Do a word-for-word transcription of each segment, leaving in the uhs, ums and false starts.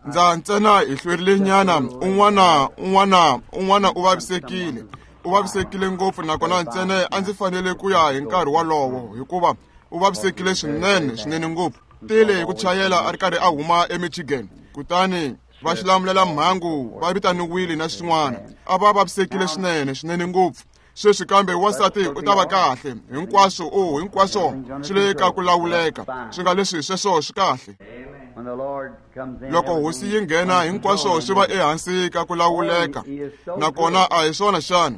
Ndza ntsena hi hlwerile nyana, un'wana un'wana un'wana u vavisekile. U vavisekile ngopfu nakona ntsena a ndzi fanele ku ya hi nkarhi wolowo hikuva u vavisekile swinene swinene ngopfu. Tile hi ku chayela a ri karhi a huma eMichigan. Kutani va xilamulela mhangu va vitaniwile na swin'wana. A va vavisekile swinene swinene ngopfu. Sweswi kambe wansati u ta va kahle. Hinkwaswo o hinkwaswo swi le ka ku lawuleka. Swi nga leswi sweswo swi kahle. Loko hosi yi nghena hinkwaswo swi va ehansi ka ku lawuleka. Nakona a hi swona xana?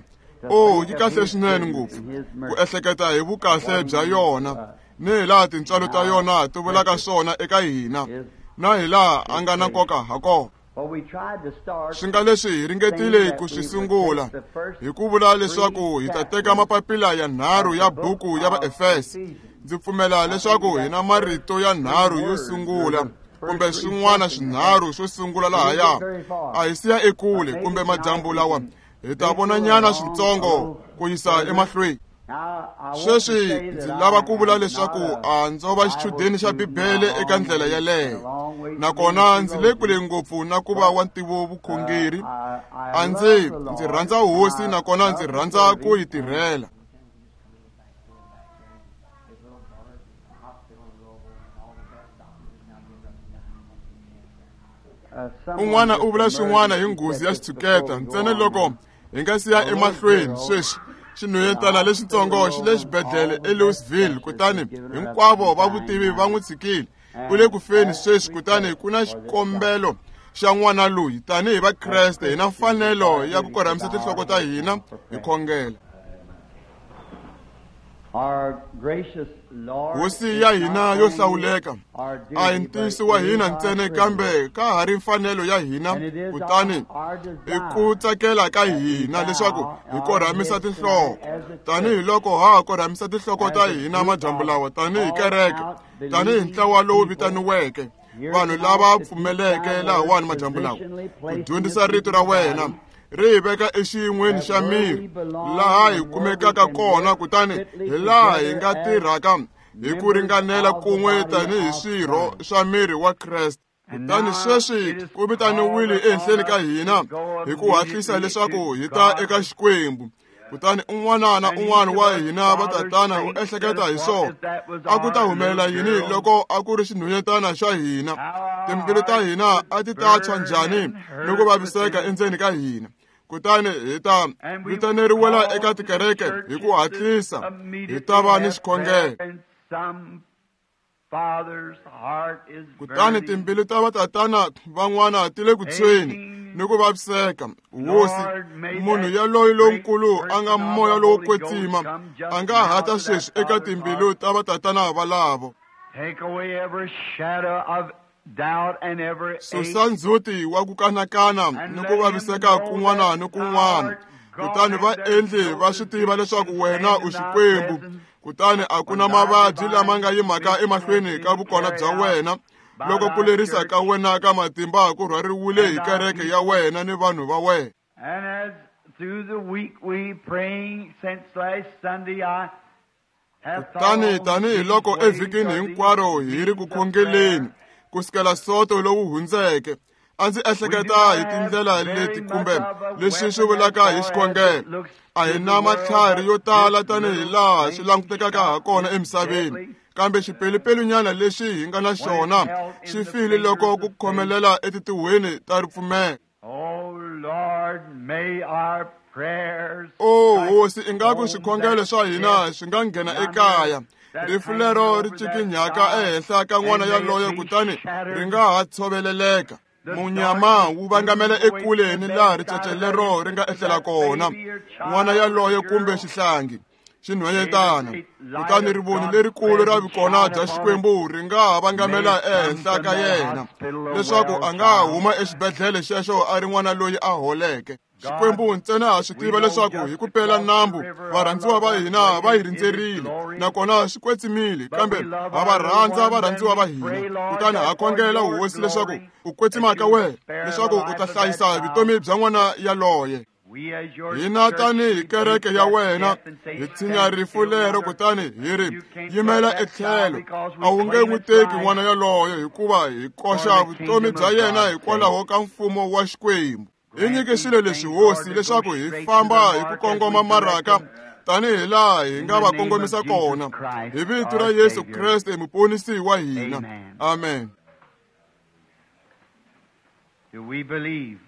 O yi kahle swinene ngopfu ku ehleketa hi vukahle bya yona ni hi laha tintswalo ta yona ti vulaka swona eka hina na hi laha a nga na nkoka ha kona. Swi nga leswi hi ringetile ku swi sungula hi ku vula leswaku hi ta teka mapapila ya nharhu ya buku ya Vaefesa. Ndzi pfumela leswaku hi na marito ya nharhu yo sungula kumbe swin'wana swinharhu swo sungula lahaya. A hi siya ekule kumbe madyambu lawa hi ta vona nyana switsongo ku yisa emahlweni. Sweswi ndzi lava ku vula leswaku a ndzo va xichudeni xa Bibele eka ndlela yaleyo. Nakona ndzi le kule ngopfu na ku va wa ntivo vukhongeri. A ndzi ndzi rhandza hosi nakona ndzi rhandza ku yi tirhela. Un'wana u vula swin'wana hi nghozi ya xitshuketa ntsena loko hi nga siya emahlweni sweswi. Xinhwanyetana lexitsongo xi le xibedhlele eLouisville kutani hinkwavo va vutivi va n'wi tshikile. U le ku feni sweswi kutani ku na xikombelo xa n'wana loyi. Tanihi Vakreste hi na mfanelo ya ku korhamisa tinhloko ta hina hi khongela. Hosi ya hina yo hlawuleka a hi ntiyiso wa hina ntsena kambe ka ha ri mfanelo ya hina kutani i ku tsakela ka hina leswaku hi korhamisa tinhloko tanihiloko ha korhamisa tinhloko ta hina madyambu lawa tanihi kereke tanihi ntlawa lowu vitaniweke vanhu lava pfumeleke lahawani madyambu lawa ku dyondzisa rito ra wena ri hi veka exiyin'weni xa miri laha hi kumekaka kona kutani hi laha hi nga tirhaka hi ku ringanela kun'we tanihi swirho swa miri wa Kreste. Kutani sweswi ku vitaniwile ehenhleni ka hina hi ku hatlisa leswaku hi ta eka Xikwembu. Kutani un'wana na un'wana wa hina vatatana u ehleketa hi swona. A ku ta humelela yini loko a ku ri xinhwanyetana xa hina? Timbilu ta hina a ti ta tshwa njhani ni ku vaviseka endzeni ka hina? Kutani hi ta vitaneriwela eka tikereke hi ku hatlisa hi ta va ni xikhongelo. Kutani timbilu ta vatatana van'wana ti le ku tshweni ni ku vaviseka. Hosi, munhu yaloyi lonkulu a nga moya lowo kwetsima a nga hata sweswi eka timbilu ta vatatana valavo. Susa ndzhuti wa ku kanakana ni ku vaviseka kun'wana ni kun'wana. Kutani va endli va swi tiva leswaku wena u Xikwembu. Kutani a ku na mavabyi lama nga yimaka emahlweni ka vukona bya wena loko ku lerisa ka wena ka matimba ku rhwariwile hi kereke ya wena ni vanhu va wena. Kutani tanihiloko evhikini hinkwaro hi ri ku khongeleni ku sukela Sonto lowu hundzeke, a ndzi ehleketa hi tindlela leti kumbe leswi swi vulaka hi xikhongelo. A hi na matlhari yo tala tanihi laha swi langutekaka ha kona emisaveni, kambe xipelupelu-nyana lexi hi nga na xona xi file loko ku khomelela etitihweni ta ripfumelo. O hosi, ingaku swikhongelo swa hina swi nga nghena ekaya. Rifu lero ri cikinyaka ehenhla ka n'wana yaloye kutani ri nga ha tshoveleleka. Munyama wu vangamela ekule ni laha ricece lero ri nga ehlela kona n'wana yaloye kumbe xihlangi xinhwanyetana. Kutani rivoni lerikulu ra vukona bya Xikwembu ri nga ha vangamela ehenhla ka yena leswaku a nga huma exibedhlele xexo a ri n'wana loyi a holeke. Xikwembu ntsena ha swi tiva leswaku hi ku pela nambu varhandziwa va hina va hi rindzerile nakona swi kwetsimile, kambe ha va rhandza varhandziwa va hina. Kutani ha khongela hosi leswaku u kwetsima ka wena leswaku u ta hlayisa vutomi bya n'wana yaloye. Hina tanihi kereke ya wena hi tshinya rifu lero kutani hi ri yimela etlhelo. A wu nge n'wi teki n'wana yaloye hikuva hi koxa vutomi bya yena hikwalaho ka mfumo wa Xikwembu. Hi nyike swilo leswi Hosi leswaku hi famba hi ku kongoma maraka tanihi laha hi nga va kongomisa kona. Hi vito ra Yesu Kreste muponisi wa hina. Amen. Do we believe?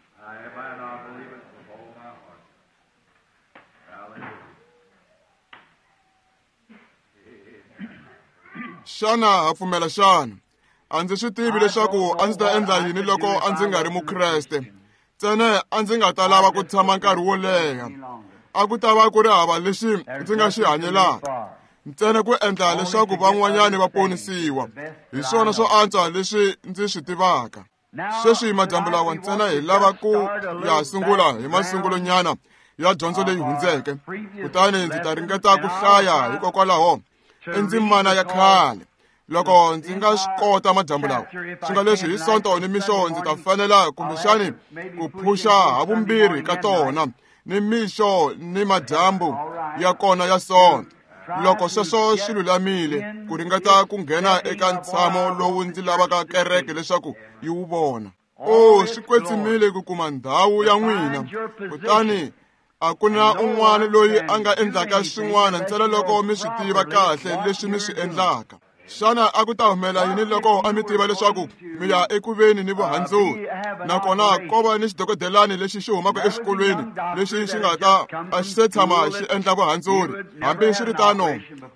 Xana ha pfumela xana? A ndzi swi tivi leswaku a ndzi ta endla yini loko a ndzi nga ri Mukreste. Ntsena a ndzi nga ta lava ku tshama nkarhi wo leha. A ku ta va ku ri hava lexi ndzi nga xi hanyelaka. Ntsena ku endla leswaku van'wanyani va ponisiwa. Hi swona swo antswa leswi ndzi swi tivaka. Sweswi madyambu lawa ntsena hi lava ku ya sungula hi masungulonyana ya dyondzo leyi hundzeke. Kutani ndzi ta ringeta ku hlaya hikokwalaho i ndzimana ya khale. Loko ndzi nga swi kota madyambu lawa, swi nga leswi hi Sonto ni mixo ndzi ta fanela kumbexani ku phuxa havumbirhi ka tona ni mixo ni madyambu ya kona ya Sonto. Loko sweswo swi lulamile ku ringeta ku nghena eka ntshamo lowu ndzi lavaka kereke leswaku yi wu vona. O swi kwetsimile ku kuma ndhawu ya n'wina, kutani a ku na un'wana loyi a nga endlaka swin'wana ntsena loko mi swi tiva kahle leswi mi swi endlaka. Xana a ku ta humela yini loko a mi tiva leswaku mi ya ekuveni ni vuhandzuri, nakona ko va ni xidokodelani lexi xi humaka exikolweni lexi xi nga ta a xi se tshama xi endla vuhandzuri? Hambiswiritano,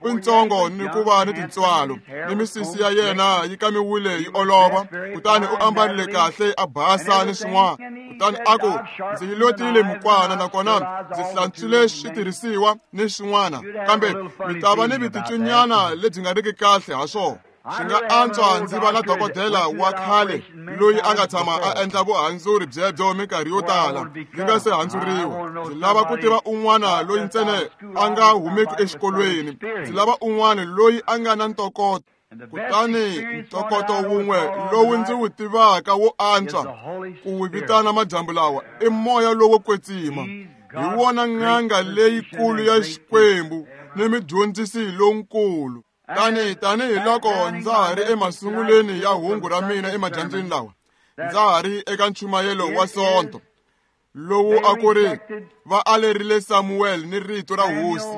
i ntsongo ni ku va ni tintswalo, ni misisi ya yena yi kamiwile yi olova, kutani u ambarile kahle a basa ni swin'wana. Kutani a ku, ndzi yi lotile mukwana nakona ndzi hlantswile switirhisiwa ni swin'wana, kambe mi ta va ni viticunyana lebyi nga riki kahle ha swona. Swi nga antswa ndzi va na dokodela wa khale loyi a nga tshama a endla vuhandzuri byebyo minkarhi yo tala ndzi nga se handzuriwa. Ndzi lava ku tiva un'wana loyi ntsena a nga humeki exikolweni. Ndzi lava un'wana loyi a nga na ntokoto. Kutani ntokoto wun'we lowu ndzi wu tivaka wo antswa ku wu vitana madyambu lawa i moya lowo kwetsima. Hi wona n'anga leyikulu ya Xikwembu ni mudyondzisi lonkulu. Tani tanihiloko ndza ha ri emasungulweni ya hungu ra mina emadyambyini lawa, ndza ha ri eka nchumayelo wa Sonto lowu a ku ri va alerile Samuel ni rito ra Hosi,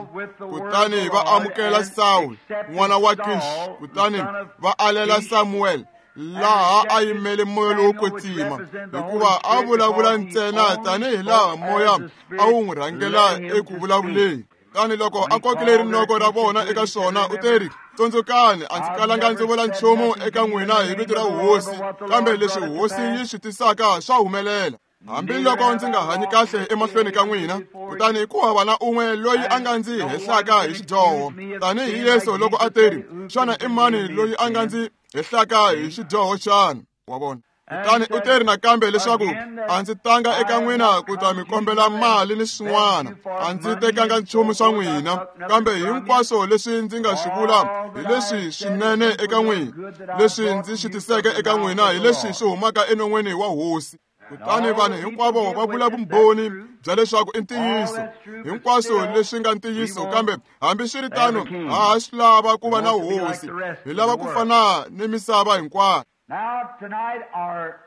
kutani va amukela Saul n'wana wa Kish, kutani va alela Samuel laha a yimele moya lowo kwetsima, hikuva a vulavula ntsena tanihilaha moya a wu n'wi rhangela eku vulavuleni. Kutani loko a kokile rinoko ra vona eka swona, u teri, tsundzukani, a ndzi kalanga ndzi vula nchumu eka n'wina hi vito ra Hosi, kambe leswi Hosi yi swi tisaka swa humelela. Hambiloko ndzi nga hanyi kahle emahlweni ka n'wina, kutani ku hava na un'we loyi a nga ndzi hehlaka hi xidyoho. Tanihi Yesu loko a teri, xana i mani loyi a nga ndzi hehlaka hi xidyoho xana? Wa vona? Kutani u teri nakambe leswaku a ndzi tanga eka n'wina ku ta mi kombela mali ni swin'wana, a ndzi tekanga nchumu swa n'wina, kambe hinkwaswo leswi ndzi nga swi vula hi leswi swinene eka n'wina, leswi ndzi swi tiseke eka n'wina hi leswi swi humaka enon'weni wa Hosi. Kutani vanhu hinkwavo va vula vumbhoni bya leswaku i ntiyiso, hinkwaswo leswi nga ntiyiso, kambe hambiswiritano ha ha swi lava ku va na Hosi, hi lava ku fana ni misava hinkwayo. Now tonight our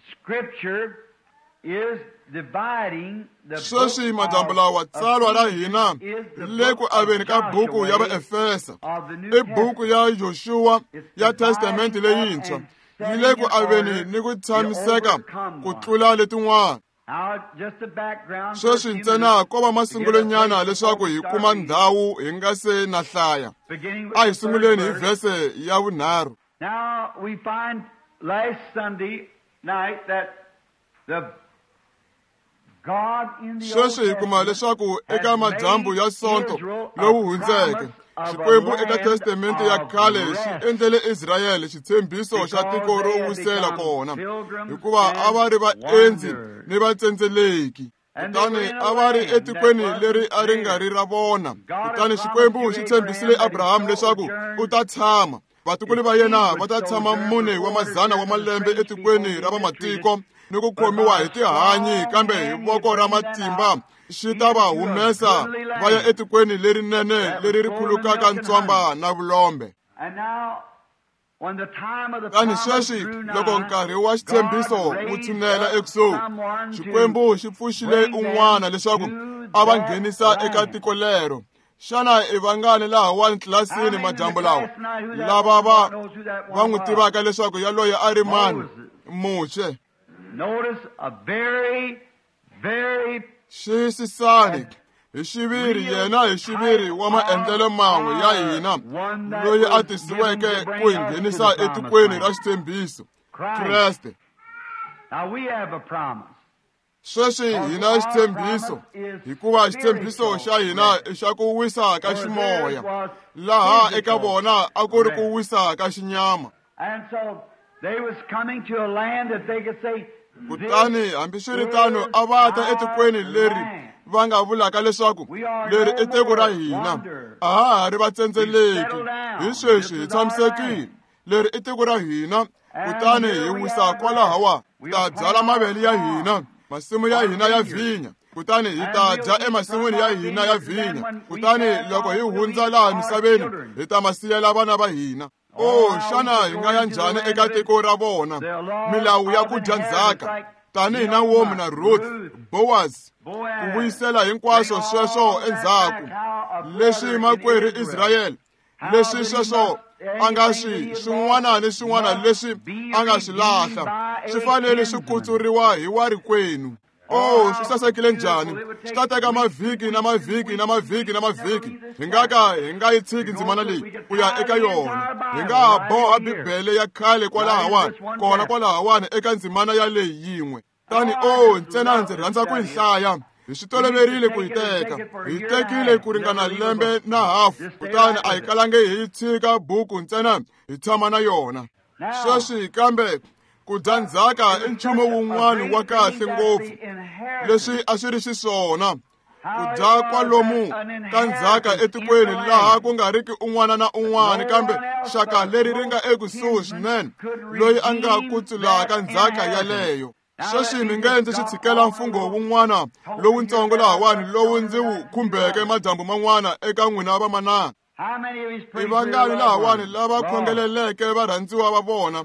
scripture is dividing the Sweswi madyambu lawa tsalwa ra hina le ku aveni ka buku ya Vaefesa, i buku ya Joshua ya Testamente leyintshwa, yi le ku aveni ni ku tshamiseka ku tlula letin'wana. Sweswi ntsena ko va masungulonyana leswaku hi kuma ndhawu hi nga se na hlaya. A hi sunguleni hi vhese ya vunharhu. Now we find last Sunday night that the God in the Sweswi hi kuma leswaku eka madyambu ya Sonto lowu hundzeke, Xikwembu eka Testamente ya khale xi endlele Israyele xitshembiso xa tiko ro wisela kona, hikuva a va ri vaendzi ni vatsendzeleki. Kutani a va ri etikweni leri a ri nga ri ra vona. Kutani Xikwembu xi tshembisile Abraham leswaku u ta tshama. Vatukulu va yena va ta tshama mune wa mazana wa malembe etikweni ra vamatiko ni ku khomiwa hi tihanyi, kambe hi voko ra matimba xi ta va humesa va ya etikweni lerinene leri ri khulukaka ntswamba na vulombe. Kutani sweswi loko nkarhi wa xitshembiso wu tshunela ekusuhi, Xikwembu xi pfuxile un'wana leswaku a va nghenisa eka tiko lero. Xana i vangani lahawani tlilasini madyambu lawa lava va va n'wi tivaka leswaku yaloye a ri mani? Muxe. Xiyisisani hi xiviri yena hi xiviri wa maendlelo man'we ya hina loyi a tisiweke ku hi nghenisa etikweni ra xitshembiso, Kreste. Sweswi hina xitshembiso, hikuva xitshembiso xa hina i xa ku wisa ka ximoya, laha eka vona a ku ri ku wisa ka xinyama. Kutani hambiswiritano a va ta etikweni leri va nga vulaka leswaku leri i tiko ra hina, a ha ha ri vatsendzeleki, hi sweswi hi tshamisekile, leri i tiko ra hina, kutani hi wisa kwalahawa, ta byala mavele ya hina, masimu ya hina ya vhinya, kutani hi ta dya emasin'wini ya hina ya vhinya, kutani loko hi hundza laha misaveni hi ta ma siyela vana va hina. O xana hi nga ya njhani eka tiko ra vona? Milawu ya ku dya ndzhaka tanihi Naomi na Ruth, Boaz, ku vuyisela hinkwaswo sweswo endzhaku, leswi makwerhu Israyele, leswi sweswo a nga swi swin'wana ni swin'wana leswi a nga swi lahla swi fanele swi kutsuriwa hi warikwenu. O swi sasekile njhani! Swi ta teka mavhiki na mavhiki na mavhiki na mavhiki. Hi nga ka hi nga yi tshiki ndzimana leyi ku ya eka yona. Hi nga ha boha Bibele ya khale kwalahawani, kona kwalahawani eka ndzimana yaleyi yin'we. Tani o ntsena ndzi rhandza ku yi hlaya. Hi swi toloverile ku yi teka. Hi tekile ku ringana lembe na hafu, kutani a hi kalangi hi tshika buku ntsena hi tshama na yona. Sweswi kambe ku dya ndzhaka i nchumu wun'wana wa kahle ngopfu, leswi a swi ri xiswona. Ku dya kwalomu ka ndzhaka etikweni laha ku nga riki un'wana na un'wana, kambe xaka leri ri nga ekusuhi swinene loyi a nga kutsulaka ndzhaka yaleyo. Sweswi mi nge ndzi xi tshikela mfungho wun'wana lowutsongo lahawani lowu ndzi wu khumbeke madyambu man'wana eka n'wina vamanana. I vangani lahawani lava khongeleleke varhandziwa va vona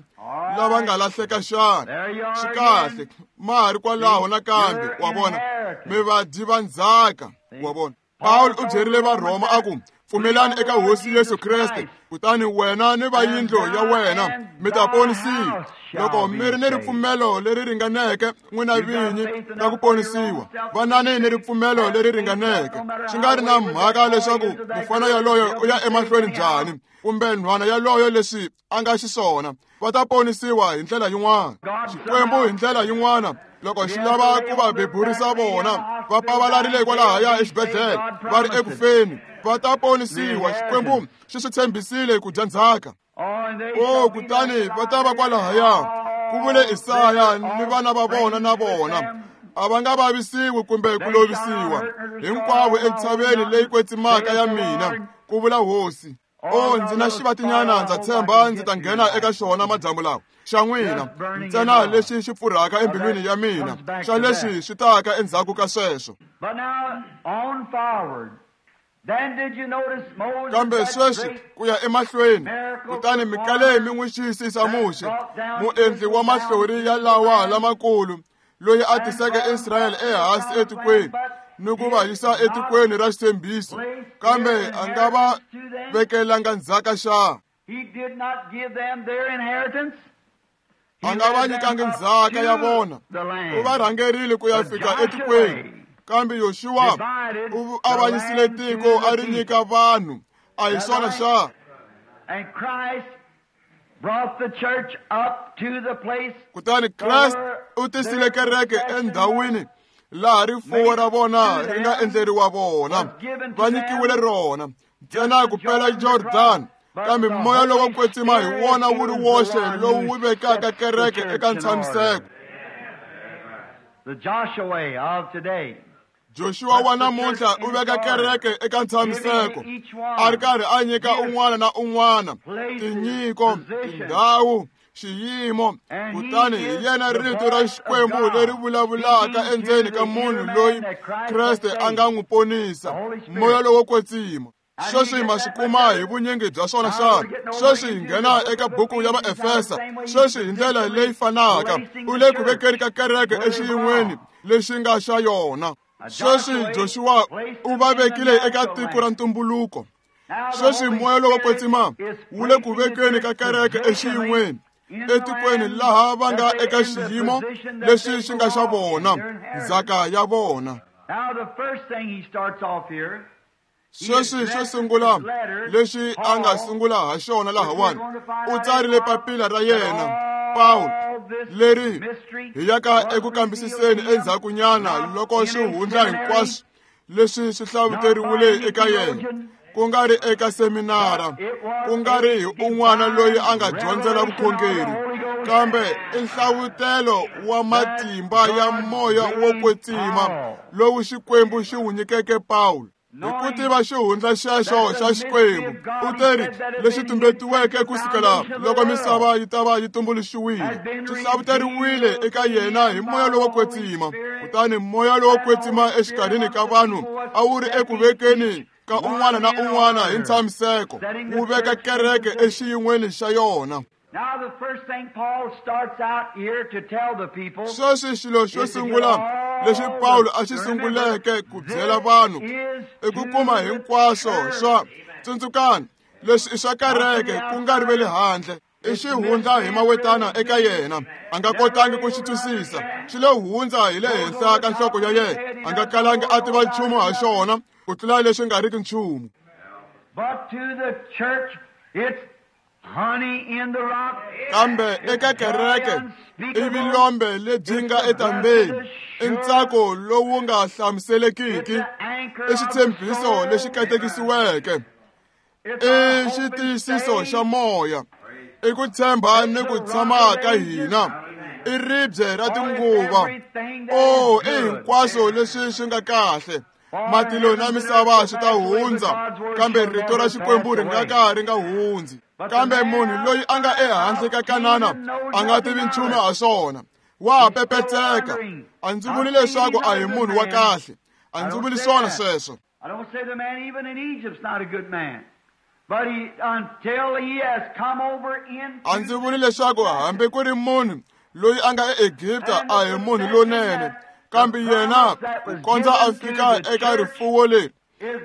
lava nga lahleka xana? Swi kahle, ma ha ri kwalaho nakambe, wa vona, mi vadyi va ndzhaka, wa vona. Pawulo u byerile Varhoma a ku, pfumelani eka Hosi Yesu Kreste, kutani wena ni va yindlu ya wena mi ta ponisiwa. Loko mi ri ni ripfumelo leri ringaneke n'wina vinyi ra ku ponisiwa, vanani ni ripfumelo leri ringaneke. Swi nga ri na mhaka leswaku mufana yaloyo u ya emahlweni njhani, kumbe nhwana yaloyo leswi a nga xiswona, va ta ponisiwa hi ndlela yin'wana. Xikwembu hi ndlela yin'wana, loko xi lava ku va beburisa vona, va pavalarile kwalahaya exibedhlele, va ri ekufeni, va ta ponisiwa. Xikwembu xi swi tshembisile ku dya ndzhaka. O kutani va ta va kwalahaya, ku vule Isaya, ni vana va vona na vona a va nga vavisiwi kumbe ku lovisiwa hinkwavo entshaveni leyi kwetsimaka ya mina, ku vula Hosi. O ndzi na xivatinyana, ndza tshemba ndzi ta nghena eka xona madyambu lawa xa n'wina, ntsena lexi xi pfurhaka embilwini ya mina xa leswi swi taka endzhaku ka sweswo. Kambe sweswi ku ya emahlweni, kutani mi kale mi n'wi xiyisisa Muxe, muendli wa mahlori ya lawa lamakulu, loyi a tiseke Israyele ehansi etikweni ni ku va yisa etikweni ra xitshembiso, kambe a nga va vekelanga ndzhaka xa. A nga va nyikangi ndzhaka ya vona, u va rhangerile ku ya fika etikweni. Kambe Yoshua u avanyisile tiko a ri nyika vanhu, a hi swona xa. Kutani Kreste u tisile kereke endhawini laha rifuwo ra vona ri nga endleriwa vona, va nyikiwile rona ntsena ku pela Jordan. Kambe moya lowo kwetsima hi wona wu ri woxe lowu wu vekaka kereke eka ntshamiseko. The Joshua of today. Joshua wa namuntlha u veka kereke eka ntshamiseko, a ri karhi a nyika un'wana na un'wana tinyiko, tindhawu, xiyimo. Kutani hi yena rito ra Xikwembu leri vulavulaka endzeni ka munhu loyi Kreste a nga n'wi ponisa, Moya lowo Kwetsima. Sweswi ma swi kuma hi vunyingi bya swona xana? Sweswi hi nghena eka buku ya Vaefesa. Sweswi hi ndlela leyi fanaka u le ku vekeni ka kereke exiyin'weni lexi nga xa yona. Sweswi Joshua u va vekile eka tiko ra ntumbuluko. Sweswi Moya lowo Kwetsima wu le ku vekeni ka kereke exiyin'weni etikweni laha va nga eka xiyimo lexi xi nga xa vona, ndzhaka ya vona. Sweswi xo sungula lexi a nga sungula ha xona lahawani, u tsarile papila ra yena Pawulo leri hi yaka eku kambisiseni endzhakunyana loko xihundla hinkwaswo leswi swi hlavuteriwile eka yena, ku nga ri eka seminara, ku nga ri hi un'wana loyi a nga dyondzela vukhongeri, kambe i nhlavutelo wa matimba ya Moya wo Kwetsima lowu Xikwembu xi wu nyikeke Pawulo. Hi ku tiva xihundla xexo xa Xikwembu, u teri lexi tumbetiweke ku sukela loko misava yi ta va yi tumbuluxiwile, xi hlavuteriwile eka yena hi Moya lowo Kwetsima. Kutani Moya lowo Kwetsima exikarhini ka vanhu a wu ri eku vekeni ka un'wana na un'wana hi ntshamiseko, wu veka kereke exiyin'weni xa yona. Sweswi xilo xo sungula lexi Pawulo a xi sunguleke ku byela vanhu i ku kuma hinkwaswo swa tsundzukani leswi i swa kereke, ku nga ri ve le handle. I xihundla hi mawetana eka yena, a nga kotangi ku xi twisisa. Xi lo hundza hi le henhla ka nhloko ya yena, a nga kalangi a tiva nchumu ha xona ku tlula leswi nga riki nchumu. Kambe eka kereke i vilombe lebyi nga etambeni, i ntsako lowu nga hlamuselekiki, i xitshembiso lexi katekisiweke, i xitiyisiso xa moya, i ku tshemba ni ku tshama ka hina, i ribye ra tinguva. O, i hinkwaswo leswi swi nga kahle. Matilo na misava swi ta hundza, kambe rito ra Xikwembu ri nga ka ri nga hundzi. Kambe munhu loyi a nga ehandle ka Kanana a nga tivi nchumu ha swona, wa pepetseka. A ndzi vuli leswaku a hi munhu wa kahle, a ndzi vuli swona sweswo. A ndzi vuli leswaku hambi ku ri munhu loyi a nga eEgipta a hi munhu lonene, kambe yena ku kondza a fika eka rifuwo leri.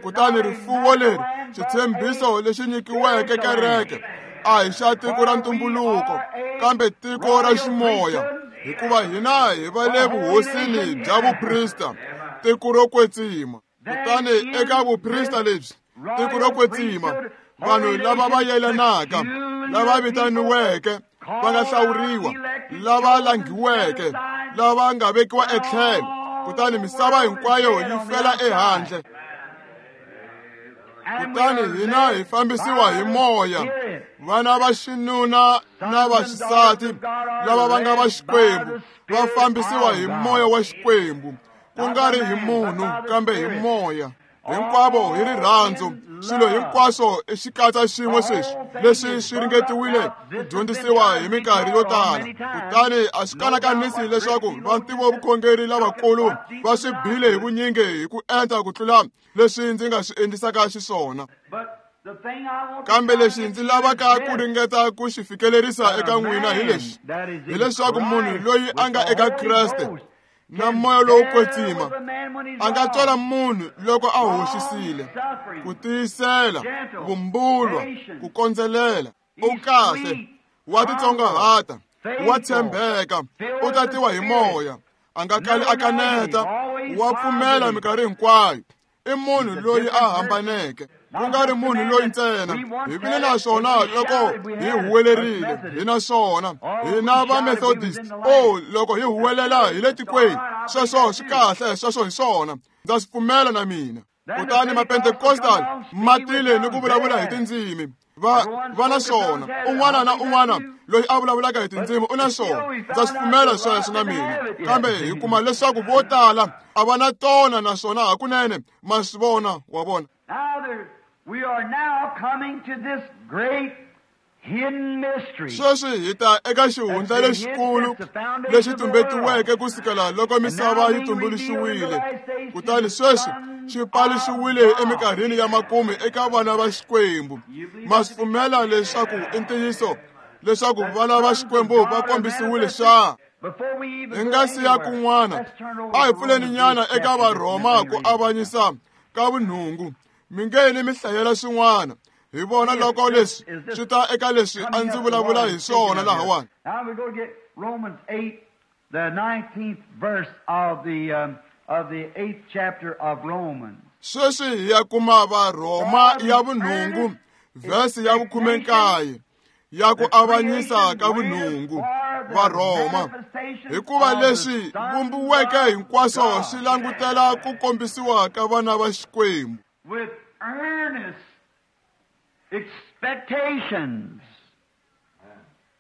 Kutani rifuwo leri, xitshembiso lexi nyikiweke kereke, a hi xa tiko ra ntumbuluko, kambe tiko ra ximoya, hikuva hina hi va le vuhosini bya vuprista, tiko ro kwetsima. Kutani eka vuprista lebyi, tiko ro kwetsima, vanhu lava va yelanaka, lava vitaniweke, va nga hlawuriwa, lava langhiweke, lava nga vekiwa etlhelo, kutani misava hinkwayo yi fela ehandle. Kutani hina hi fambisiwa hi moya, vana va xinuna na va xisati lava va nga va Xikwembu va fambisiwa hi moya wa Xikwembu, ku nga ri hi munhu kambe hi moya. Hinkwavo hi rirhandzu, swilo hinkwaswo i xikatsa xin'we sweswi leswi swi ringetiwile ku dyondzisiwa hi minkarhi yo tala. Kutani a swi kanakanisi leswaku vantivovukhongeri lavakulu va swi bile hi vunyingi hi ku enta ku tlula leswi ndzi nga swi endlisaka xiswona. Kambe lexi ndzi lavaka ku ringeta ku xi fikelerisa eka n'wina hi lexi, hileswaku munhu loyi a nga eka Kreste na Moya lowo Kwetsima a nga tswala munhu loko a hoxisile, ku tiyisela, vumbulwa, ku kondzelela. U kahle, wa titsongahata, wa tshembeka, u tatiwa hi moya, a nga kali a kaneta, wa pfumela minkarhi hinkwayo. I munhu loyi a hambaneke, ku nga ri munhu loyi ntsena. Hi vile na swona loko hi huwelerile, hi na swona hina va Methodist. O, loko hi huwelela hi le tikweni, sweswo swi kahle, sweswo hi swona, ndza swi pfumela na mina. Kutani Mapentecostal ma tile ni ku vulavula hi tindzimi. Va va na swona. Un'wana na un'wana loyi a vulavulaka hi tindzimi u na swona. Ndza swi pfumela sweswo na mina. Kambe hi kuma leswaku vo tala a va na tona naswona hakunene ma swi vona, wa vona. We are now coming to this great hidden mystery. Sweswi hi ta eka xihundla lexikulu lexi tumbetiweke ku sukela loko misava yi tumbuluxiwile. Kutani sweswi xi paluxiwile eminkarhini ya makumu eka vana va Xikwembu. Ma swi pfumela leswaku i ntiyiso leswaku vana va Xikwembu va kombisiwile xa? Hi nga si ya kun'wana, a hi pfuleni nyana eka Varhoma ku avanyisa ka vunhungu. Mi nge mi hlayela swin'wana. Hi vona loko leswi swi ta eka leswi a ndzi vulavula hi swona lahawani. Now we go get Romans eight, the nineteenth verse of the um, of the eighth chapter of Romans. Sweswi hi ya kuma Varhoma ya vunhungu, verse ya vukhume nkaye ya ku avanyisa ka vunhungu. Varhoma, hikuva leswi vumbiweke hinkwaswo swi langutela ku kombisiwa ka vana va Xikwembu. With earnest expectations,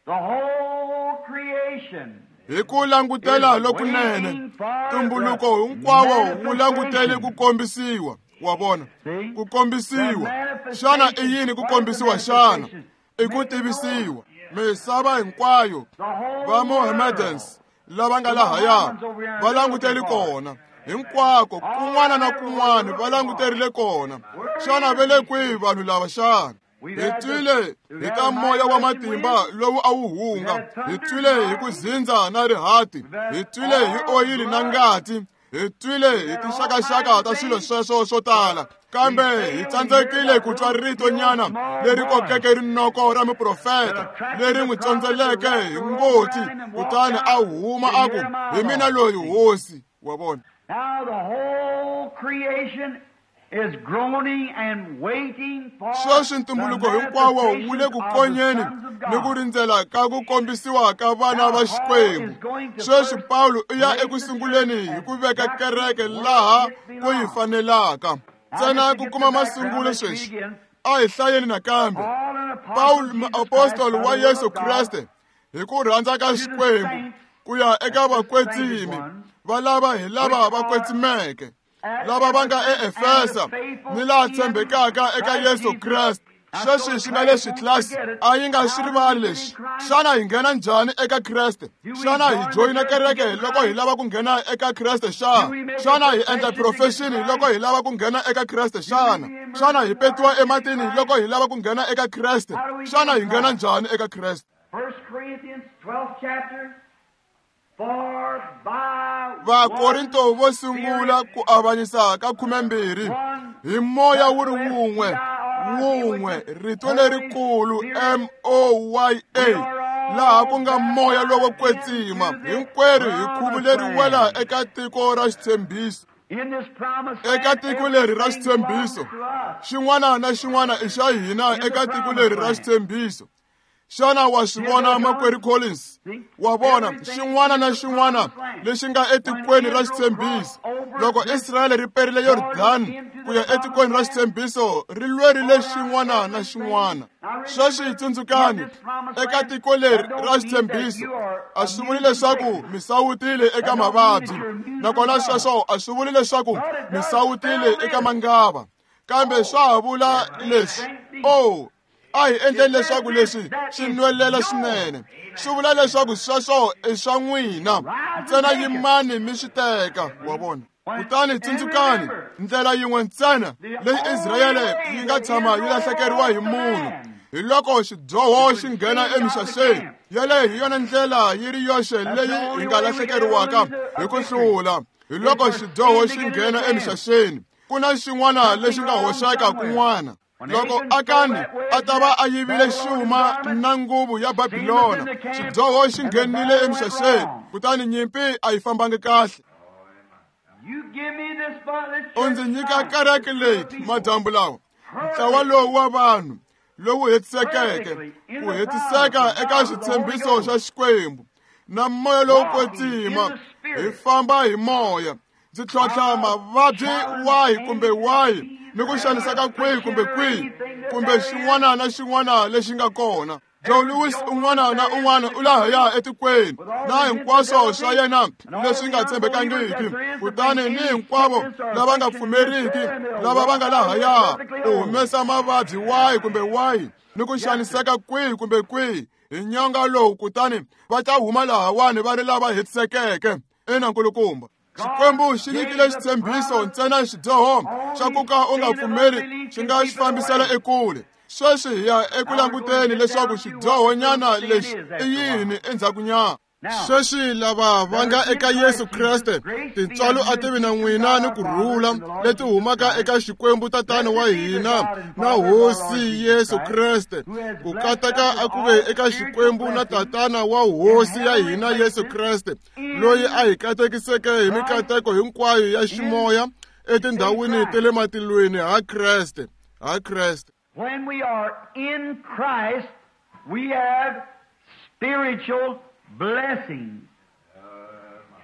the whole creation hi ku langutela lokunene, tumbuluko hinkwawo wu langutele ku kombisiwa. Wa vona, ku kombisiwa. Xana i yini ku kombisiwa xana? I ku tivisiwa. Misava hinkwayo, va Mohammedans lava nga lahaya va langutele kona. Hinkwako kun'wana na kun'wana va languterile kona. Xana va le kwihi vanhu lava xana? Hi twile hi ta moya wa matimba lowu a wu hunga. Hi twile hi ku zindza na rihati. Hi twile hi oyili na ngati. Hi twile hi tinxakaxaka ta swilo sweswo swo tala. Kambe hi tsandzekile ku twa rito nyana leri kokeke rinoko ra muprofeta leri n'wi tsondzeleke hi ngoti, kutani a huma a ku, hi mina loyi hosi. Wa vona. Now the whole creation is groaning and waiting for sweswi ntumbuluko hinkwawo wu le ku konyeni ni ku rindzela ka ku kombisiwa ka vana va Xikwembu. Sweswi Pawulo u ya eku sunguleni hi ku veka kereke laha ku yi fanelaka. Ntsena ku kuma masungulo sweswi, a hi hlayeni nakambe. Pawulo muapostoli wa Yesu Kreste hi ku rhandza ka Xikwembu ku ya eka vakwetsimi va lava hi lava va kwetsimeke, lava va nga eEfesa ni laha tshembekaka eka Yesu Kreste. Sweswi swi nga leswi tlilasi a yi nga swi rivali leswi. Xana hi nghena njhani eka Kreste? Xana hi joyina kereke loko hi lava ku nghena eka Kreste xana? Xana hi endla profession loko hi lava ku nghena eka Kreste xana? Xana hi petiwa ematini loko hi lava ku nghena eka Kreste? Xana hi nghena njhani eka Kreste? First Corinthians twelfth chapter. Vakorinto vo sungula ku avanyisa ka khumembirhi hi moya wu ri wun'we wun'we, rito lerikulu M O Y A, laha ku nga moya lowo kwetsima. Hinkwerhu hi khuvuleriwela eka tiko ra xitshembiso. Eka tiko leri ra xitshembiso, xin'wana na xin'wana i xa hina eka tiko leri ra xitshembiso. Xana wa swi vona makwerhu Collins? Wa vona xin'wana na xin'wana lexi nga etikweni ra xitshembiso. Loko Israyele ri perile Yordani ku ya etikweni ra xitshembiso, ri lwerile xin'wana na xin'wana. Sweswi tsundzukani, eka tiko leri ra xitshembiso a swi vuli leswaku mi sawutile eka mavabyi, nakona sweswo a swi vuli leswaku mi sawutile eka mangava, kambe swa ha vula leswi: oh, a hi endleni leswaku leswi swi nwelela swinene. Swi vula leswaku sweswo i swa n'wina, ntsena yimani mi swi teka. Wa vona. Kutani tsundzukani, ndlela yin'we ntsena leyi Israyele yi nga tshama yi lahlekeriwa hi munhu hi loko xidyoho xi nghena emixaxeni. Yaleyo hi yona ndlela yi ri yoxe leyi hi nga lahlekeriwaka hi ku hlula, hi loko xidyoho xi nghena emixaxeni. Ku na xin'wana lexi nga hoxeka kun'wana. Loko Akani a ta va a yivile xuma na nguvu ya Babilona, xidyoho xi nghenile emixaxeni, kutani nyimpi a yi fambangi kahle. U ndzi nyika kereke leyi madyambu lawa, ntlawa lowu wa vanhu lowu hetisekeke, ku hetiseka eka xitshembiso xa Xikwembu na moya lowo kwetsima. Hi famba hi moya. Ndzi tlhontlha mavabyi wahi kumbe wahi ni ku xaniseka kwihi kumbe kwihi kumbe xin'wana na xin'wana lexi nga kona. Joe Louis un'wana na un'wana u lahaya etikweni na hinkwaswo swa yena leswi nga tshembekangiki, kutani ni hinkwavo lava nga pfumeriki lava va nga lahaya u humesa mavabyi wahi kumbe wahi ni ku xaniseka kwihi kumbe kwihi hi nyonga lowu, kutani va ta huma lahawani va ri lava hetisekeke. Ina nkulukumba, Xikwembu xi nyikile xitshembiso ntsena xidyoho xa ku ka u nga pfumeli xi nga xi fambisela ekule. Sweswi hi ya eku languteni leswaku xidyohonyana lexi i yini endzhakunyana. Sweswi lava va nga eka Yesu Kreste, tintswalo a ti vi na n'wina ni ku rhula leti humaka eka Xikwembu Tatana wa hina na Hosi Yesu Kreste. Ku kateka a ku ve eka Xikwembu na Tatana wa Hosi ya hina Yesu Kreste, loyi a hi katekiseke hi mikateko hinkwayo ya ximoya etindhawini ta le matilweni ha Kreste, ha Kreste. When we are in Christ, we have spiritual blessings.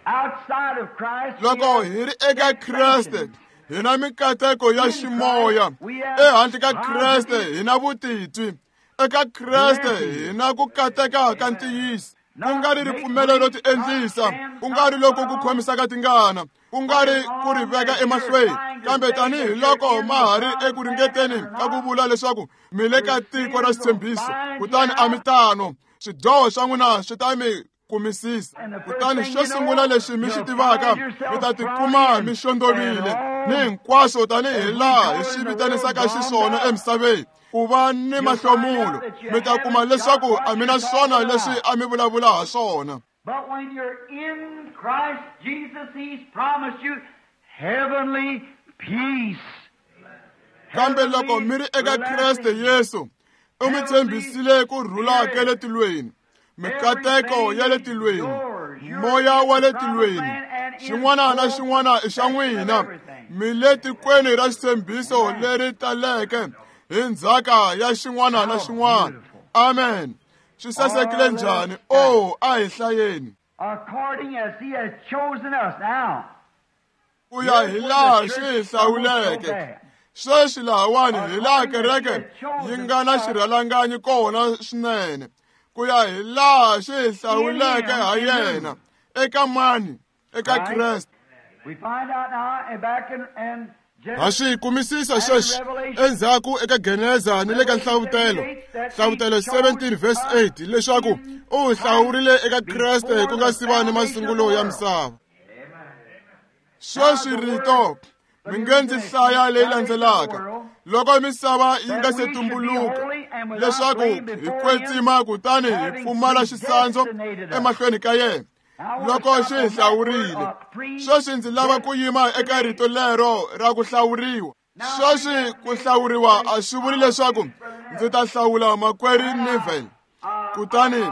Outside of Christ, loko hi ri eka Kreste, hi na mikateko ya ximoya. Ehandle ka Kreste hi na vutitwi. Eka Kreste hi na ku kateka ka ntiyiso. Ku nga ri ripfumelo ro tiendlisa, ku nga ri loko ku khomisaka tingana, ku nga ri ku ri veka emahlweni, kambe tanihi loko ma ha ri eku ringeteni ka ku vula leswaku mi le ka tiko ra xitshembiso, kutani a mi tano. Swidyoho swa n'wina swi ta mi kumisisa. Kutani xo sungula lexi mi xi tivaka, mi ta tikuma mi xondovile ni hinkwaswo tanihi laha hi swi vitanisaka xiswona emisaveni, ku va ni mahlomulo. Mi ta kuma leswaku a mi na swona leswi a mi vulavula ha swona. But when you're in Christ Jesus, He's promised you heavenly peace. Kambe loko mi ri eka Kreste Yesu, u mi tshembisile ku rhula ka le tilweni, mikateko ya le tilweni, moya wa le tilweni, xin'wana na xin'wana i xa n'wina. Mi le tikweni ra xitshembiso leri taleke hi ndzhaka ya xin'wana na xin'wana. Amen. Swi sasekile njhani? Oh, a hi hlayeni. According as He has chosen us now. Ku ya hi laha xi hi hlawuleke. Sweswi lahawani hi laha kereke yi nga na xirhalanganyi kona swinene. Ku ya hi laha xi hi hlawuleke ha yena. Eka mani? Eka Kreste. We find out now and back in and Ha swi kumisisa sweswi endzhaku eka Geneza ni le ka Nhlavutelo, Nhlavutelo seventeen verse eight, leswaku u hi hlawurile eka Kreste ku nga si va ni masungulo ya misava. Sweswi rito mi nge ndzi hlaya leyi landzelaka, loko misava yi nga se tumbuluka, leswaku hi kwetsima kutani hi pfumala xisandzu emahlweni ka yena loko xi hi hlawurile. Sweswi ndzi lava ku yima eka rito lero ra ku hlawuriwa. Sweswi ku hlawuriwa a swi vuli leswaku ndzi ta hlawula makwerhu Neville, kutani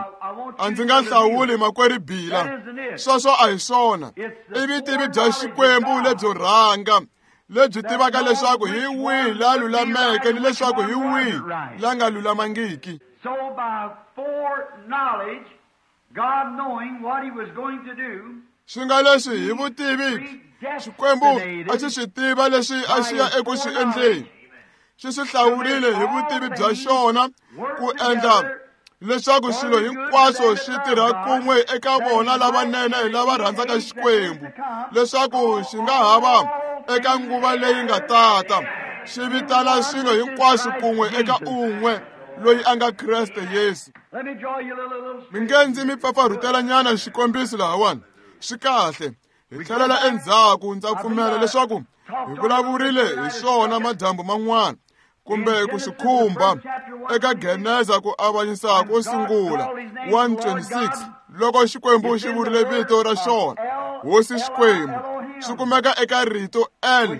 a ndzi nga hlawuli makwerhu Bila. Sweswo a hi swona. I vutivi bya Xikwembu lebyo rhanga lebyi tivaka leswaku hi wihi la lulameke ni leswaku hi wihi la nga lulamangiki. So by foreknowledge, God knowing what He was going to do, swi nga leswi hi vutivi Xikwembu a xi swi tiva leswi a xi ya eku swi endleni. Xi swi hlawurile hi vutivi bya xona ku endla leswaku swilo hinkwaswo swi tirha kun'we eka vona lavanene lava rhandzaka Xikwembu, leswaku xi nga ha va eka nguva leyi nga tata xi vitana swilo hinkwaswo kun'we eka un'we loyi a nga Kreste Yesu. Mi nge ndzi mi pfapfarhutelanyana xikombiso lahawani. Swi kahle. Hi tlhelela endzhaku, ndza pfumela leswaku hi vulavurile hi swona madyambu man'wana kumbe ku swi khumba eka Geneza ku avanyisa ko sungula one twenty-six, loko Xikwembu xi vurile vito ra xona, Hosi Xikwembu, swi kumeka eka rito El,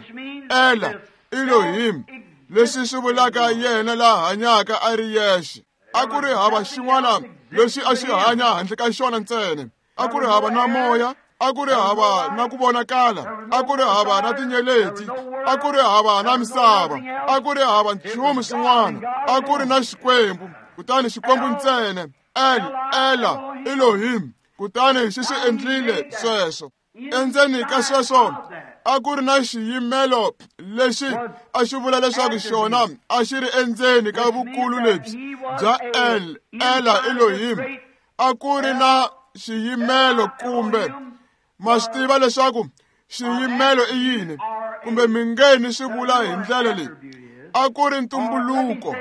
Ela, Elohim, leswi swi vulaka yena la hanyaka a ri yexe. A ku ri hava xin'wana lexi a xi hanya handle ka xona ntsena. A ku ri hava na moya, a ku ri hava na ku vonakala, a ku ri hava na tinyeleti, a ku ri hava na misava, a ku ri hava nchumu xin'wana, a ku ri na Xikwembu, kutani Xikwembu ntsena, El, Ela, Elohim, kutani xi swi endlile sweswo. Endzeni ka sweswo A ku ri na xiyimelo lexi a xi vula leswaku xona a xi ri endzeni ka vukulu lebyi bya El, Ela Elohim. A ku ri na xiyimelo kumbe ma swi tiva leswaku xiyimelo i yini, kumbe mi nge ni swi vula hi ndlela leyi. A ku ri ntumbuluko,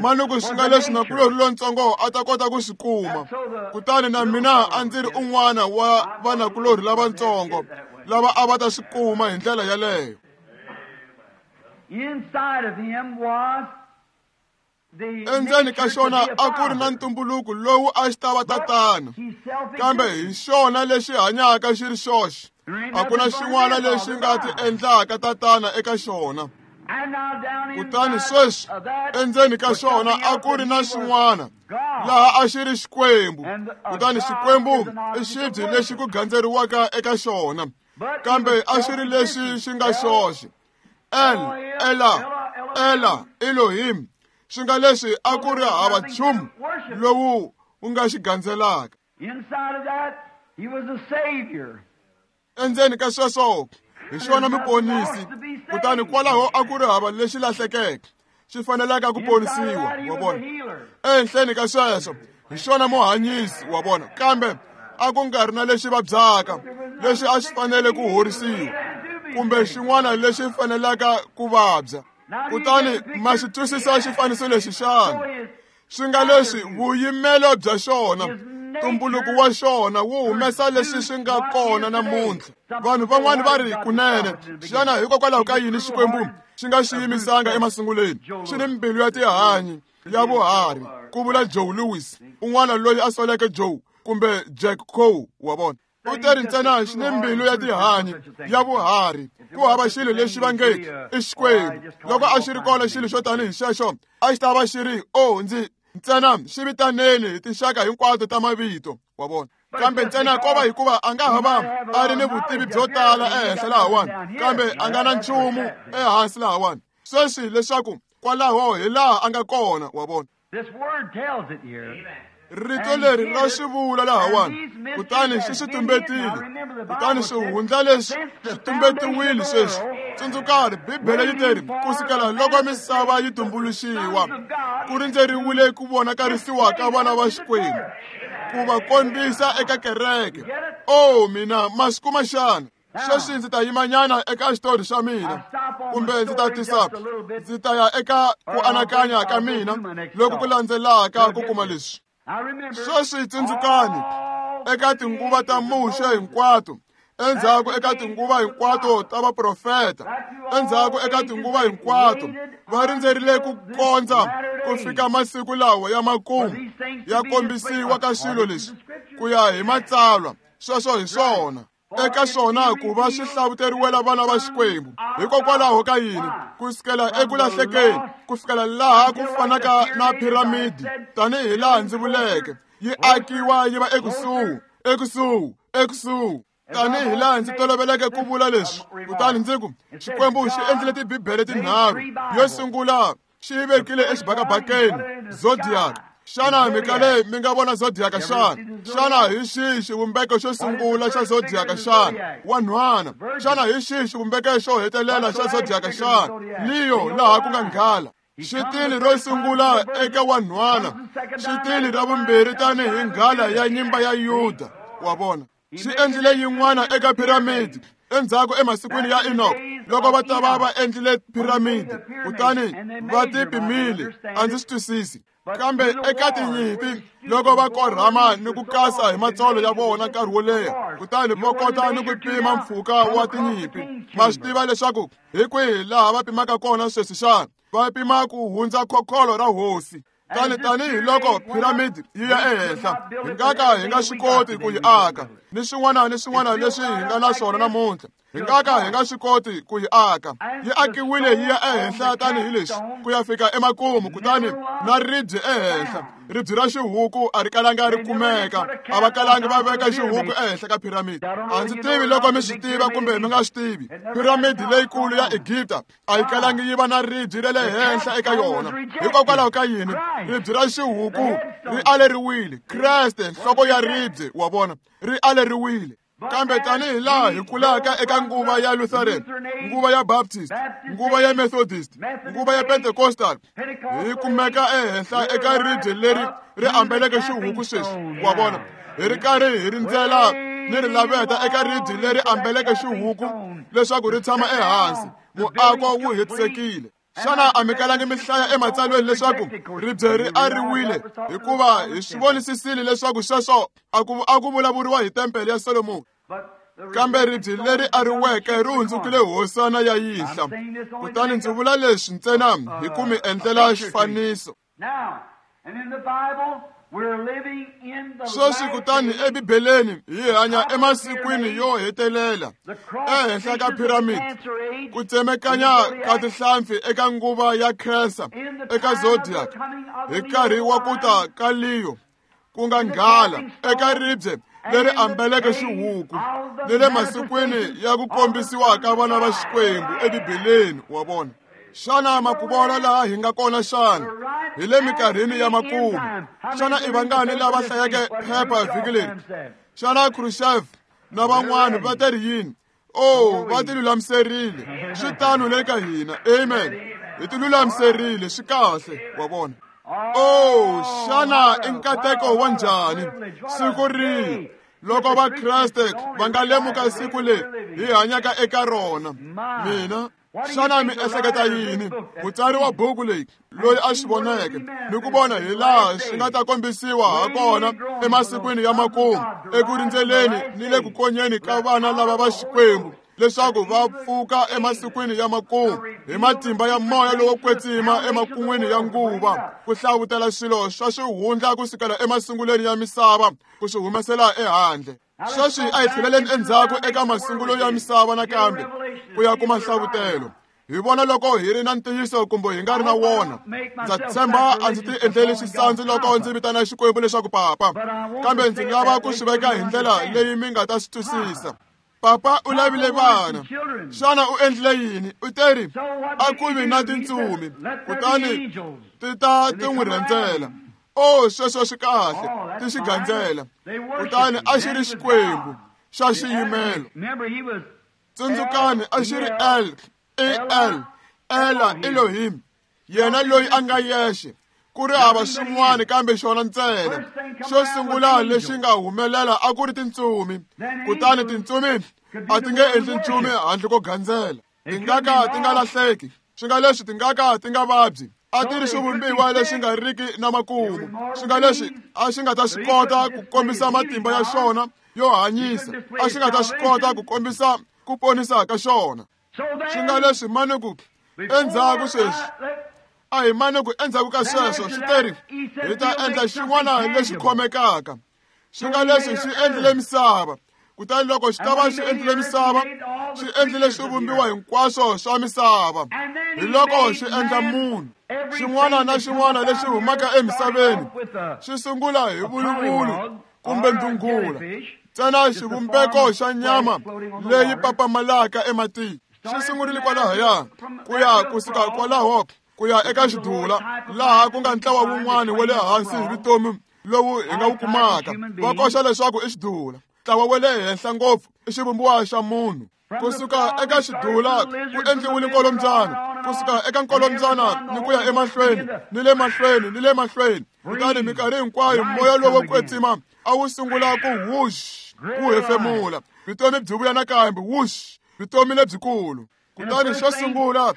manuku swi nga leswi nakulorhi lontsongo a ta kota ku swi kuma. Kutani na mina a ndzi ri un'wana wa vanakulorhi lavatsongo lava a va ta swi kuma hi ndlela yaleyo. Endzeni ka xona a ku ri na ntumbuluko lowu a xi ta va tatana, kambe hi xona lexi hanyaka xi ri xoxe. A ku na xin'wana lexi nga ti endlaka tatana eka xona. Kutani sweswi endzeni ka xona a ku ri na xin'wana laha a xi ri Xikwembu. Kutani Xikwembu i xibye lexi ku gandzeriwaka eka xona, kambe a xi ri lexi xi nga xoxe. El, Ela, Ela Elohim, swi nga leswi a ku ri hava nchumu lowu wu nga xi gandzelaka. Endzeni ka sweswo hi xona muponisi, kutani kwalaho a ku ri hava lexi lahlekeke xi fanelaka ku ponisiwa, wa vona. Ehenhleni ka sweswo hi xona muhanyisi, wa vona, kambe a ku nga ri na lexi vabyaka lexi a xi fanele ku horisiwa kumbe xin'wana lexi fanelaka ku vabya. Kutani ma xi twisisa xifaniso lexi xana? Swi nga leswi vuyimelo bya xona, ntumbuluko wa xona wu humesa leswi swi nga kona namuntlha. Vanhu van'wani va ri kunene, xana hikokwalaho ka yini Xikwembu xi nga xi yimisanga emasunguleni? Xi ni mbilu ya tihanyi ya vuharhi, ku vula Joe Lewis, un'wana loyi a soleke Joe kumbe Jack Coe, wa vona. U teri ntsena xi ni mbilu ya tihanyi ya vuharhi, ku hava xilo lexi va nge i Xikwembu. Loko a xi ri kona xilo xo tanihi xexo, a xi ta va xi ri o ndzi ntsena xi vitaneni hi tinxaka hinkwato ta mavito, wa vona. Kambe ntsena ko va hikuva a nga ha va a ri ni vutivi byo tala ehenhla lahawani, kambe a nga na nchumu ehansi lahawani. Sweswi leswaku kwalaho hi laha a nga kona, wa vona. Rito leri ra swi vula lahawani, kutani xi swi tumbetile, kutani swihundla leswi swi tumbetiwile sweswi. Tsundzukani, Bibele yi teri kusukela loko misava yi tumbuluxiwa, ku rindzeriwile ku vonakarisiwa ka vana va Xikwembu, ku va kombisa eka kereke. O mina, ma swi kuma xana? Sweswi ndzi ta yimanyana eka xitori xa mina, kumbe ndzi ta tisa ndzi ta ya eka ku anakanya ka mina loku ku landzelaka ku kuma leswi. Sweswi tsundzukani, eka tinguva ta Muxe hinkwato, endzhaku eka tinguva hinkwato ta vaprofeta, endzhaku eka tinguva hinkwato, va rindzerile ku kondza ku fika masiku lawa ya makumu ya kombisiwa ka swilo leswi ku ya hi matsalwa. Sweswo hi swona. Eka swona ku va swi hlavuteriwela vana va Xikwembu. Hikokwalaho ka yini? Ku sukela eku lahlekeni ku fikela laha ku fanaka na piramidi, tanihi laha ndzi vuleke, yi akiwa yi va ekusuhi, ekusuhi, ekusuhi. Tanihi laha ndzi toloveleke ku vula leswi, kutani ndzi ku Xikwembu xi endlile tibibele tinharhu. Yo sungula xi yi vekile exibakabakeni, zodiac. Xana mi kale mi nga vona zodiac xana? Xana hi xihi xivumbeko xo sungula xa zodiac xana? Wanhwana. Xana hi xihi xivumbeko xo hetelela xa zodiac xana? Leo, laha ku nga nghala. Xitili ro sungula eka wanhwana, xitili ra vumbirhi tanihi nghala ya nyimba ya Yuda, wa vona. Xi endlile yin'wana eka piramidi endzhaku emasikwini ya Enoch, loko va ta va va endlile piramidi, kutani va ti pimile. A ndzi swi twisisi. Kambe eka tinyimpi loko va korhama ni ku kasa hi matsolo ya vona nkarhi wo leha, kutani va kota ni ku pima mpfhuka wa tinyimpi. Ma swi tiva leswaku hi kwihi laha va pimaka kona sweswi xana? Va pima ku hundza khokholo ra hosi. Tani tanihi loko piramidi yi ya ehenhla, hi nga ka hi nga swi koti ku yi aka, ni swin'wana ni swin'wana leswi hi nga na swona namuntlha, hi nga ka hi nga swi koti ku yi aka. Yi akiwile yi ya ehenhla tanihi leswi ku ya fika emakumu, kutani na ribye ehenhla. Ribye ra xihuku a ri kalanga ri kumeka, a va kalangi va veka xihuku ehenhla ka piramidi. A ndzi tivi loko mi swi tiva kumbe mi nga swi tivi, piramidi leyikulu ya Egipta a yi kalangi yi va na ribye ra le henhla eka yona. Hikokwalaho ka yini? Ribye ra xihuku ri aleriwile. Kreste, nhloko ya ribye, wa vona, ri aleriwile. Kambe tanihi laha hi kulaka eka nguva ya Lutheran, nguva ya Baptist, nguva ya Methodist, nguva ya Pentecostal, hi kumeka ehenhla eka ribye leri ri ambeleke xihuku sweswi, wa vona, hi ri karhi hi rindzela ni ri laveta eka ribye leri ambeleke xihuku leswaku ri tshama ehansi. Muako wu hetisekile. Xana a mi kalangi mi hlaya ematsalweni leswaku ribye ri ariwile? Hikuva hi swi vonisisile leswaku sweswo a ku a ku vulavuriwa hi tempele ya Solomoni. Kambe ribye leri ariweke ri hundzukile hosana ya yinhla. Kutani ndzi vula leswi ntsena hi ku mi endlela xifaniso. Sweswi kutani eBibeleni hi hanya emasikwini yo hetelela, ehenhla ka piramidi, ku tsemekanya ka tihlampfi eka nguva ya Cancer eka zodiac, hi nkarhi wa ku ta ka Leo, ku nga nghala eka ribye leri ambeleke xihuku, ni le masikwini ya ku kombisiwa ka vana va Xikwembu eBibeleni, wa vona. Xana makuvona laha hi nga kona xana? Hi le minkarhini ya makumu. Xana i vangani lava hlayeke phepha vhiki leri? Xana Khrushchev na van'wana va te ri yini? Oh, va ti lulamiserile. Swi tano le ka hina. Amen. Hi ti lulamiserile, swi kahle, wa vona. Oh, xana i nkateko wa njhani siku rihi loko Vakreste va nga lemuka siku leri hi hanyaka eka rona? Mina, xana mi ehleketa yini? Mutsari wa buku leyi loyi a swi voneke ni ku vona hi laha swi nga ta kombisiwa ha kona emasikwini ya makumu, eku rindzeleni ni le ku konyeni ka vana lava va Xikwembu leswaku va pfuka emasikwini ya makumu hi matimba ya moya lowo kwetsima emakun'wini ya nguva, ku hlavutela swilo swa swihundla kusukela emasungulweni ya misava ku swi humesela ehandle. Sweswi a hi tlheleleni endzhaku eka masungulo ya misava nakambe ku ya kuma nhlavutelo. Hi vona loko hi ri na ntiyiso kumbe hi nga ri na wona. Ndza tshemba a ndzi ti endleli xisandzu loko ndzi vitana Xikwembu leswaku papa, kambe ndzi lava ku swi veka hi ndlela leyi mi nga ta swi twisisa. Papa u lavile vana. Xana u endlile yini? U teri a ku vi na tintsumi, kutani ti ta ti n'wi rhendzela. Oh, sweswo swi kahle, ti xi gandzela. Kutani a xi ri Xikwembu xa xiyimelo. Tsundzukani, a xi ri El, E L, Ela Elohim, yena loyi a nga yexe, ku ri hava swin'wana kambe xona ntsena. Xo sungula lexi nga humelela a ku ri tintsumi, kutani tintsumi a ti nge endli nchumu handle ko gandzela. Ti nga ka ti nga lahleki, swi nga leswi ti nga ka ti nga vabyi. A ti ri xivumbiwa lexi nga riki na makumu, swi nga leswi a xi nga ta swi kota ku kombisa matimba ya xona yo hanyisa, a xi nga ta swi kota ku kombisa ku ponisa ka xona. Swi nga leswi mani ku endzhaku sweswi, a hi mani ku endzhaku ka sweswo swi teri hi ta endla xin'wana lexi khomekaka. Swi nga leswi xi endlile misava, kutani loko xi ta va xi endlile misava, xi endlile swivumbiwa hinkwaswo swa misava. Hi loko xi endla munhu. Xin'wana na xin'wana lexi humaka emisaveni xi sungula hi vuluvulu kumbe ndhungula, ntsena xivumbeko xa nyama leyi papamalaka ematini. Xi sungurile kwalahaya ku ya kusuka kwalaho ku ya eka xidula, laha ku nga ntlawa wun'wana wa le hansi hi vutomi lowu hi nga wu kumaka. Va koxa leswaku i xidula, ntlawa wa le henhla ngopfu i xivumbiwa xa munhu. Kusuka eka xidula ku endliwile nkolombyana, kusuka eka nkolombyana ni ku ya emahlweni ni le mahlweni ni le mahlweni. Kutani minkarhi hinkwayo moya lowo kwetsima a wu sungula ku whoosh, wu hefemula, vutomi byi vuya nakambe, whoosh, vutomi lebyikulu. Kutani xo sungula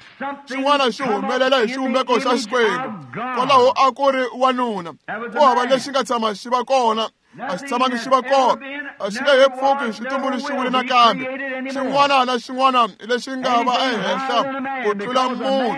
xin'wana xi humelela hi xivumbeko xa Xikwembu. Kwalaho a ku ri wanuna, ku hava lexi nga tshama xi va kona, a xi tshamangi xi va kona, a xi nge he pfuki xi tumbuluxiwile nakambe. Xin'wana na xin'wana lexi nga va ehenhla ku tlula munhu,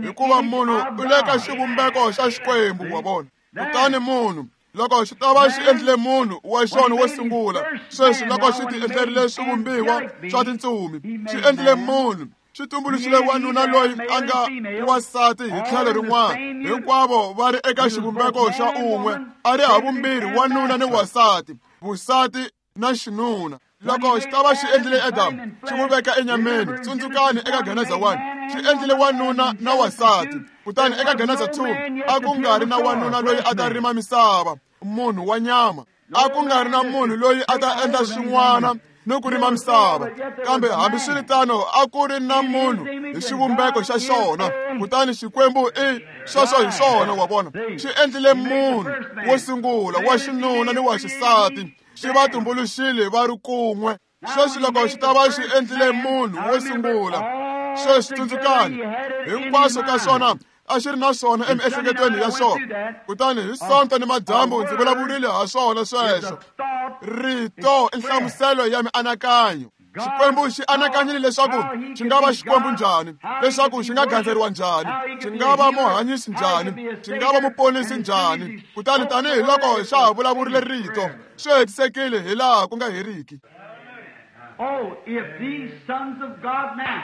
hikuva munhu u le ka xivumbeko xa Xikwembu, wa vona. Kutani munhu loko xi ta va xi endlile munhu wa xona wo sungula, sweswi loko xi ti endlerile swivumbiwa swa tintsumi, xi endlile munhu, xi tumbuluxile wanuna loyi a nga wansati hi tlhelo rin'wana. Hinkwavo va ri eka xivumbeko xa un'we, a ri havumbirhi wanuna ni wasati, vusati na xinuna. Loko xi ta va xi endlile Adamu, xi n'wi veka enyameni. Tsundzukani eka Geneza one, xi endlile wanuna na wasati. Kutani eka Geneza two, a ku nga ri na wanuna loyi a ta rima misava, munhu wa nyama. A ku nga ri na munhu loyi a ta endla xin'wana ni ku rima misava. Kambe hambiswiritano a ku ri na munhu hi xivumbeko xa xona, kutani Xikwembu i sweswo hi swona, wa vona. Xi endlile munhu wo sungula wa xinuna ni wa xisati, xi va tumbuluxile va ri kun'we. Sweswi loko xi ta va xi endlile munhu wo sungula, sweswi tsundzukani, hinkwaswo ka swona a xi ri na swona emiehleketweni ya xona. Kutani hi Sonto ni madyambu ndzi vulavurile ha swona sweswo. Rito i nhlamuselo ya mianakanyo. Xikwembu xi anakanyile leswaku xi nga va Xikwembu njhani, leswaku xi nga gandzeriwa njhani, xi nga va muhanyisi njhani, xi nga va muponisi njhani. Kutani tanihiloko xa ha vulavurile rito, swi hetisekile hi laha ku nga heriki. Oh, if these sons of God now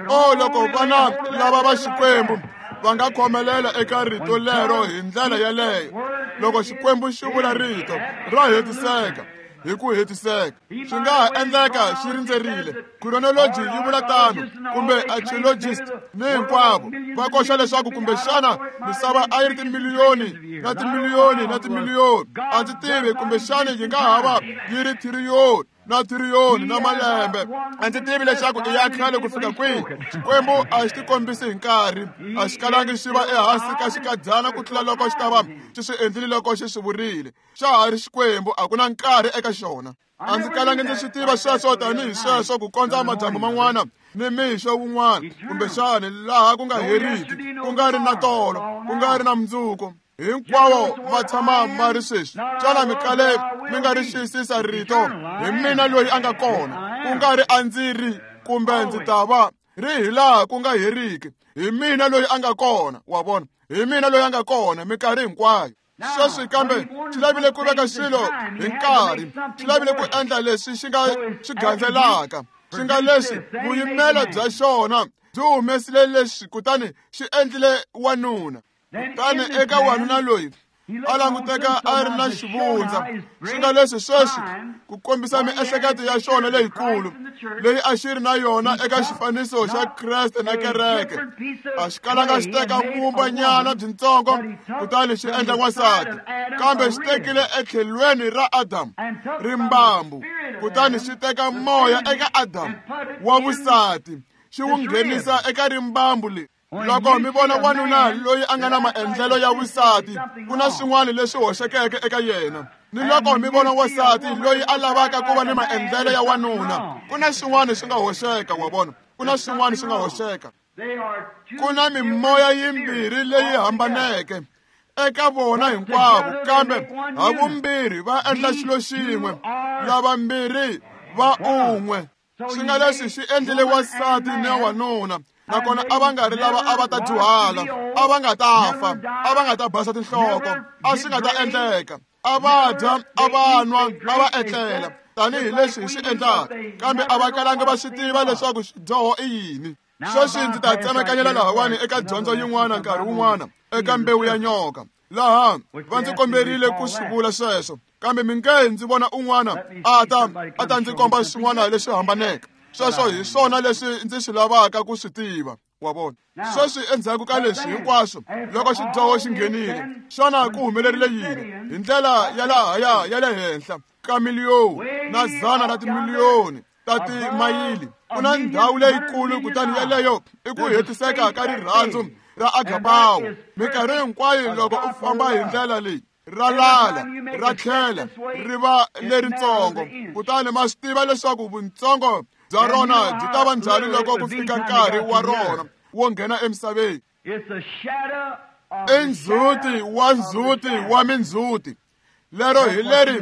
Oh, loko vana lava va Xikwembu va nga khomelela eka rito lero hi ndlela yeleyo, loko Xikwembu xi vula rito ra hetiseka hi ku hetiseka. Swi nga ha endleka xi rindzerile. Chronology yi vula tano, kumbe archaeologist ni hinkwavo va koxa leswaku kumbexana misava a yi ri timiliyoni na timiliyoni na timiliyoni. A ndzi tivi, kumbexana yi nga ha va yi ri thiriyoni na thiriyoni na malembe. A ndzi tivi leswaku i ya khale ku fika kwihi. Xikwembu a xi tikombisi hi nkarhi, a xi kalangi xi va ehansi ka xikadyana ku tlula loko xi ta va xi swi endlile loko xi swi vurile. Xa ha ri Xikwembu, a ku na nkarhi eka xona. A ndzi kalangi ndzi swi tiva sweswo tanihi sweswo ku kondza madyambu man'wana ni mixo wun'wana, kumbexana laha ku nga heriki, ku nga ri na tolo, ku nga ri na mundzuku. Hinkwawo ma tshama ma ri sweswi. Xana mi kale mi nga ri xiyisisa rito hi mina loyi a nga kona, ku nga ri a ndzi ri kumbe ndzi ta va, ri hi laha ku nga heriki. Hi mina loyi a nga kona, wa vona, hi mina loyi a nga kona minkarhi hinkwayo. Sweswi kambe xi lavile ku veka swilo hi nkarhi, xi lavile ku endla leswi xi nga xi gandzelaka, xi nga leswi vuyimelo bya xona byi humesile leswi, kutani xi endlile wanuna. Kutani eka wanuna loyi a languteka a ri na xivundza, swi nga leswi sweswi ku kombisa miehleketo ya xona leyikulu leyi a xi ri na yona eka xifaniso xa Kreste na kereke. A xi kalanga xi teka vumbanyana byintsongo kutani xi endla n'wansati, kambe xi tekile etlhelweni ra Adamu rimbambu, kutani xi teka moya eka Adamu wa vusati xi wu nghenisa eka rimbambu leri. Loko mi vona wanuna loyi a nga na maendlelo ya vusati, ku na swin'wana leswi hoxekeke eka yena. Ni loko mi vona wansati loyi a lavaka ku va ni maendlelo ya wanuna, ku na swin'wana swi nga hoxeka, wa vona, ku na swin'wana swi nga hoxeka. Ku na mimoya yimbirhi leyi hambaneke eka vona hinkwavo, kambe havumbirhi va endla xilo xin'we, lavambirhi va un'we. Swi nga leswi xi endlile wansati ni wanuna, nakona a va nga ri lava a va ta dyuhala, a va nga ta fa, a va nga ta basa tinhloko, a swi nga ta endleka. A va dya, a va nwa, a va etlela tanihileswi hi swi endlaka, kambe a va kalanga va swi tiva leswaku xidyoho i yini. Sweswi ndzi ta tsemakanyela lahawani eka dyondzo yin'wana nkarhi wun'wana eka mbewu ya nyoka. Laha va ndzi komberile ku swi vula sweswo, kambe mi nge ndzi vona un'wana a ta a ta ndzi komba swin'wana leswi hambaneke. Sweswo hi swona leswi ndzi swi lavaka ku swi tiva, wa vona. Sweswi endzhaku ka leswi hinkwaswo, loko xidyoho xi nghenile, xana ku humelerile yini? Hi ndlela ya lahaya ya le henhla ka miliyoni na dzana ra timiliyoni ta timayili, ku na ndhawu leyikulu, kutani yeleyo i ku hetiseka ka rirhandzu ra agapawo. Minkarhi hinkwayo loko u famba hi ndlela leyi, ra lala, ra tlhela ri va leritsongo, kutani ma swi tiva leswaku vuntsongo bya rona byi ta va njhani loko ku fika nkarhi wa rona wo nghena emisaveni. I ndzhuti wa ndzhuti wa mindzhuti. Lero hi leri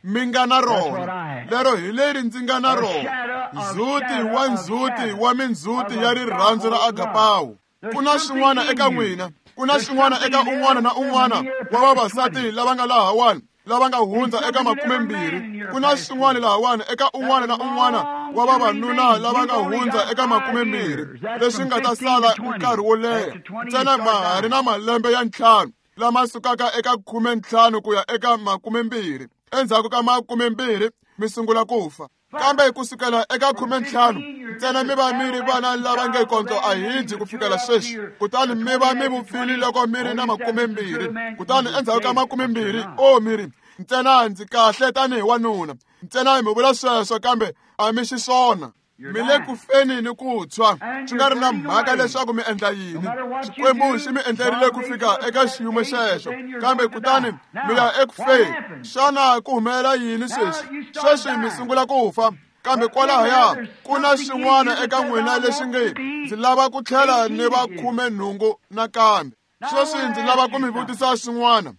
mi nga na rona, lero hi leri ndzi nga na rona, ndzhuti wa ndzhuti wa mindzhuti ya rirhandzu ra agapawo. Ku na swin'wana eka n'wina, ku na swin'wana eka un'wana na un'wana wa vavasati lava nga lahawani, lava nga hundza eka makumembirhi. Ku na swin'wana lahawani eka un'wana na un'wana wa vavanuna lava nga hundza eka makumembirhi, leswi nga ta sala nkarhi wo leha ntsena ma ha ri na malembe ya ntlhanu lama sukaka eka khumentlhanu ku ya eka makumembirhi. Endzhaku ka makumembirhi mi sungula ku fa, kambe ku sukela eka khumentlhanu ntsena mi va mi ri vana lava nge kondlo a hi dyi ku fikela sweswi, kutani mi va mi vupfile loko mi ri na makumembirhi. Kutani endzhaku ka makumembirhi, o mi ri Ntsena ndzi kahle tanihi wanuna. Ntsena mi vula sweswo kambe a mi xiswona. Mi le ku feni ni ku tshwa. Swi nga ri na mhaka leswaku mi endla yini. Xikwembu xi mi endlerile ku fika eka xiyimo xexo. Kambe kutani mi ya eku feni. Xana ku humelela yini sweswi? Sweswi mi sungula ku fa. Kambe kwalahaya ku na xin'wana eka n'wina lexi nge ndzi lava ku tlhela ni va khume nhungu nakambe. Sweswi ndzi lava ku mi vutisa xin'wana.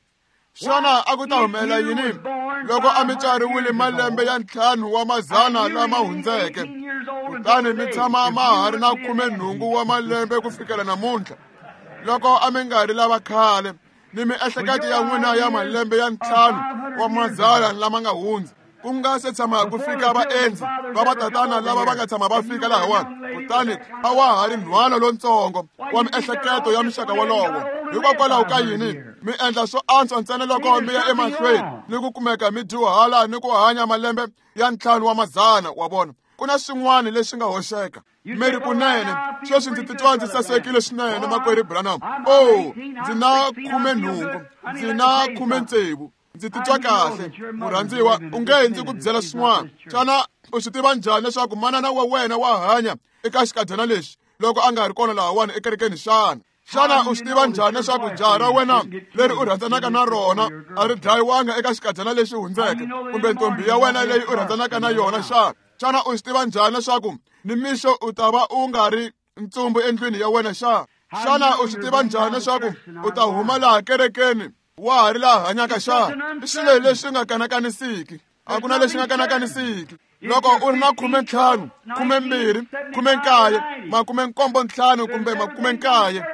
Xana a ku ta humelela yini loko a mi tswariwile malembe ya ntlhanu wa mazana lama hundzeke, kutani mi tshama ma ha ri na khume nhungu wa malembe ku fikela namuntlha? Loko a mi nga ri lava khale ni miehleketo ya n'wina ya malembe ya ntlhanu wa mazana lama nga hundza, ku nga se tshama ku fika vaendzi va vatatana lava va nga tshama va fika lahawani, kutani a wa ha ri nhwana lontsongo wa miehleketo ya muxaka wolowo. Hikokwalaho ka yini mi endla swo antswa ntsena loko mi ya emahlweni ni ku kumeka mi dyuhala ni ku hanya malembe ya ntlhanu wa mazana? Wa vona, ku na swin'wana leswi nga hoxeka. Mi ri kunene sweswi ndzi titwa ndzi sasekile swinene, makwerhu Branham. Oh, ndzi na khume nhungu, ndzi na khume tsevu, ndzi titwa kahle. Murhandziwa, u nge ndzi ku byela swin'wana. Xana u swi tiva njhani leswaku manana wa wena wa hanya eka xikadyana lexi loko a nga ri kona lahawani ekerekeni xana? Xana u swi tiva njhani leswaku jaha ra wena leri u rhandzanaka na rona a ri dlayiwanga eka xikadyana lexi hundzeke, kumbe ntombi ya wena leyi u rhandzanaka na yona xana? Xana u swi tiva njhani leswaku nimixo u ta va u nga ri ntsumbu endlwini ya wena xana? Xana u swi tiva njhani leswaku u ta huma laha kerekeni wa ha ri laha hanyaka xana? I swilo leswi nga kanakanisiki. A ku na lexi nga kanakanisiki. Loko u ri na khume ntlhanu, khume mbirhi, khume nkaye, makume nkombo ntlhanu kumbe makume nkaye,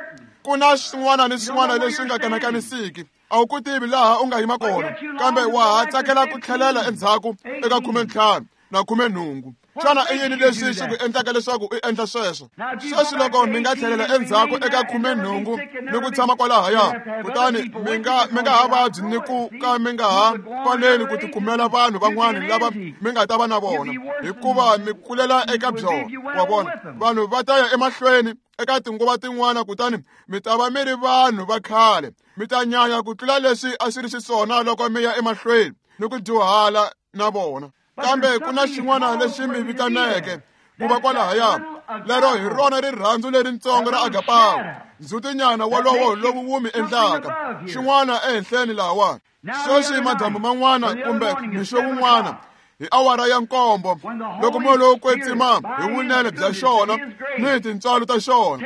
ku na swin'wana ni swin'wana leswi nga kanakanisiki. A wu ku tivi laha u nga yima kona, kambe wa ha tsakela ku tlhelela endzhaku eka khume ntlhanu na khume nhungu. Xana i yini leswi xi ku endlaka leswaku u endla sweswo? Sweswi loko mi nga tlhelela endzhaku eka khume nhungu ni ku tshama kwalahaya, kutani mi nga mi nga ha vabyi ni ku ka mi nga ha faneli ku tikumela vanhu van'wana lava mi nga ta va na vona, hikuva mi kulela eka byona. Wa vona, vanhu va ta ya emahlweni eka tinguva tin'wana, kutani mi ta va mi ri vanhu va khale. Mi ta nyanya ku tlula leswi a swi ri xiswona loko mi ya emahlweni ni ku dyuhala na vona. Kambe ku na xin'wana lexi mi vitaneke ku va kwalahaya, lero hi rona rirhandzu leritsongo ra agapawo, ndzhutinyana wolowo lowu wu mi endlaka xin'wana ehenhleni lahawani. Sweswi madyambu man'wana kumbe mixo wun'wana hi awara ya nkombo, loko moya lowo kwetsima hi vunene bya xona ni hi tintswalo ta xona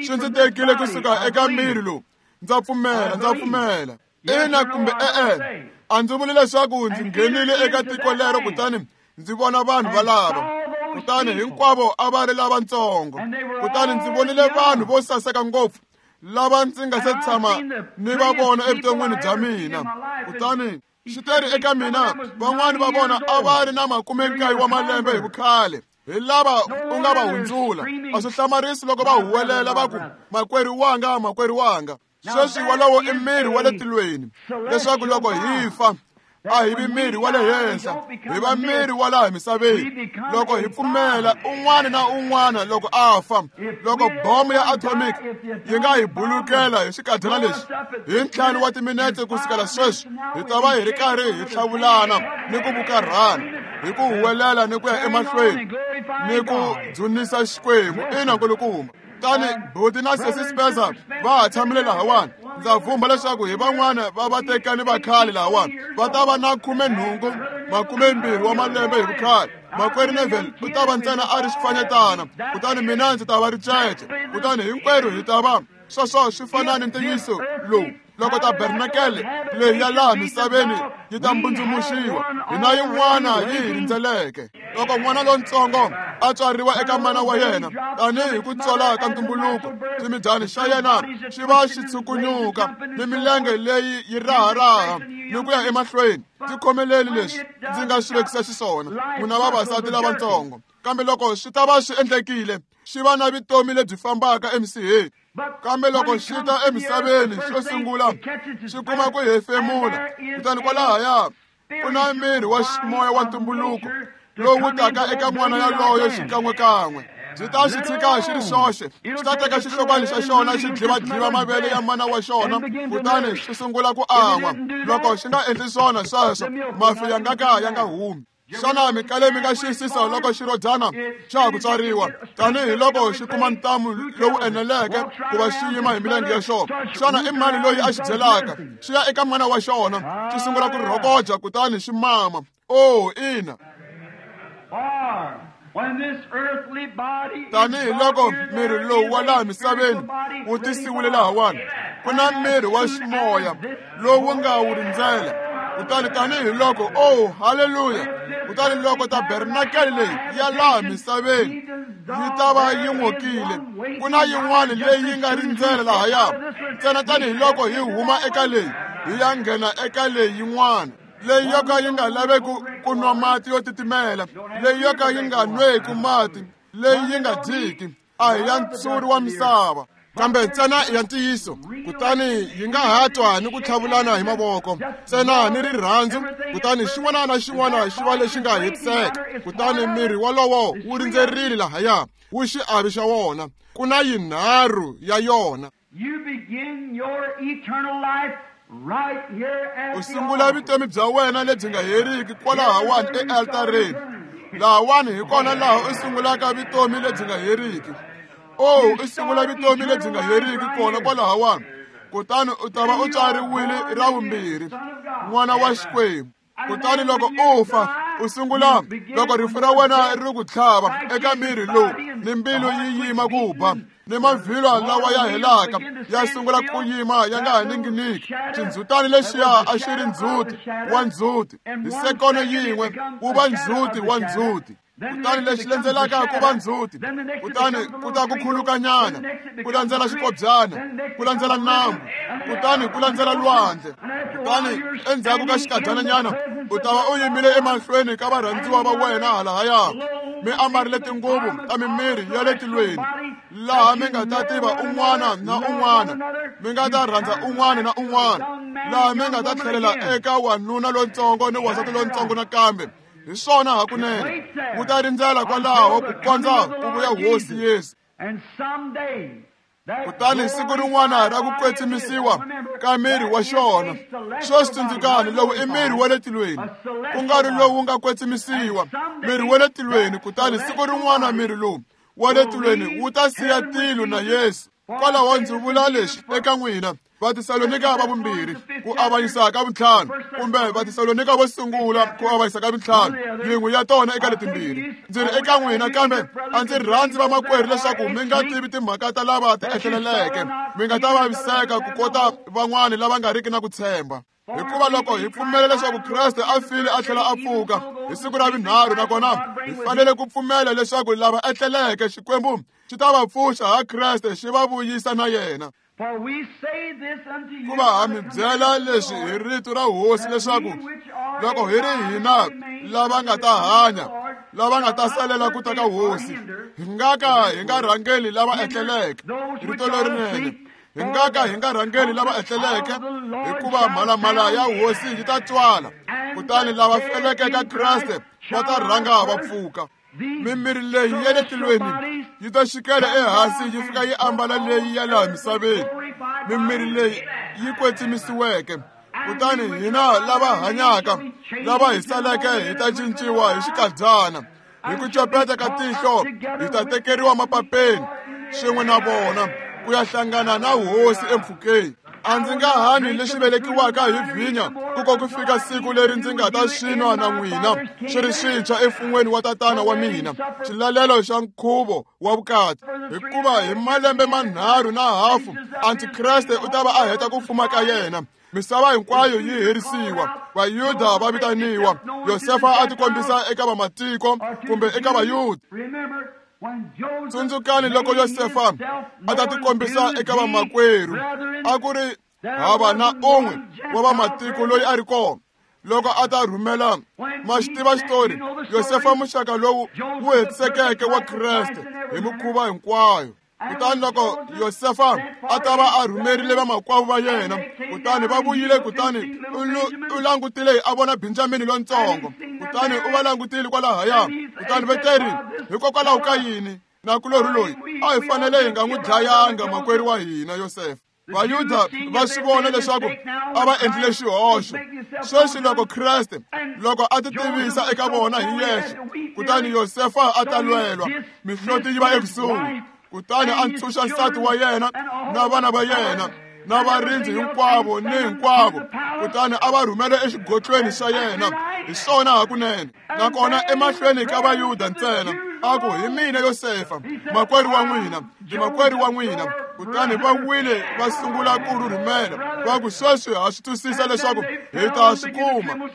swi ndzi tekile kusuka eka miri lowu, ndza pfumela, ndza pfumela. Ina kumbe e-e, a ndzi vuli leswaku ndzi nghenile eka tiko lero kutani ndzi vona vanhu valava, kutani hinkwavo a va ri lavatsongo. Kutani ndzi vonile vanhu vo saseka ngopfu lava ndzi nga se tshama ni va vona evuton'wini bya mina. Kutani swi teri eka mina, van'wani va vona a va ri na makume nkaye wa malembe hi vukhale, hi lava u nga va hundzula. A swi hlamarisi loko va huwelela va ku, makwerhu wanga, makwerhu wanga. Sweswi wolowo i miri wa le tilweni, leswaku loko hi fa a hi vi miri wa le henhla, hi va miri wa laha misaveni. Loko hi pfumela un'wana na un'wana loko a fa, loko bomo ya atomic yi nga hi bulukela hi xikadyana lexi hi ntlhanu wa timinete ku sukela sweswi, hi ta va hi ri karhi hi tlhavulana ni ku vukarhana, hi ku huwelela ni ku ya emahlweni ni ku dzunisa Xikwembu. Ina nkulukumba. Tani buti na sesi Spencer va ha tshamile lahawani. Ndza vhumba leswaku hi van'wana va vatekani va khale lahawani va ta va na khume nhungu, makume mbirhi wa malembe hi vukhale. Makwerhu Neville u ta va ntsena a ri xifanyetana, kutani mina ndzi ta va ricece, kutani hinkwerhu hi ta va sweswo. Swi fana ni ntiyiso lowu loko tabernakele leyi ya laha misaveni yi ta mbundzumuxiwa, hi na yin'wana yi hi rindzeleke. Loko n'wana lontsongo a tswariwa eka mana wa yena tanihi ku tswala ka ntumbuluko, ximidyana xa yena xi va xi tshukunyuka ni milenge leyi yi raharaha ni ku ya emahlweni. Ndzi khomeleli leswi ndzi nga swi vekisa xiswona, n'wina vavasati lavatsongo. Kambe loko swi ta va swi endlekile, xi va na vutomi lebyi fambaka emisiheni. Kambe loko xi ta emisaveni xo sungula, xi kuma ku hefemula, kutani kwalahaya ku na miri wa moya wa ntumbuluko lowu taka eka n'wana yaloyo xikan'wekan'we. Byi ta xi tshika xi ri xoxe, xi ta teka xihlokwana xa xona xi dlivadliva mavele ya mana wa xona, kutani xi sungula ku an'wa. Loko xi nga endli swona sweswo, mafi ya nga ka ya nga humi. Xana mi kale mi nga xiyisisa loko xirodyana xa ha ku tswariwa, tanihiloko xi kuma ntamu lowu eneleke ku va xi yima hi milenge ya xona? Xana i mani loyi a xi byelaka? Xi ya eka mana wa xona, xi sungula ku rhokoja kutani xi mama. Oh, ina. Tanihiloko miri lowu wa laha misaveni wu tisiwile lahawani, ku na miri wa ximoya lowu nga wu rindzela. Kutani tanihiloko, oh, haleluya, kutani loko tabernakele leyi ya laha misaveni yi ta va yi n'okile, ku na yin'wana leyi yi nga rindzela lahaya. Ntsena tanihiloko hi huma eka leyi hi ya nghena eka leyi yin'wana, leyi yo ka yi nga laveki ku nwa mati yo titimela, leyi yo ka yi nga nweki mati, leyi yi nga dyiki, a hi ya ntshuri wa misava, kambe ntsena ya ntiyiso. Kutani yi nga ha twa ni ku tlhavulana hi mavoko, ntsena ni rirhandzu, kutani xin'wana na xin'wana xi va lexi nga hetiseka. Kutani miri wolowo wu rindzerile lahaya, wu xiavi xa wona. Ku na yinharhu ya yona. U sungula vutomi bya wena lebyi nga heriki kwalahawani ealtareni. Lahawani hi kona laha u sungulaka vutomi lebyi nga heriki. Oh, u sungula vutomi lebyi nga heriki kona kwalahawani, kutani u ta va u tswariwile ra vumbirhi, n'wana wa Xikwembu. Kutani loko u fa, u sungula loko rifu ra wena ri ku tlhava eka miri lowu, ni mbilu yi yima ku ba, ni mavhilwa lawa ya helaka ya sungula ku yima ya nga ha ninginiki. Xindzhutani lexiya a xi ri ndzhuti wa ndzhuti, hi sekono yin'we wu va ndzhuti wa ndzhuti. Kutani lexi landzelaka ku va ndzhuti, kutani ku ta ku khulukanyana, ku landzela xikobyana, ku landzela nambu, kutani ku landzela lwandle. Kutani endzhaku ka xikadyananyana u ta va u yimile emahlweni ka varhandziwa va wena halahaya, mi ambarile tinguvu ta mimiri ya le tilweni, laha mi nga ta tiva un'wana na un'wana, mi nga ta rhandza un'wana na un'wana, laha mi nga ta tlhelela eka wanuna lontsongo ni wansati lontsongo nakambe. Hi swona hakunene, wu ta rindzela kwalaho ku kondza ku vuya Hosi Yesu. Kutani siku rin'wana ra ku kwetsimisiwa ka miri wa xona, sweswi tsundzukani, lowu i miri wa le tilweni, ku nga ri lowu nga kwetsimisiwa, miri wa le tilweni. Kutani siku rin'wana miri lowu wa le tilweni wu ta siya tilo na Yesu. Kwalaho ndzi vula leswi eka n'wina, Vatesalonika va vumbirhi ku avanyisa ka vuntlhanu, kumbe Vatesalonika vo sungula ku avanyisa ka vuntlhanu, yin'we ya tona eka letimbirhi. Ndzi ri eka n'wina, kambe a ndzi rhandzi vamakwerhu leswaku mi nga tivi timhaka ta lava ti ehleleleke, mi nga ta vaviseka ku kota van'wani lava nga riki na ku tshemba. Hikuva loko hi pfumela leswaku Kreste a file a tlhela a pfuka hi siku ra vunharhu, nakona hi fanele ku pfumela leswaku lava etleleke Xikwembu xi ta va pfuxa ha Kreste xi va vuyisa na yena. Ku va ha mi byela leswi hi rito ra Hosi, leswaku loko hi ri hina lava nga ta hanya, lava nga ta salela ku ta ka Hosi, hi nga ka hi nga rhangeli lava etleleke. Rito lerinene, hi nga ka hi nga rhangeli lava etleleke, hikuva mhalamhala ya Hosi yi ta twala, kutani lava feleke ka Kreste va ta rhanga va pfuka. Mimiri leyi ya le tilweni yi ta xikela ehansi yi fika yi ambala leyi ya laha misaveni, mimiri leyi yi kwetsimisiweke. Kutani hina lava hanyaka, lava hi saleke, hi ta cinciwa hi xikadyana, hi ku copeta ka tihlo hi ta tekeriwa mapapeni swin'we na vona ku ya hlangana na Hosi empfhukeni. A ndzi nga hanyi lexi velekiwaka hi vhinya ku ko ku fika siku leri ndzi nga ta xi nwa na n'wina xi ri xintshwa emfun'weni wa Tatana wa mina, xilalelo xa nkhuvo wa vukati. Hikuva hi malembe manharhu na hafu Antikreste u ta va a heta ku fuma ka yena, misava hinkwayo yi herisiwa, Vayuda va vitaniwa, Yosefa a tikombisa eka vamatiko kumbe eka Vayuda. Tsundzukani loko Yosefa a ta tikombisa eka vamakwerhu, a ku ri hava na un'we wa vamatiko loyi a ri kona. Loko a ta rhumela, ma xi tiva xitori, Yosefa muxaka lowu wu hetisekeke wa Kreste hi mikhuva hinkwayo. Kutani loko Yosefa a ta va a rhumerile vamakwavo va yena, kutani va vuyile, kutani u langutile a vona Benjamini lontsongo, kutani u va langutile kwalahaya, kutani va teri, hikokwalaho ka yini Nakulorhi loyi a hi fanele hi nga n'wi dlayanga makwerhu wa hina Yosefa. Vayuda va swi vona leswaku a va endlile xihoxo. Sweswi loko Kreste loko a ti tivisa eka vona hi yexe, kutani Yosefa a ta lwelwa, mihloti yi va ekusuhi. Kutani a ntshunxa nsati wa yena na vana va yena na varindzi hinkwavo ni hinkwavo, kutani a va rhumela exigotlweni xa yena. Hi swona hakunene. Nakona emahlweni ka Vayuda ntsena a ku, hi mina Yosefa, makwerhu wa n'wina, ndi makwerhu wa n'wina. Kutani va wile va sungula ku rhurhumela, va ku, sweswi ha swi twisisa leswaku hi ta swi kuma,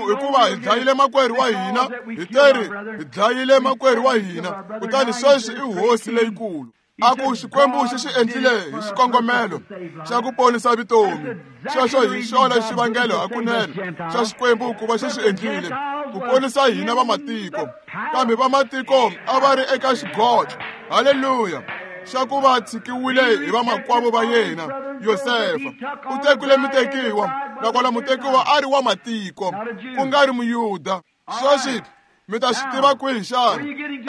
hikuva hi dlayile makwerhu wa hina, hi teri hi dlayile makwerhu wa hina, kutani sweswi i hosi leyikulu. A ku, Xikwembu xi swi endlile hi xikongomelo xa ku ponisa vutomi. Xexo hi xona xivangelo hakunene xa Xikwembu ku va xi swi endlile, ku ponisa hina vamatiko. Kambe vamatiko a va ri eka xigodlo, haleluya, xa ku va tshikiwile hi vamakwavo va yena. Yosefa u tekile mutekiwa, nakona mutekiwa a ri wa matiko, ku nga ri Muyuda. Sweswi mi ta swi tiva kwihi xana?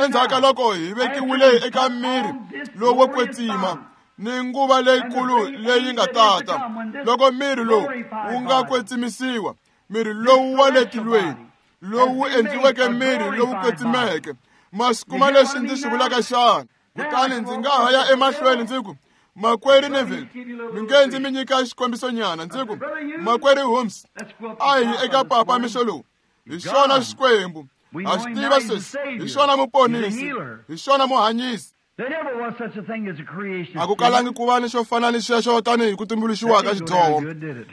Endzhaku ka loko hi vekiwile eka miri lowo kwetsima ni nguva leyikulu leyi nga tata, loko miri lowu wu nga kwetsimisiwa, miri lowu wa le tilweni lowu endliweke miri lowu kwetsimeke. Ma swi kuma leswi ndzi swi vulaka xana? Kutani ndzi nga ha ya emahlweni ndzi ku, makwerhu Neville, mi nge ndzi mi nyika xikombiso-nyana. Ndzi ku, makwerhu Holmes, a hi eka papa mixo lowu. Hi xona Xikwembu. Ha swi tiva sweswi, hi xona muponisi, hi xona muhanyisi. A ku kalangi ku va ni xo fana ni xexo tanihi ku tumbuluxiwa ka xidyoho.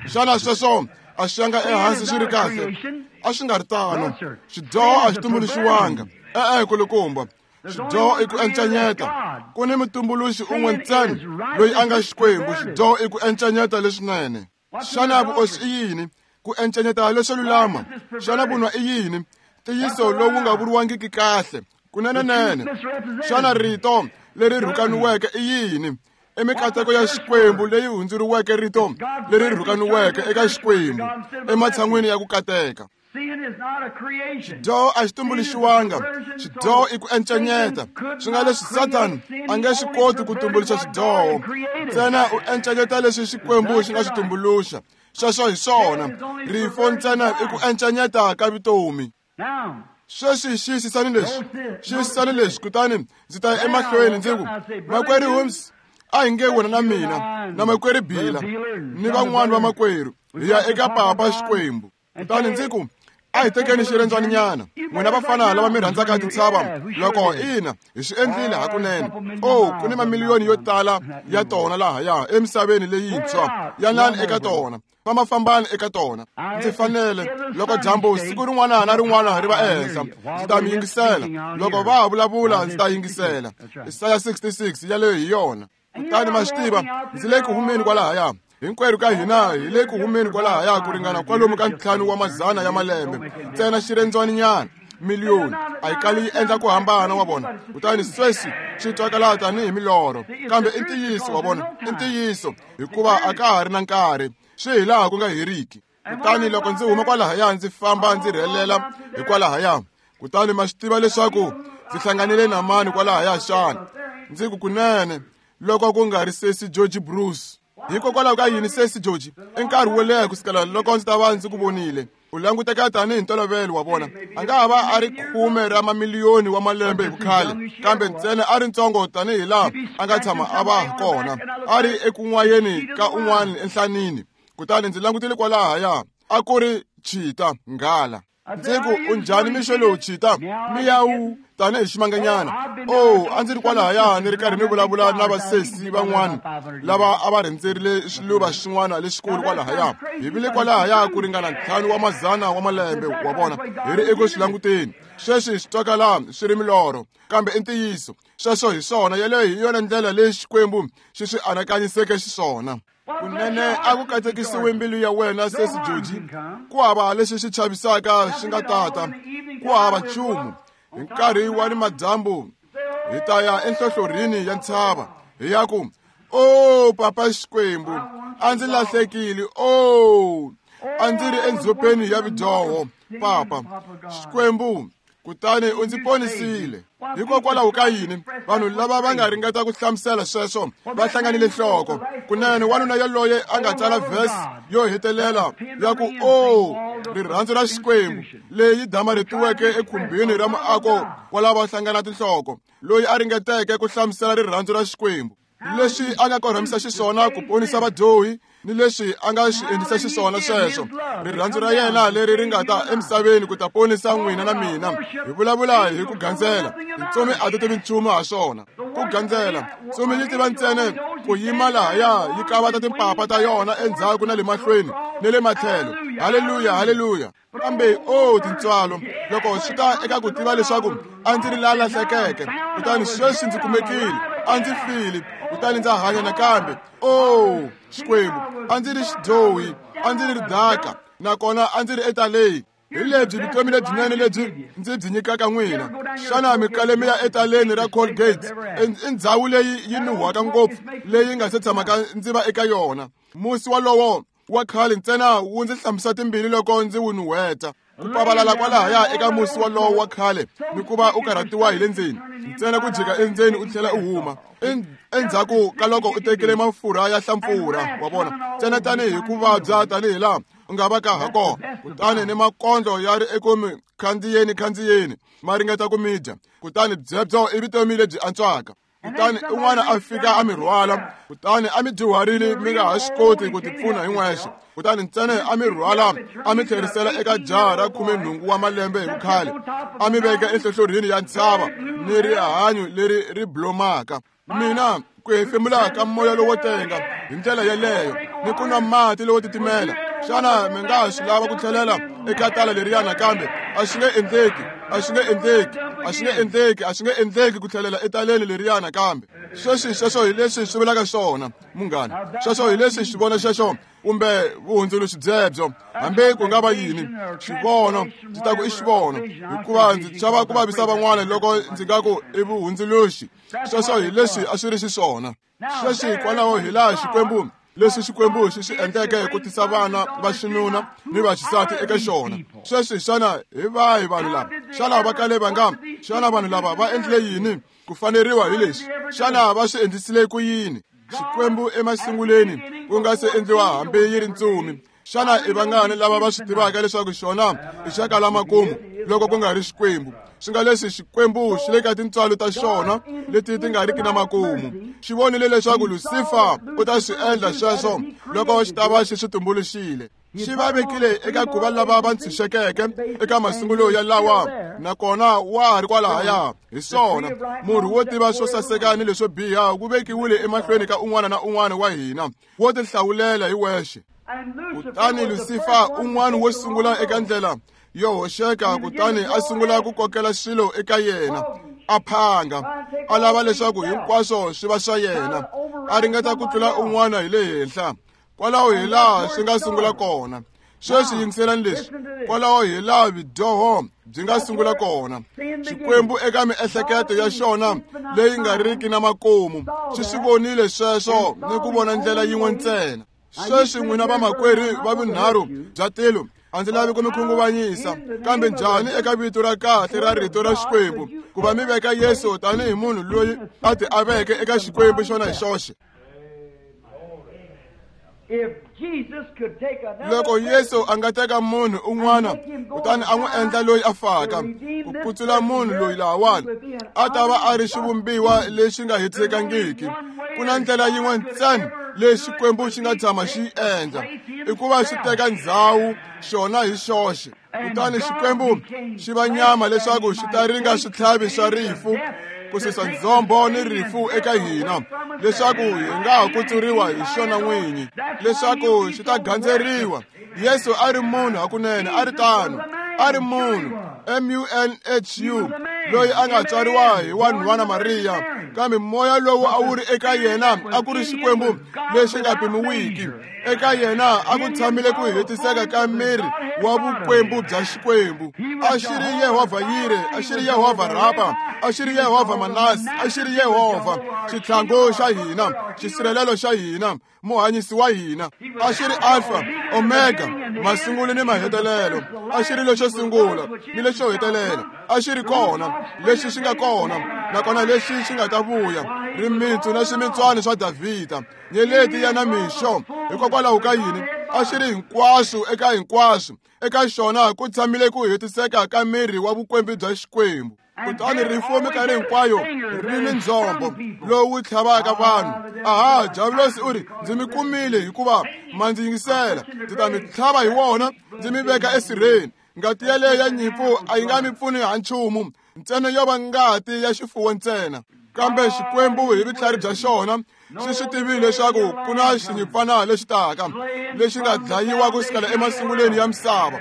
Xana sweswo a swi yanga ehansi swi ri kahle? A swi nga ri tano. Xidyoho a xi tumbuluxiwanga. E-e, kulukumba. Xidyoho i ku encanyeta. Ku ni mutumbuluxi un'we ntsena loyi a nga Xikwembu. Xidyoho i ku encanyeta leswinene. Xana vuoswi i yini? Ku encanyeta leswo lulama. Xana vunwa i yini? Ntiyiso lowu nga vuriwangiki kahle. Kunenenene. Xana rito leri rhukaniweke i yini? I mikateko ya Xikwembu leyi hundzuriweke rito leri rhukaniweke eka Xikwembu ematshan'wini ya ku kateka. Xidyoho a xi tumbuluxiwanga. Xidyoho i ku encanyeta. Swi nga leswi Satan a nge swi koti ku tumbuluxa xidyoho, ntsena u encanyeta leswi Xikwembu xi nga swi tumbuluxa. Sweswo hi swona. Rifo ntsena i ku encanyeta ka vutomi. Sweswi xiyisisani leswi, xiyisisani leswi, kutani ndzi ta ya emahlweni ndzi ku, makwerhu Holmes, a hi nge wena na mina na makwerhu Bila ni van'wani va makwerhu hi ya eka papa Xikwembu. Kutani ndzi ku, a hi tekeni xirhendzwaninyana, n'wina vafana lava mi rhandzaka tintshava, loko ina hi swi endlile hakunene. O, ku ni mamiliyoni yo tala ya tona lahaya emisaveni leyintshwa. Yanani eka tona, fambafambani eka tona. Ndzi fanele loko dyambu siku rin'wana na rin'wana ri va ehenhla, ndzi ta mi yingisela. Loko va ha vulavula, ndzi ta yingisela. Isaya sixty-six yaleyo hi yona. Kutani ma swi tiva, ndzi le ku humeni kwalahaya. Hinkwerhu ka hina hi le ku humeni kwalahaya ku ringana kwalomu ka ntlhanu wa mazana ya malembe, ntsena xirhendzwaninyana miliyoni a yi kali yi endla ku hambana, wa vona. Kutani sweswi swi twakala tanihi milorho, kambe i ntiyiso, wa vona, i ntiyiso, hikuva a ka ha ri na nkarhi, swi hi laha ku nga heriki. Kutani loko ndzi huma kwalahaya ndzi famba ndzi rhelela hikwalahaya, kutani ma swi tiva leswaku ndzi hlanganile na mani kwalahaya xana? Ndzi ku, kunene loko ku nga ri sesi George Bruce. Hikokwalaho ka yini sesi George? I nkarhi wo leha kusukela loko ndzi ta va ndzi ku vonile. U languteka tanihi ntolovelo, wa vona. A nga ha va a ri khume ra mamiliyoni wa malembe hi vukhale, kambe ntsena a ri ntsongo tanihi laha a nga tshama a va kona, a ri ekun'wayeni ka un'wana enhlanini. Kutani ndzi langutile kwalahaya, a ku ri chita nghala. Ndzi ku, u njhani mixo lowu chita? Miyawu tanihi ximanganyana. O, a ndzi ri kwalahaya ni ri karhi ni vulavula na vasesi van'wana lava a va rhendzerile swiluva xin'wana lexikulu kwalahaya. Hi vile kwalahaya ku ringana ntlhanu wa mazana wa malembe, wa vona, hi ri eku swi languteni. Sweswi swi twakala swi ri milorho, kambe i ntiyiso. Sweswo hi swona. Yeleyo hi yona ndlela leyi Xikwembu xi swi anakanyiseke xiswona. Kunene a ku katekisiwe mbilu ya wena sesi George. Ku hava lexi xi chavisaka xi nga tata, ku hava nchumu. Hi nkarhi wa ni madyambu hi ta ya enhlohlorhini ya ntshava, hi ya ku, o papa Xikwembu, a ndzi lahlekile. O, a ndzi ri endzhopeni ya vidyoho, papa Xikwembu. Kutani u ndzi ponisile. Hikokwalaho ka yini vanhu lava va nga ringeta ku hlamusela sweswo va hlanganile nhloko? Kunene wanuna yaloye a nga tsala verse yo hetelela ya ku o rirhandzu ra Xikwembu leyi damarhetiweke ekhumbini ra muako wa lava hlangana tinhloko, loyi a ringeteke ku hlamusela rirhandzu ra Xikwembu, leswi a nga korhamisa xiswona ku ponisa vadyohi ni leswi a nga swi endlisa xiswona sweswo. Rirhandzu ra yena leri ri nga ta emisaveni ku ta ponisa n'wina na mina. Hi vulavula hi ku gandzela, tintsumi a ti tivi nchumu ha swona. Ku gandzela, ntsumi yi tiva ntsena ku yima lahaya yi kavata timpapa ta yona endzhaku na le mahlweni ni le matlhelo. Haleluya, haleluya. Kambe o tintswalo, loko swi ta eka ku tiva leswaku a ndzi ri la lahlekeke, kutani sweswi ndzi kumekile, a ndzi file, kutani ndza hanya nakambe. O Xikwembu, a ndzi ri xidyohi, a ndzi ri ridaka, nakona a ndzi ri etaleni. Hi lebyi vutomi lebyinene lebyi ndzi byi nyikaka n'wina. Xana mi kale mi ya etaleni ra Colgate? I ndhawu leyi yi nuhwaka ngopfu leyi nga se tshamaka ndzi va eka yona. Musi walowo wa khale ntsena wu ndzi hlambisa timbilu loko ndzi wu nuhweta. Ku pavalala kwalahaya eka musi walowo wa khale ni ku va u karhatiwa hi le ndzeni, ntsena ku jika endzeni u tlhela u huma endzhaku ka loko u tekile mafurha ya hlampfurha, wa vona, ntsena tanihi ku vabya tanihi laha u nga va ka ha kona. Kutani ni makondlo ya ri eku mi khandziyeni khandziyeni ma ringeta ku mi dya, kutani byebyo i vutomi lebyi antswaka. Kutani un'wana a fika a mi rhwala, kutani a mi dyuharile mi nga ha swi koti ku tipfuna hi n'wexe, kutani ntsena a mi rhwala a mi tlherisela eka jaha ra khumenhungu wa malembe hi vukhale, a mi veka enhlohlorhini ya ntshava ni rihanyo leri ri blomaka. Mina ku hefemula ka moya lowo tenga hi ndlela yeleyo ni ku nwa mati lowo titimela, xana mi nga swi lava ku tlhelela eka tala leriya nakambe? A swi nge endleki, a swi nge endleki, a swi nge endleki, a swi nge endleki ku tlhelela etaleni leriya nakambe. Sweswi sweswo hi leswi swi vulaka swona, munghana. Sweswo hi leswi xivono xexo kumbe vuhundzuluxi byebyo, hambi ku nga va yini, xivono ndzi ta ku i xivono, hikuva ndzi chava ku vavisa van'wana loko ndzi nga ku i vuhundzuluxi. Sweswo hi leswi a swi ri xiswona. Sweswi kwalaho hi laha Xikwembu leswi Xikwembu xi swi endleke ku tisa vana va xinuna ni va xisati eka xona. Sweswi xana hi vahi vanhu lava? Xana va kale va nga? Xana vanhu lava va endlile yini ku faneriwa hi leswi? Xana va swi endlisile ku yini? Xikwembu emasunguleni ku nga se endliwa hambi yi ri ntsumi. Xana i vangani lava va swi tivaka leswaku xona i xa kala makumu loko ku nga ri Xikwembu? Swi nga leswi Xikwembu xi le ka tintswalo ta xona leti ti nga riki na makumu. Xi vonile leswaku Lucifer u ta swi endla sweswo loko xi ta va xi swi tumbuluxile. Xi va vekile eka ku va lava va ntshunxekeke eka masungulo ya lawa, nakona wa ha ri kwalahaya. Hi swona, murhi wo tiva swo saseka ni leswo biha wu vekiwile emahlweni ka un'wana na un'wana wa hina, wo tihlawulela hi wexe. Kutani Lucifer un'wana wo sungula eka ndlela yo hoxeka, kutani a sungula ku kokela swilo eka yena, a phanga, a lava leswaku hinkwaswo swi va swa yena, a ringeta ku tlula un'wana hi le henhla. Kwalaho hi laha swi nga sungula kona. Sweswi yingiselani leswi, kwalaho hi laha vudyoho byi nga sungula kona. Xikwembu eka miehleketo ya xona leyi nga riki na makumu xi swi vonile sweswo ni ku vona ndlela yin'we ntsena. Sweswi n'wina vamakwerhu va vunharhu bya tilo, a ndzi lavi ku mi khunguvanyisa, kambe njhani eka vito ra kahle ra rito ra Xikwembu ku va mi veka Yesu tanihi munhu loyi a ti aveke eka Xikwembu xona hi xoxe? Loko Yesu a nga teka munhu un'wana kutani a n'wi endla loyi a faka ku kutsula munhu loyi lahawani, a ta va a ri xivumbiwa lexi nga hetisekangiki. Ku na ndlela yin'we ntsena leyi Xikwembu xi nga tshama xi yi endla, i ku va xi teka ndzhawu xona hi xoxe. Kutani Xikwembu xi va nyama leswaku xi ta ringa switlhavi swa rifu, ku susa ndzhombo ni rifu eka hina, leswaku hi nga ha kutsuriwa hi xona n'winyi, leswaku xi ta gandzeriwa. Yesu a ri munhu hakunene, a ri tano, a ri munhu, M U N H U, loyi a nga tswariwa hi wanhwana Mariya, kambe moya lowu a wu ri eka yena a ku ri Xikwembu lexi nga pimiwiki. Eka yena a ku tshamile ku hetiseka ka miri wa vukwembu bya Xikwembu. A xi ri Yehovha Yire, a xi ri Yehovha Rapa, a xi ri Yehovha Manasi, a xi ri Yehovha xitlhangu xa hina, xisirhelelo xa hina, muhanyisi wa hina. A xi ri Alpha, Omega, masungulo ni mahetelelo. A xi ri lexo sungula ni lexo hetelela. A xi ri kona, lexi xi nga kona, nakona lexi xi nga ta vuya. Rimitsu na swimitswana swa Davhida, nyeleti ya namixo. Hikokwalaho ka yini? A xi ri hinkwaswo eka hinkwaswo. Eka xona ku tshamile ku hetiseka ka miri wa vukwembu bya Xikwembu. Kutani rifu minkarhi hinkwayo ri ni ndzhombo lowu tlhavaka vanhu. Aha, Diabulosi u ri, ndzi mi kumile hikuva ma ndzi yingisela, ndzi ta mi tlhava hi wona, ndzi mi veka esirheni. Ngati yaleyo ya nyimpfu a yi nga mi pfuni ha nchumu, ntsena yo va ngati ya xifuwo ntsena. Kambe Xikwembu hi vutlhari bya xona xi swi tivile leswaku ku na xinyimpfana lexi taka, lexi nga dlayiwa ku sukela emasungulweni ya misava.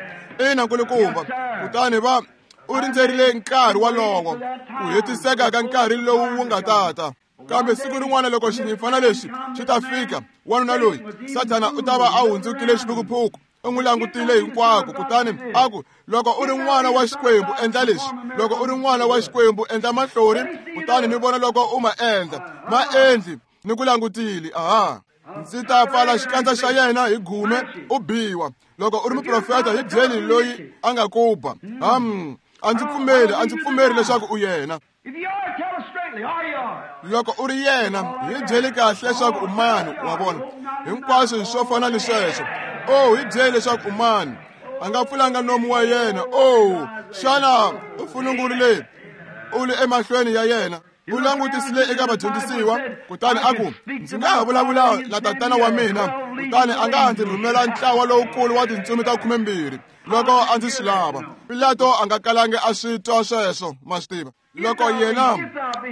Ina, nkulukumba. Kutani va u rindzerile nkarhi wolowo, ku hetiseka ka nkarhi lowu wu nga tata. Kambe siku rin'wana loko xinyimpfana lexi xi ta fika, wanuna loyi Sathana u ta va a hundzukile xiphukuphuku. U n'wi langutile hinkwako, kutani a ku, loko u ri n'wana wa Xikwembu, endla leswi. Loko u ri n'wana wa Xikwembu, endla mahlori, kutani ni vona loko u ma endla. Ma endli, ni ku langutile. Aha, ndzi ta pfala xikandza xa yena hi gume, u biwa. Loko u ri muprofeta, hi byeli loyi a nga ku ba. Ham, a ndzi pfumeli, a ndzi pfumeri leswaku u yena. Loko u ri yena, hi byeli kahle leswaku u mani, wa vona. Hinkwaswo swo fana ni sweswo. Oh, hi byeli leswaku u mani. A nga pfulanga nomu wa yena. Oh, xana u funungurile u li emahlweni ya yena? U langutisile eka vadyondzisiwa, kutani a ku, ndzi nga ha vulavula na tatana wa mina, kutani a nga ha ndzi rhumela ntlawa lowukulu wa tintsumi ta khumembirhi loko a ndzi swi lava. Pilato a nga kalangi a swi twa sweswo, ma swi tiva. Loko yena,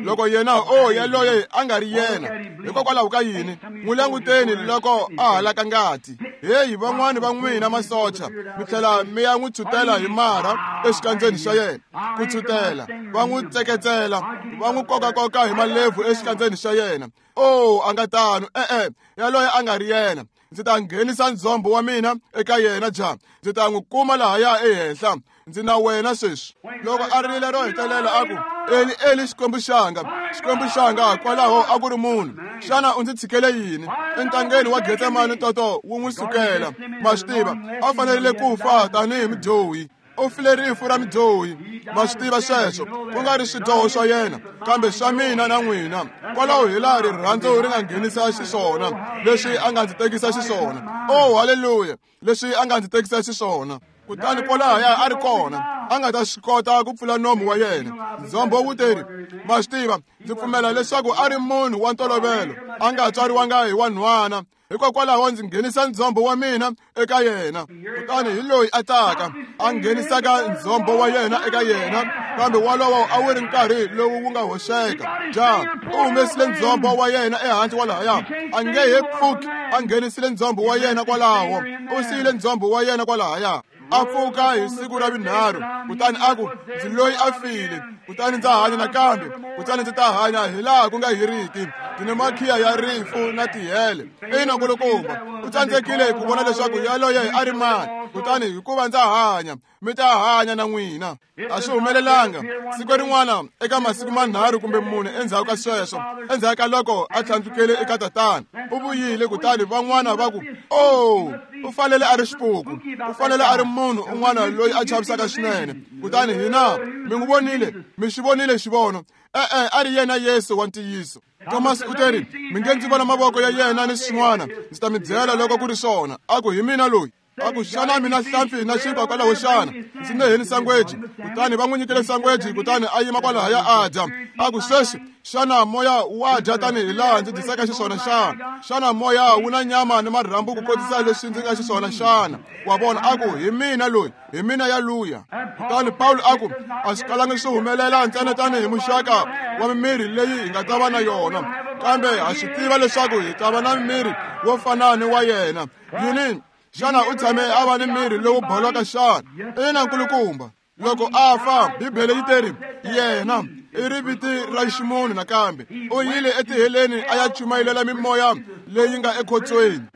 loko yena, oh, yaloye a nga ri yena. Hikokwalaho ka yini? N'wi languteni loko a halaka ngati. Heyi, van'wani va n'wina masocha, mi tlhela mi ya n'wi tshutela hi marha exikandzeni xa yena. Ku tshutela, va n'wi tseketsela, va n'wi kokakoka hi malebvu exikandzeni xa yena. Oh, a nga tano, e-e, yaloye a nga ri yena. Ndzi ta nghenisa ndzhombo wa mina eka yena ja. Ndzi ta n'wi kuma lahaya ehenhla. Ndzi na wena sweswi. Loko a rile ro hetelela a ku, Eli, Eli, Xikwembu xanga, Xikwembu xanga, kwalaho a ku ri munhu. Xana u ndzi tshikele yini? Entangeni wa Getsemane toto wu n'wi sukela. Ma swi tiva, a fanerile ku fa tanihi mudyohi. U file rifu ra mudyohi. Ma swi tiva sweswo, ku nga ri swidyoho swa yena, kambe swa mina na n'wina. Kwalaho hi laha rirhandzu ri nga nghenisa xiswona, leswi a nga ndzi tekisa xiswona. Oh, haleluya, leswi a nga ndzi tekisa xiswona. Kutani kwalahaya a ri kona, a nga ta swi kota ku pfula nomu wa yena. Ndzhombo wu teri, ma swi tiva, ndzi pfumela leswaku a ri munhu wa ntolovelo, a nga tswariwanga hi wanhwana. Hikokwalaho ndzi nghenisa ndzhombo wa mina eka yena. Kutani hi loyi a taka, a nghenisaka ndzhombo wa yena eka yena, kambe walowo a wu ri nkarhi lowu wu nga hoxeka. Ja, u humesile ndzhombo wa yena ehansi kwalahaya, a nge he pfuki a nghenisile ndzhombo wa yena kwalaho. U siyile ndzhombo wa yena kwalahaya. A pfuka hi siku ra vunharhu, kutani a ku, ndzi loyi a file, kutani ndza hanya nakambe, kutani ndzi ta hanya hilaha ku nga heriki. Ndzi ni makhiya ya rifu na tihele. Ina, nkulukumba, u tsandzekile ku vona leswaku yaloye a ri mani. Kutani hikuva ndza hanya, mi ta hanya na n'wina. A swi humelelanga siku rin'wana eka masiku manharhu kumbe mune endzhaku ka sweswo, endzhaku ka loko a tlhandlukele eka tatana, u vuyile. Kutani van'wana va ku, oh, u fanele a ri xipuku, u fanele a ri munhu un'wana loyi a chavisaka swinene. Kutani hina mi n'wi vonile, mi xi vonile xivono. E-e, a ri yena Yesu wa ntiyiso. Thomas u teri, mi nge ndzi vona mavoko ya yena ni swin'wana, ndzi ta mi byela loko ku ri swona. A ku, hi mina loyi. A ku, xana mina hlampfi na xinkwa kwalaho xana? Ndzi neheni sangweji. Kutani va n'wi nyikile sangweji, kutani a yima kwalahaya a dya. A ku, sweswi, xana moya wa dya tanihi laha ndzi dyisaka xiswona xana? Xana moya wu na nyama ni marhambu ku kotisa leswi ndzi nga xiswona xana? Wa vona, a ku, hi mina loyi, hi mina yaluya. Kutani Pawulo a ku, a swi kalangi swi humelela ntsena tanihi muxaka wa mimiri leyi hi nga ta va na yona, kambe ha swi tiva leswaku hi ta va na miri wo fana ni wa yena. Yini? Xana u tshame a va ni miri lowu bolaka xana? Ina, nkulukumba. Loko a fa, Bibele yi teri, yena i riviti ra ximunhu nakambe. U yile etiheleni a ya chumayelela mimoya leyi nga ekhotsweni.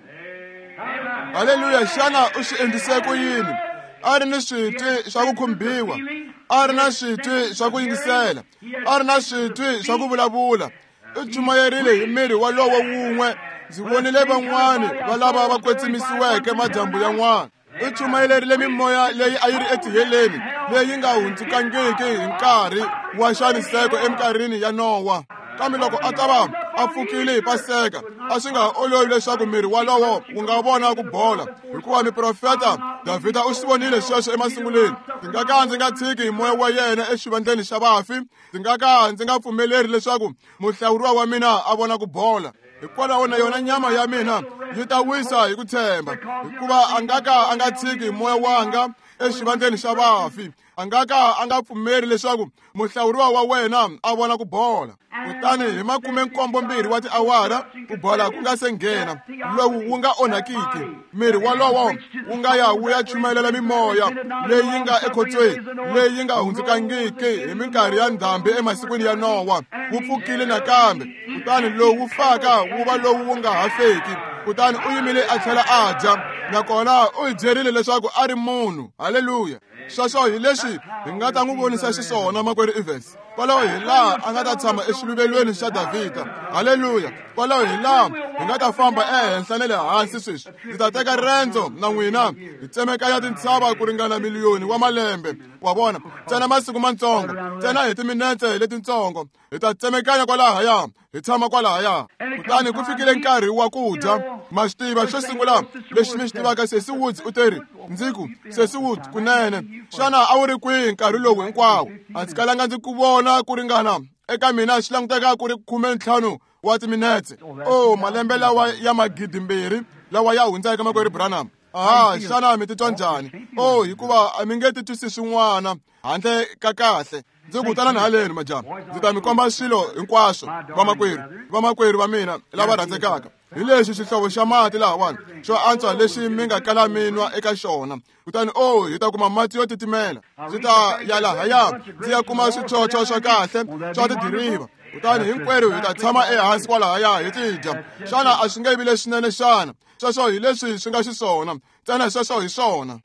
Haleluya! Xana u swi endlise ku yini? A ri ni switwi swa ku khumbiwa, a ri na switwi swa ku yingisela, a ri na switwi swa ku vulavula. U chumayerile hi miri walowo wun'we Ndzi vonile van'wani va lava va kwetsimisiweke madyambu yan'wana. U chumayelerile mimoya leyi a yi ri etiheleni leyi nga hundzukangiki hi nkarhi wa nxaniseko eminkarhini ya Nowa. Kambe loko a ta va a pfukile hi Paseka, a swi nga ha olovi leswaku miri walowo wu nga vona ku bola, hikuva muprofeta Davhida u swi vonile sweswo emasungulweni. Ndzi nga ka ndzi nga tshiki hi moya wa yena exivandleni xa vafi, ndzi nga ka ndzi nga pfumeleri leswaku muhlawuriwa wa mina a vona ku bola. Hikwalaho na yona nyama ya mina yi ta wisa hi ku tshemba, hikuva a nga ka a nga tshiki moya wanga exivandleni xa vafi, a nga ka a nga pfumeri leswaku muhlawuriwa wa wena a vona ku bola. Kutani hi makume nkombo mbirhi wa tiawara ku bola ku nga se nghena, lowu wu nga onhakiki, miri walowo wu nga ya wu ya chumayelela mimoya leyi nga ekhotsweni, leyi nga hundzukangiki hi minkarhi ya ndhambi emasikwini ya Nowa, wu pfukile nakambe. Kutani lowu wu faka wu va lowu wu nga ha feki. Kutani u yimile a tlhela a dya, nakona u hi byerile leswaku a ri munhu. Haleluya! Sweswo hi leswi hi nga ta n'wi vonisa xiswona makwerhu Evans. Kwalaho hi laha a nga ta tshama exiluvelweni xa Davhida. Haleluya! Kwalaho hi laha hi nga ta famba ehenhla na le hansi sweswi. Ndzi ta teka rendzo na n'wina hi tsemekanya tintshava ku ringana miliyoni wa malembe. Wa vona, ntsena masiku mantsongo, ntsena hi timinetse letitsongo, hi ta tsemekanya kwalahaya, hi tshama kwalahaya. Kutani ku fikile nkarhi wa ku dya. Ma swi tiva, xo sungula lexi mi xi tivaka, Sesi Woods u teri, ndzi ku, Sesi Woods, kunene xana a wu ri kwihi nkarhi lowu hinkwawo? A ndzi kalanga ndzi ku vona ku ringana eka mina swi languteka ku ri khume ntlhanu wa timinetse. Oh, malembe lawa ya magidi mbirhi lawa ya hundzaka makwerhu Branham. Aha, xana mi titwa njhani? Oh, hikuva a mi nge titwisi swin'wana handle ka kahle. Ndzi ku tana haleni majaha, ndzi ta mi komba swilo hinkwaswo, vamakwerhu, vamakwerhu va mina lava rhandzekaka. Hi lexi xihlovo xa mati lahawani xo antswa lexi mi nga kala mi nwa eka xona. Kutani oh, hi ta kuma mati yo titimela. Ndzi ta ya lahaya ndzi ya kuma swichocho swa kahle swa tidiriva. Kutani hinkwerhu hi ta tshama ehansi kwalahaya hi ti dya. Xana a swi nge vi leswinene xana? Sweswo hi leswi swi nga xiswona, ntsena sweswo hi swona.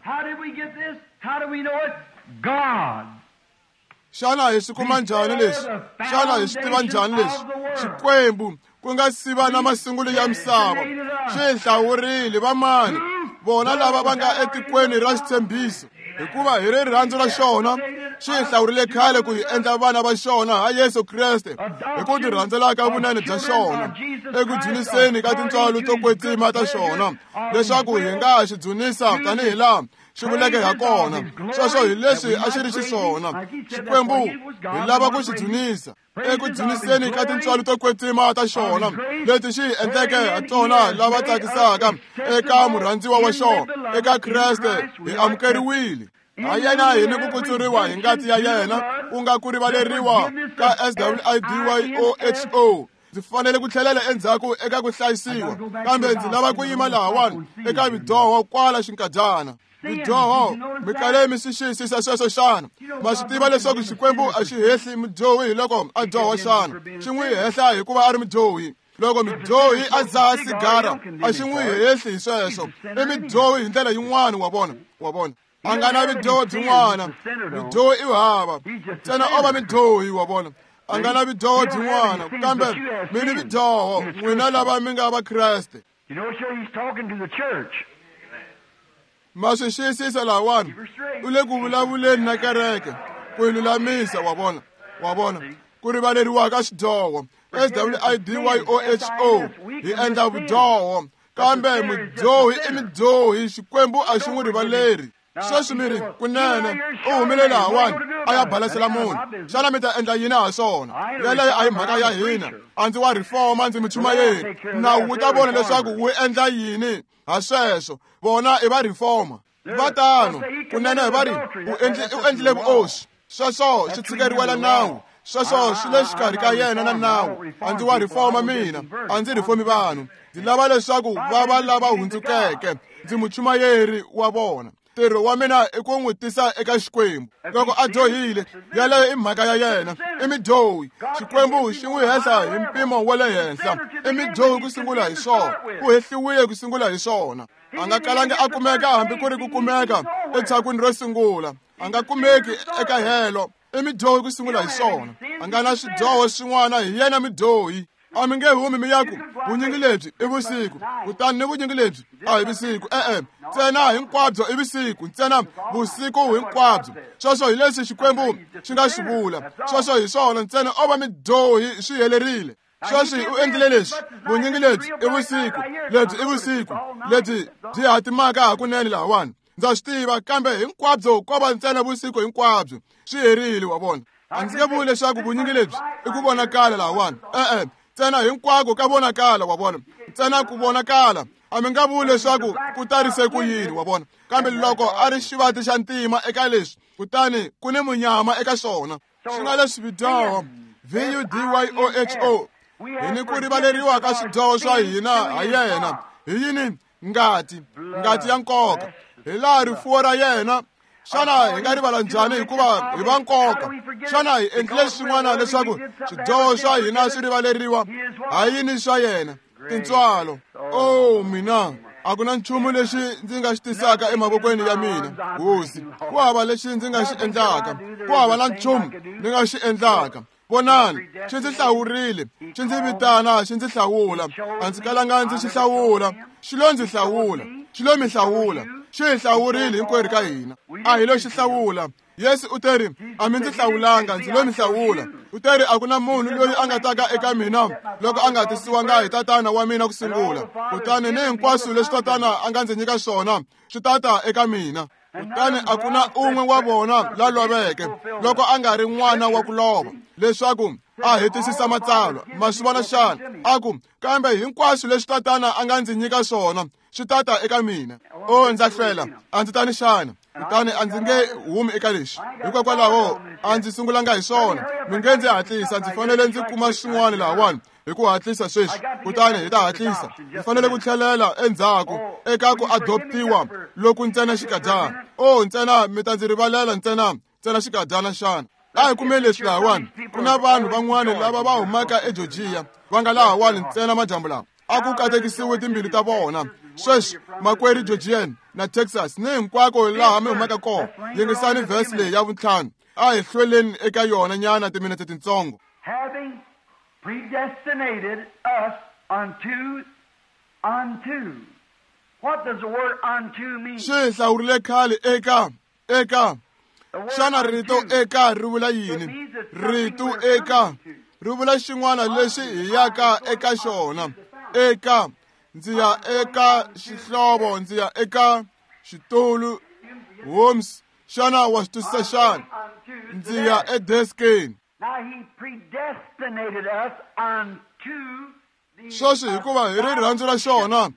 Xana hi swi kuma njhani leswi? Xana hi swi tiva njhani leswi? Xikwembu ku nga siva na masungulo ya misava xi hlawurile vamani, vona lava va nga etikweni ra xitshembiso, hikuva hi rirhandzu ra xona xi hlawurile khale ku hi endla vana va xona ha Yesu Kreste, hi ku tirhandzela ka vunene bya xona, eku dzuniseni ka tintswalo to kwetsima ta xona, leswaku hi nga xi dzunisa tanihi laha xi vuleke ha kona. Sweswo hi leswi a xi ri xiswona. Xikwembu hi lava ku xi dzunisa eku dzuniseni ka tintswalo to kwetsima ta xona leti xi hi endleke ha tona lava tsakisaka eka murhandziwa wa xona. Eka Kreste hi amukeriwile. Ha yena hi ni ku kutsuriwa hi ngati ya yena, ku nga ku rivaleriwa ka S W I D Y O H O. Ndzi fanele ku tlhelela endzhaku eka ku hlayisiwa, kambe ndzi lava ku yima lahawani eka vidyoho kwala xinkadyana. Vidyoho, mi kale mi swi xiyisisa sweswo xana? Ma swi tiva leswaku Xikwembu a xi hehli mudyohi hi loko a dyoha xana? Xi n'wi hehla hikuva a ri mudyohi. Loko mudyohi a dzaha sigara, a xi n'wi hehli hi sweswo. I mudyohi hi ndlela yin'wana, wa vona, wa vona. A nga na vidyoho byin'wana. Mudyohi i hava, ntsena o va mudyohi, wa vona. A nga na vidyoho byin'wana, kambe mi ni vidyoho, n'wina lava mi nga va Kreste. Ma swi xiyisisa lahawani, u le ku vulavuleni na kereke ku yi lulamisa, wa vona, wa vona, ku rivaleriwa ka xidyoho. S W I D Y O H O, hi endla vudyoho, kambe mudyohi i mudyohi, Xikwembu a xi n'wi rivaleri. Sweswi mi ri, kunene u humile lahawani a ya balasela munhu. Xana mi ta endla yini ha swona? Yeleyo a hi mhaka ya hina. A ndzi wa reforma, ndzi muchumayeri. Nawu wu ta vona leswaku wu endla yini ha sweswo. Vona i va reforma. Va tano, kunene va ri u endli u endlile vuoswi. Sweswo swi tshikeriwela nawu. Sweswo swi le xikarhi ka yena na nawu. A ndzi wa reforma mina, a ndzi reformi vanhu. Ndzi lava leswaku va va lava hundzukeke. Ndzi muchumayeri wa vona. Ntirho wa mina i ku n'wi tisa eka Xikwembu. Loko a dyohile, yaleyo i mhaka ya yena. I mudyohi. Xikwembu xi n'wi hehla hi mpimo wa le henhla. I mudyohi ku sungula hi swona. U hehliwile ku sungula hi swona. A nga kalangi a kumeka hambi ku ri ku kumeka etshakwini ro sungula. A nga kumeki eka helo. I mudyohi ku sungula hi swona. A nga na swidyoho swin'wana, hi yena mudyohi. A mi nge humi mi ya ku vunyingi lebyi i vusiku, kutani ni vunyingi lebyi a hi vusiku. E-e, ntsena hinkwabyo i vusiku, ntsena vusiku hinkwabyo. Sweswo hi leswi Xikwembu xi nga swi vula. Sweswo hi swona, ntsena o va midyohi swi helerile. Sweswi u endlile leswi, vunyingi lebyi i vusiku, lebyi i vusiku, lebyi byi hatimaka hakunene lahawani. Ndza swi tiva, kambe hinkwabyo ko va ntsena vusiku hinkwabyo. Swi herile, wa vona. A ndzi nge vuli leswaku vunyingi lebyi i ku vonakala lahawani. E-e, ntsena hinkwako ka vonakala, wa vona. Ntsena ku vonakala. A mi nga vuli leswaku ku tarise ku yini, wa vona. Kambe loko a ri xivati xa ntima eka leswi, kutani ku ni munyama eka swona. Swi nga leswi vidyoho, V U D Y O H O, hi ni ku rivaleriwa ka swidyoho swa hina ha yena. Hi yini? Ngati, ngati ya nkoka. Hi laha rifuwo ra yena. Xana hi nga rivala njhani hikuva hi va nkoka? Xana hi endlile swin'wana leswaku swidyoho swa hina swi rivaleriwa? Ha yini swa yena? Tintswalo. Oh, mina, a ku na nchumu lexi ndzi nga xi tisaka emavokweni ya mina, hosi. Ku hava lexi ndzi nga xi endlaka. Ku hava na nchumu ndzi nga xi endlaka. Vonani, xi ndzi hlawurile, xi ndzi vitana, xi ndzi hlawula. A ndzi kalanga ndzi xi hlawula, xi lo ndzi hlawula, xi lo mi hlawula. Xi hi hlawurile hinkwerhu ka hina. A hi lo xi hlawula. Yesu u teri, a mi ndzi hlawulanga, ndzi lo mi hlawula. U teri a ku na munhu loyi a nga taka eka mina loko a nga tisiwanga hi tatana wa mina ku sungula. Kutani ni hinkwaswo leswi tatana a nga ndzi nyika swona swi tata eka mina. Kutani a ku na un'we wa vona la loveke loko a nga ri n'wana wa ku lova, leswaku a hetisisa matsalwa. Ma swi vona xana? A ku, kambe hinkwaswo leswi tatana a nga ndzi nyika swona swi tata eka mina. O, ndza hlwela, a ndzi tani xana? Kutani a ndzi nge humi eka lexi. Hikokwalaho a ndzi sungulanga hi swona. Mi nge ndzi hatlisa, ndzi fanele ndzi kuma swin'wana lahawani hi ku hatlisa sweswi. Kutani hi ta hatlisa. Ndzi fanele ku tlhelela endzhaku eka ku adoptiwa loku ntsena xikadyana. O, ntsena mi ta ndzi rivalela ntsena, ntsena xikadyana xana? A hi kumeni leswi lahawani. Ku na vanhu van'wana lava va humaka eGeorgia va nga lahawani ntsena madyambu lawa. A ku katekisiwe timbilu ta vona. Sweswi, makwerhu Georgian na Texas ni hinkwako laha mi humaka kona, yingisani vhesi leyi ya vuntlhanu. A hi hlweleni eka yona nyana timinete tintsongo. Having predestinated us unto, unto. What does the word unto mean? Xi hi hlawurile khale eka, eka. Xana rito eka ri vula yini? Rito eka ri vula xin'wana lexi hi yaka eka xona. Eka, ndzi ya eka xihlovo, ndzi ya eka xitulu. Holmes, xana wa swi twisisa xana? Ndzi ya edeskeni. Sweswi hikuva hi rirhandzu ra xona,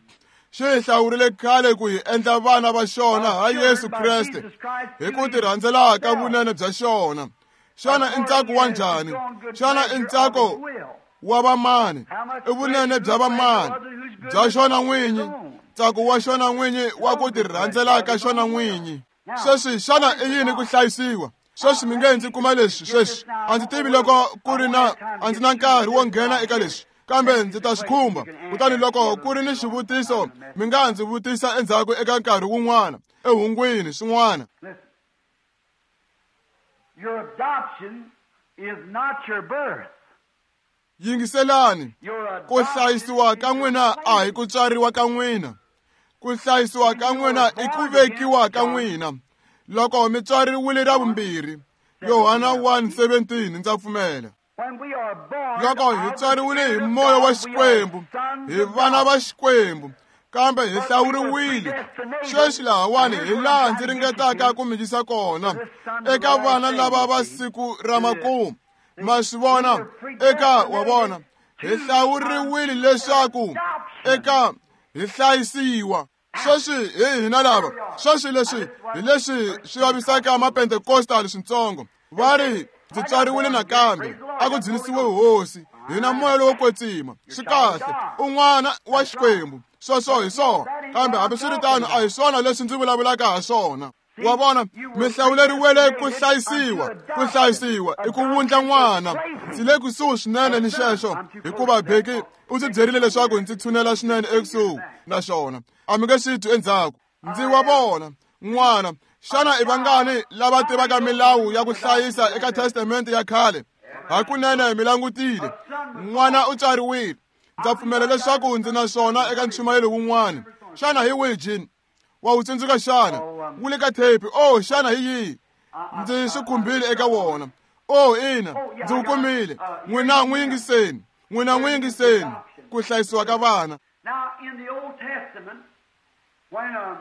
xi hi hlawurile khale ku hi endla vana va xona ha Yesu Kreste, hi ku tirhandzela ka vunene bya xona. Xana i ntsako wa njhani? Xana i ntsako wa vamani? I vunene bya vamani? Bya xona n'winyi, ntsako wa xona n'winyi wa ku tirhandzela ka xona n'winyi. Sweswi xana i yini ku hlayisiwa? Sweswi mi nge ndzi kuma leswi sweswi. A ndzi tivi loko ku ri na, a ndzi na nkarhi wo nghena eka leswi, kambe ndzi ta swi khumba. Kutani loko ku ri ni xivutiso, mi nga ndzi vutisa endzhaku eka nkarhi wun'wana, ehungwini swin'wana. Your adoption is not your birth. Yingiselani, ku hlayisiwa ka n'wina a hi ku tswariwa ka n'wina. Ku hlayisiwa ka n'wina i ku vekiwa ka n'wina. Loko mi tswariwile ra vumbirhi, Yohana one seventeen, ndza pfumela. Loko hi tswariwile hi moya wa Xikwembu, hi vana va Xikwembu, kambe hi hlawuriwile. Sweswi lahawani hi laha ndzi ringetaka ku mi yisa kona, eka vana lava va siku ra makumu. Ma swi vona? Eka wa vona, hi hlawuriwile leswaku eka hi hlayisiwa. Sweswi hi hina lava. Sweswi leswi hi leswi swi vavisaka mapentekostal swintsongo. Va ri, ndzi tswariwile nakambe, a ku dzunisiwe hosi, hi na moya lowo kwetsima. Swi kahle, u n'wana wa Xikwembu. Sweswo hi swona, kambe hambiswiritano a hi swona leswi ndzi vulavulaka ha swona. Wa vona, mi hlawuleriwele ku hlayisiwa. Ku hlayisiwa i ku wundla n'wana. Ndzi le kusuhi swinene ni xexo, hikuva Beki u ndzi byerile leswaku ndzi tshunela swinene ekusuhi na xona. A mi nge swi twi endzhaku. Ndzi wa vona n'wana. Xana i vangani lava tivaka milawu ya ku hlayisa eka Testamente ya khale? Hakunene mi langutile. N'wana u tswariwile. Ndza pfumela leswaku ndzi na swona eka nchumayelo wun'wana. Xana hi wihi Jean? Wa wu tsundzuka xana? Wu le ka tape. Oh, xana hi yihi? Ndzi swi khumbile eka wona. Oh, ina, ndzi wu kumile. N'wina n'wi yingiseni. N'wina n'wi yingiseni. Ku hlayisiwa ka vana. Now, in the Old Testament, when a,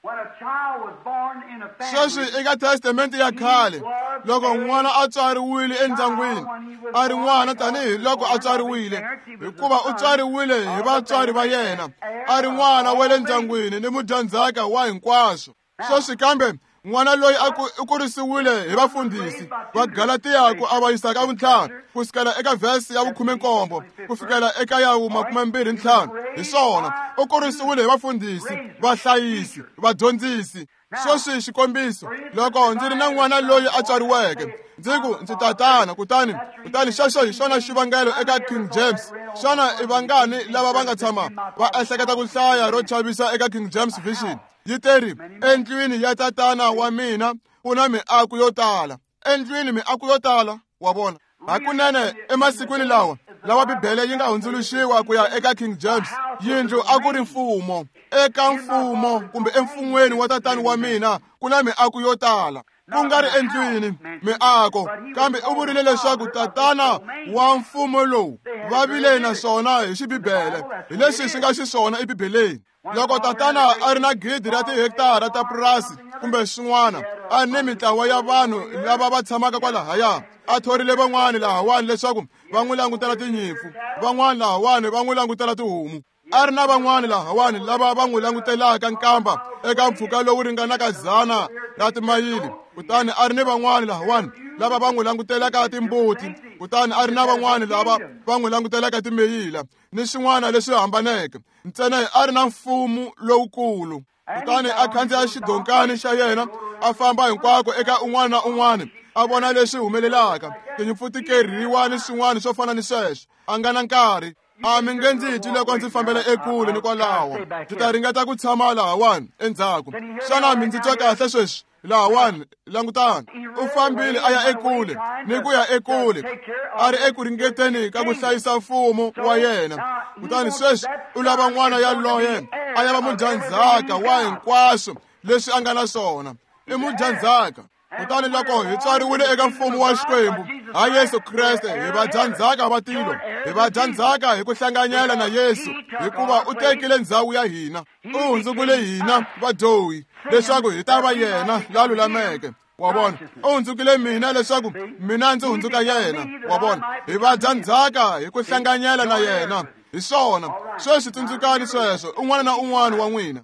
when a child was born in a family, Sweswi eka Testamente ya khale, loko n'wana a tswariwile endyangwini, a ri n'wana tanihi loko a tswariwile, hikuva u tswariwile hi vatswari va yena, a ri n'wana wa le ndyangwini ni mudyandzhaka wa hinkwaswo. Sweswi kambe n'wana loyi a u kurisiwile hi vafundhisi va Galatiya ku avanyisa ka vuntlhanu ku sukela eka vhesi ya vukhume-nkombo ku fikela eka ya makume-mbirhi ntlhanu. Hi swona, u kurisiwile hi vafundhisi, vahlayisi, vadyondzisi. Sweswi xikombiso, loko ndzi ri na n'wana loyi a tswariweke, ndzi ku ndzi tatana, kutani kutani xexo hi xona xivangelo eka King James. Xana i vangani lava va nga tshama va ehleketa ku hlaya ro chavisa eka King James Version? Yi teri, endlwini ya tatana wa mina ku na miako yo tala. Endlwini miako yo tala, wa vona. Hakunene emasikwini lawa lawa Bibele yi nga hundzuluxiwa ku ya eka King James, yindlu a ku ri mfumo. Eka mfumo kumbe emfun'weni wa tatana wa mina ku na miako yo tala. Ku nga ri endlwini miako, kambe u vurile leswaku tatana wa mfumo lowu va vile na swona hi xibibele, hi leswi swi nga xiswona eBibeleni. Loko tatana a ri na gidi ra tihektara ta purasi kumbe swin'wana, a ni mitlawa ya vanhu lava va tshamaka kwalahaya, a thorile van'wani lahawani leswaku va n'wi langutela tinyimpfu, van'wani lahawani va n'wi langutela tihomu. A ri na van'wani lahawani lava va n'wi langutelaka nkamba eka mpfhuka lowu ringanaka dzana ra timayili, kutani a ri ni van'wani lahawani lava va n'wi langutelaka timbuti, kutani a ri na van'wani lava va n'wi langutelaka timeyila ni swin'wana leswi hambaneke. Ntsena a ri na mfumo lowukulu. Kutani a khandziya xidonkani xa yena, a famba hinkwako eka un'wana na un'wana, a vona leswi humelelaka, tinyimpfu ti kerhiwa ni swin'wana swo fana ni sweswo. A nga na nkarhi. A mi nge ndzi twi loko ndzi fambela ekule ni kwalaho. Ndzi ta ringeta ku tshama lahawani endzhaku. Xana mi ndzi twa kahle sweswi? Lahawani, langutani. U fambile a ya ekule ni ku ya ekule, a ri eku ringeteni ka ku hlayisa mfumo wa yena. Kutani sweswi u lava n'wana yaloye a ya va mudyandzhaka wa hinkwaswo leswi a nga na swona. I mudyandzhaka. Kutani loko hi tswariwile eka mfumo wa Xikwembu ha Yesu Kreste, hi vadyandzhaka va tilo, hi vadyandzhaka hi ku hlanganyela na Yesu, hikuva u tekile ndzhawu ya hina, u hundzukile hina vadyohi leswaku hi ta va yena la lulameke. Wa vona, u hundzukile mina leswaku mina ndzi hundzuka yena. Wa vona, hi vadyandzhaka hi ku hlanganyela na yena. Hi swona sweswi, tsundzukani sweswo, un'wana na un'wana wa n'wina.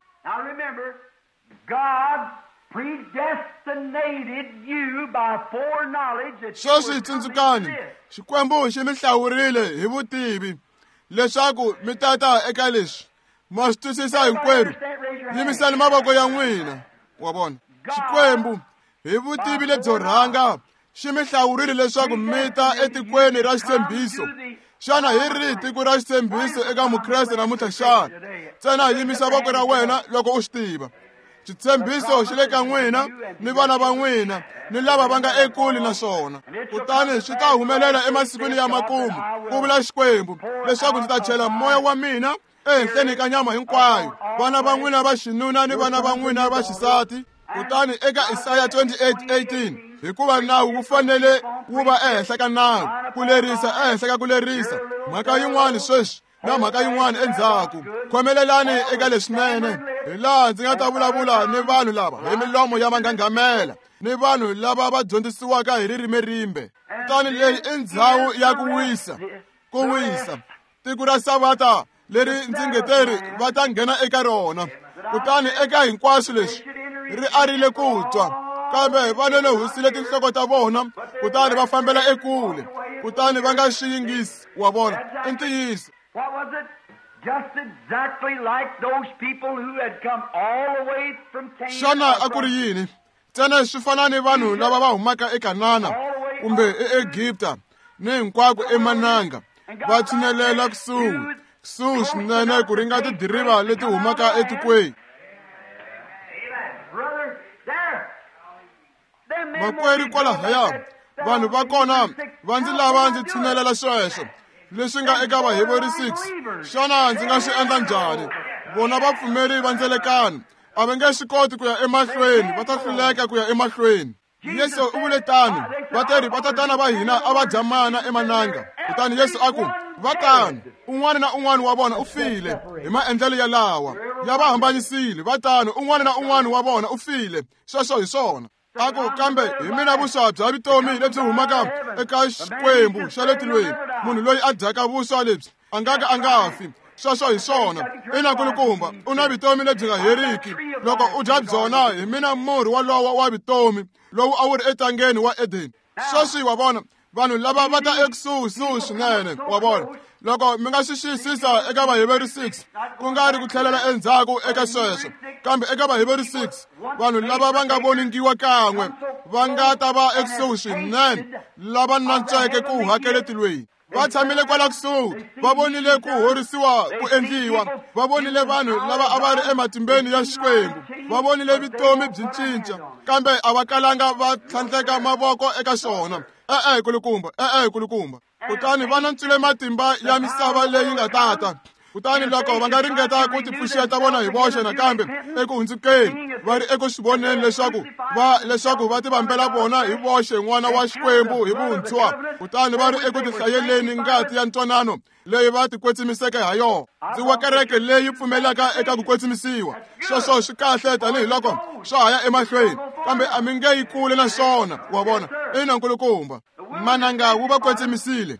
Sweswi tsundzukani, Xikwembu xi mi hlawurile hi vutivi leswaku mi tata eka leswi. Ma swi twisisa hinkwerhu? Yimisani mavoko ya n'wina. Wa vona, Xikwembu hi vutivi lebyo rhanga xi mi hlawurile leswaku mi ta etikweni ra xitshembiso. Xana hi rihi tiko ra xitshembiso eka Mukreste namuntlha xana? Ntsena yimisa voko ra wena loko u swi tiva. Xitshembiso xi le ka n'wina ni vana va n'wina ni lava va nga ekule na swona. Kutani swi ta humelela emasikwini ya makumu, ku vula Xikwembu, leswaku ndzi ta chela moya wa mina ehenhleni ka nyama hinkwayo, vana va n'wina va xinuna ni vana va n'wina va xisati. Kutani eka Isaya twenty-eight eighteen, hikuva nawu wu fanele wu va ehenhla ka nawu, ku lerisa ehenhla ka ku lerisa, mhaka yin'wana sweswi na mhaka yin'wana endzhaku. Khomelelani eka leswinene, hi laha ndzi nga ta vulavula ni vanhu lava hi milomo ya manghanghamela, ni vanhu lava va dyondzisiwaka hi ririmi rimbe. Kutani leyi i ndzhawu ya ku wisa, ku wisa, tiko ra Savata leri ndzi nge teri va ta nghena eka rona. Kutani eka hinkwaswo leswi ri arile ku twa, kambe va lelehusile tinhloko ta vona, kutani va fambela ekule, kutani va nga swi yingisi. Wa vona, i ntiyiso. What was it? Just exactly like those people who had come all the way from Canaan. Xana a ku ri yini? Ntsena swi fana ni vanhu lava va humaka eKanana kumbe eEgipta ni hinkwako emananga, va tshinelela kusuhi kusuhi swinene ku ringa tidiriva leti humaka etikweni. Makwerhu kwalahaya, Vanhu va kona va ndzi lava ndzi tshinelela sweswo leswi nga eka Vaheberi six. Xana ndzi nga swi endla njhani? Vona vapfumeri va ndzelekano a va nge swi koti ku ya emahlweni, va ta hluleka ku ya emahlweni. Yesu u vule tano, va teri vatatana va hina a va dya mana emananga. Kutani Yesu a ku, va tano, un'wana na un'wana wa vona u file hi maendlelo ya lawa ya va hambanyisile. Va tano, un'wana na un'wana wa vona u file. Sweswo hi swona. A ku, kambe hi mina vuswa bya vutomi lebyi humaka eka Xikwembu xa le tilweni. Munhu loyi a dyaka vuswa lebyi a nga ka a nga fi. Sweswo hi swona. Ina kulukumba, u na vutomi lebyi nga heriki loko u dya byona. Hi mina murhi walowo wa vutomi lowu a wu ri etangeni wa Edeni. Sweswi wa vona vanhu lava va ta ekusuhisuhi swinene. Wa vona, loko mi nga swi xiyisisa eka Vaheberi six, ku nga ri ku tlhelela endzhaku eka sweswo, kambe eka Vaheberi six, vanhu lava va nga voningiwa kan'we va nga ta va ekusuhi swinene, lava nantsweke ku hakele tilweni. Va tshamile kwala kusuhi, va vonile ku horisiwa ku endliwa, va vonile vanhu lava a va ri ematimbeni ya Xikwembu, va vonile vutomi byi cinca, kambe a va kalanga va tlhandleka mavoko eka xona. E-e kulukumba, e-e kulukumba. Kutani va nantswile matimba ya misava leyi nga tata. Kutani loko va nga ringeta ku tipfuxeta vona hi voxe nakambe eku hundzukeni, va ri eku swi voneni leswaku va leswaku va tivambela vona hi voxe n'wana wa Xikwembu hi vuntshwa. Kutani va ri eku tihlayeleni ngati ya ntwanano leyi va tikwetsimiseke ha yona. Ndzi wa kereke leyi pfumelaka eka ku kwetsimisiwa. Sweswo swi kahle tanihiloko swa ha ya emahlweni, kambe a mi nge yi kule na swona. Wa vona? Ina nkulukumba, mananga wu va kwetsimisile.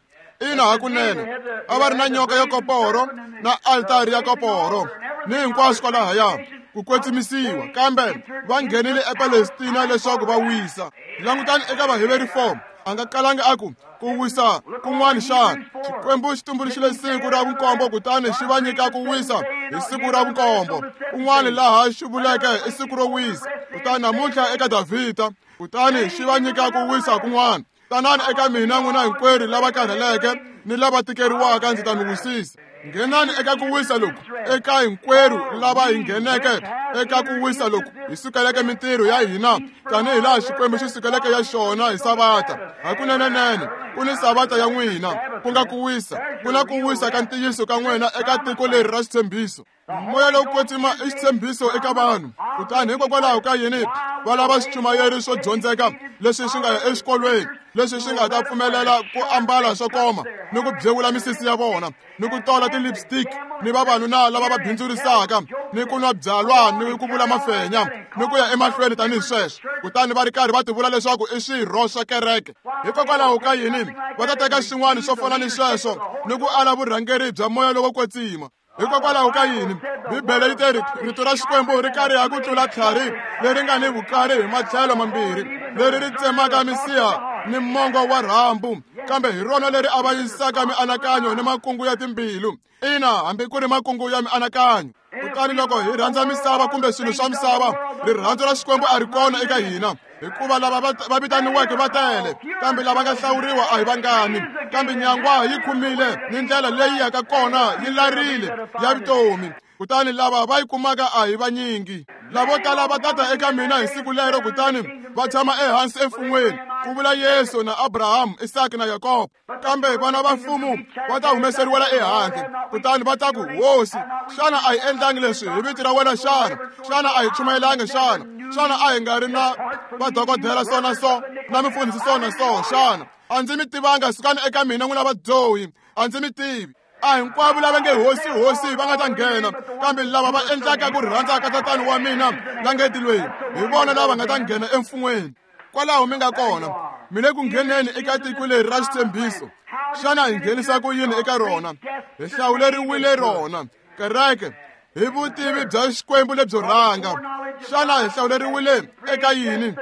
Ina hakunene, a va ri na nyoka ya koporo na altari ya koporo ni hinkwaswo kwalahaya ku kwetsimisiwa, kambe va nghenile ePalestina leswaku va wisa. Langutani eka Vaheberi four, a nga kalanga a ku ku wisa kun'wana xana. Xikwembu xi tumbuluxile siku ra vunkombo, kutani xi va nyika ku wisa hi siku ra vunkombo. Kun'wana laha xi vuleke i siku ro wisa, kutani namuntlha eka Davhida, kutani xi va nyika ku wisa kun'wana. Tanani eka mina n'wina hinkwerhu lava karheleke ni lava tikeriwaka, ndzi ta mi wisisa. Nghenani eka ku wisa loku, eka hinkwerhu lava hi ngheneke eka ku wisa loku hi sukeleke mintirho ya hina tanihi laha Xikwembu xi sukeleke ya xona hi Savata. Hakunenenene ku ni Savata ya n'wina, ku nga ku wisa, ku na ku wisa ka ntiyiso ka n'wina eka tiko leri ra xitshembiso. Moya lowo kwetsima i xitshembiso eka vanhu. Kutani hikokwalaho ka yini va lava swichumayeri swo dyondzeka leswi swi nga ya exikolweni, leswi swi nga ta pfumelela ku ambala swo koma ni ku byewula misisi ya vona ni ku tola ti-lipstick, ni vavanuna lava va bindzurisaka ni ku nwa byalwa ni ku vula mafenya ni ku ya emahlweni tanihi sweswo, kutani va ri karhi va tivula leswaku i swirho swa kereke. Hikokwalaho ka yini va ta teka xin'wana swo fana ni sweswo ni ku ala vurhangeri bya moya lowo kwetsima? Hikokwalaho ka yini Bibele yi teri rito ra Xikwembu ri kariha ku tlula tlhari leri nga ni vukari hi matlhelo mambirhi, leri ri tsemaka misiha ni mongo wa rhambu, kambe hi rona leri avanyisaka mianakanyo ni makungu ya timbilu. Ina, hambi ku ri makungu ya mianakanyo. Kutani loko hi rhandza misava kumbe swilo swa misava, rirhandzu ra Xikwembu a ri kona eka hina, hikuva lava va vitaniweke va tele, kambe lava nga hlawuriwa a hi vangani. Kambe nyangwa yi khumile ni ndlela leyi yaka kona yi larile ya vutomi, kutani lava va yi kumaka a hi vanyingi. Lavo tala va tata eka mina hi siku lero, kutani va tshama ehansi emfun'weni, ku vula Yesu na Abrahamu, Isaka na Yakobo. Kambe vana va mfumo va ta humeseriwela ehandle, kutani va ta ku, Hosi, xana a hi endlangi leswi hi vito ra wena xana? Xana a hi chumayelangi xana? Xana a hi nga ri na vadokodela so na so na mifundhisi so na so xana? A ndzi mi tivanga, sukani eka mina n'wina vadyohi, a ndzi mi tivi. A hinkwavo lava nge hosi hosi va nga ta nghena, kambe lava va endlaka ku rhandza ka Tatana wa mina la nge tilweni, hi vona lava nga ta nghena emfun'weni. Kwalaho mi nga kona, mi le ku ngheneni eka tiko leri ra xitshembiso. Xana hi nghenisa ku yini eka rona? Hi hlawuleriwile rona, kereke, hi vutivi bya Xikwembu lebyo rhanga. Xana hi hlawuleriwile eka yini?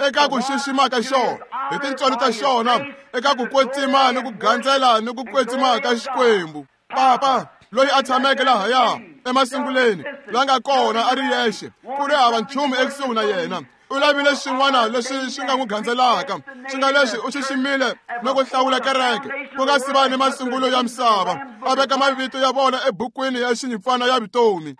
Eka ku xixima ka xona, hi tintswalo ta xona, eka ku kwetsima ni ku gandzela ni ku kwetsima ka Xikwembu. Papa loyi a tshameke lahaya emasunguleni, la nga kona a ri yexe, ku ri hava nchumu ekusuhi na yena, U lavile xin'wana lexi xi nga n'wi gandzelaka, xi nga lexi u xiximile na ku hlawula kereke ku nga si va ni masungulo ya misava, a veka mavito ya vona ebukwini ya xinyimpfana ya vutomi.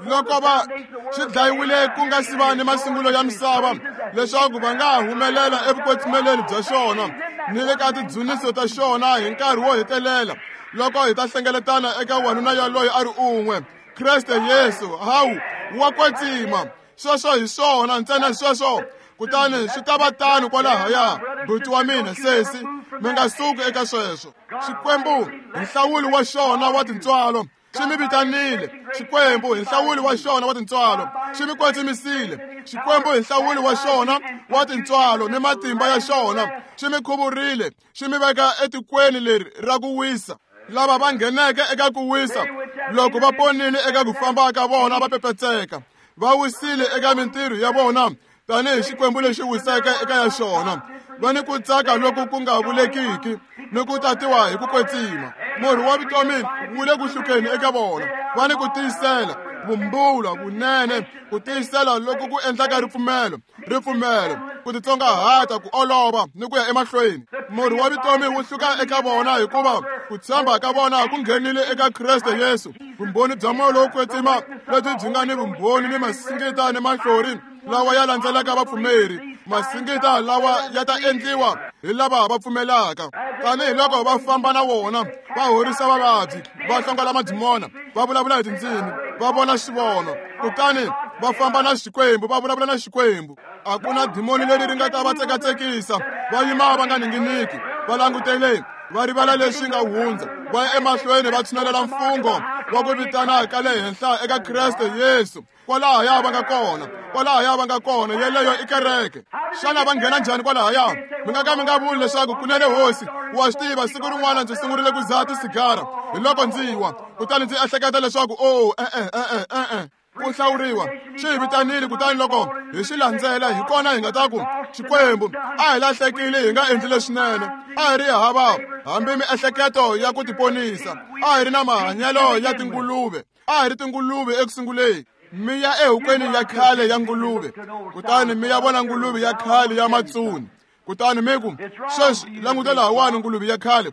Loko va xi dlayiwile ku nga si va ni masungulo ya misava, leswaku va nga humelela evukwetsimeleni bya xona ni le ka tidzuniso ta xona hi nkarhi wo hetelela, loko hi ta hlengeletana eka wanuna yaloye a ri un'we, Kreste Yesu. Hawu, wa kwetsima. Sweswo hi swona ntsena sweswo. Kutani swi ta va tano kwalahaya, buti wa mina, sesi, mi nga suki eka sweswo. Xikwembu hi nhlawulo wa xona wa tintswalo xi mi vitanile. Xikwembu hi nhlawulo wa xona wa tintswalo xi mi kwetsimisile. Xikwembu hi nhlawulo wa xona wa tintswalo ni matimba ya xona xi mi khuvurile, xi mi veka etikweni leri ra ku wisa. Lava va ngheneke eka ku wisa, loko va ponile eka ku famba ka vona va pepetseka, va wisile eka mintirho ya vona tanihi Xikwembu lexi wiseke eka ya xona. Va ni ku tsaka loku ku nga vulekiki ni ku tatiwa hi ku kwetsima. Murhi wa vutomi wu le ku hlukeni eka vona. Va ni ku tiyisela, vumbula, vunene, ku tiyisela loku ku endlaka ripfumelo, ripfumelo, ku titsongahata, ku olova ni ku ya emahlweni. Murhi wa vutomi wu hluka eka vona hikuva ku tshemba ka vona ku nghenile eka Kreste Yesu. Vumbhoni bya moya lowo kwetsima lebyi byi nga ni vumbhoni ni masingita ni mahlori lawa ya landzelaka vapfumeri, masingita lawa ya ta endliwa hi lava va pfumelaka. Tanihiloko va famba na wona, va horisa vavabyi, va hlongola madimona, va vulavula hi tindzimi, va vona xivono, kutani va famba na Xikwembu, va vulavula na Xikwembu. A ku na dimoni leri ri nga ta va tsekatsekisa, va yima va nga ninginiki, va langutele, va rivala leswi nga hundza, va ya emahlweni va tshinelela mfungho wa ku vitana ka le henhla eka Kreste Yesu. Kwalahaya va nga kona, kwalahaya va nga kona, yeleyo i kereke. Xana va nghena njhani kwalahaya? Mi nga ka mi nga vuli leswaku kunene hosi, wa swi tiva siku rin'wana ndzi sungurile ku dzaha tisigara, hi loko ndzi wa, kutani ndzi ehleketa leswaku o e-e e-e e-e. Ku hlawuriwa xi hi vitanile, kutani loko hi xi landzela hi kona hi nga ta ku Xikwembu a hi lahlekile, hi nga endli leswinene, a hi ri hava hambi miehleketo ya ku tiponisa, a hi ri na mahanyelo ya tinguluve, a hi ri tinguluve ekusunguleni. Mi ya ehokweni ya khale ya nguluve, kutani mi ya vona nguluve ya khale ya matsuni, kutani mi ku, sweswi languta lahawani nguluve ya khale,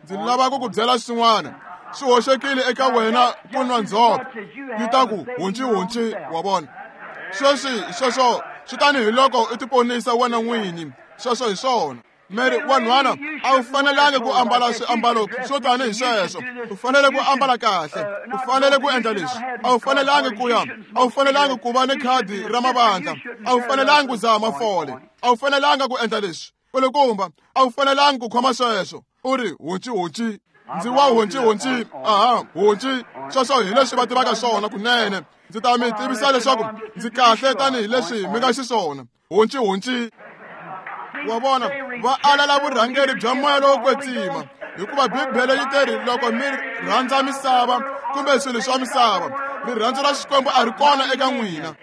ndzi lava ku ku byela swin'wana, swi hoxekile eka wena ku nwa ndzhope. Yi ta ku hunci hunci, wa vona. Sweswi sweswo swi tanihi loko u tiponisa wena n'winyi, sweswo hi swona. Mary wanhwana a wu fanelangi ku ambala swiambalo swo tanihi sweswo, u fanele ku ambala kahle, u fanele ku endla leswi, a wu fanelangi ku ya, a wu fanelangi ku va ni khadi ra mavandla, a wu fanelangi ku dzaha mafole, a wu fanelanga ku endla leswi, kulukumba a wu fanelangi ku khoma sweswo. U ri hunci hunci, ndzi wa hunci hunci, aha hunci, sweswo hi leswi va tivaka swona kunene. Ndzi ta mi tivisa leswaku ndzi kahle tanihileswi mi nga xiswona. Hunci hunci. Wa vona, va alala vurhangeri bya moya lowo kwetsima, hikuva Bibele yi teri loko mi rhandza misava kumbe swilo swa misava, rirhandzu ra Xikwembu a ri kona eka n'wina.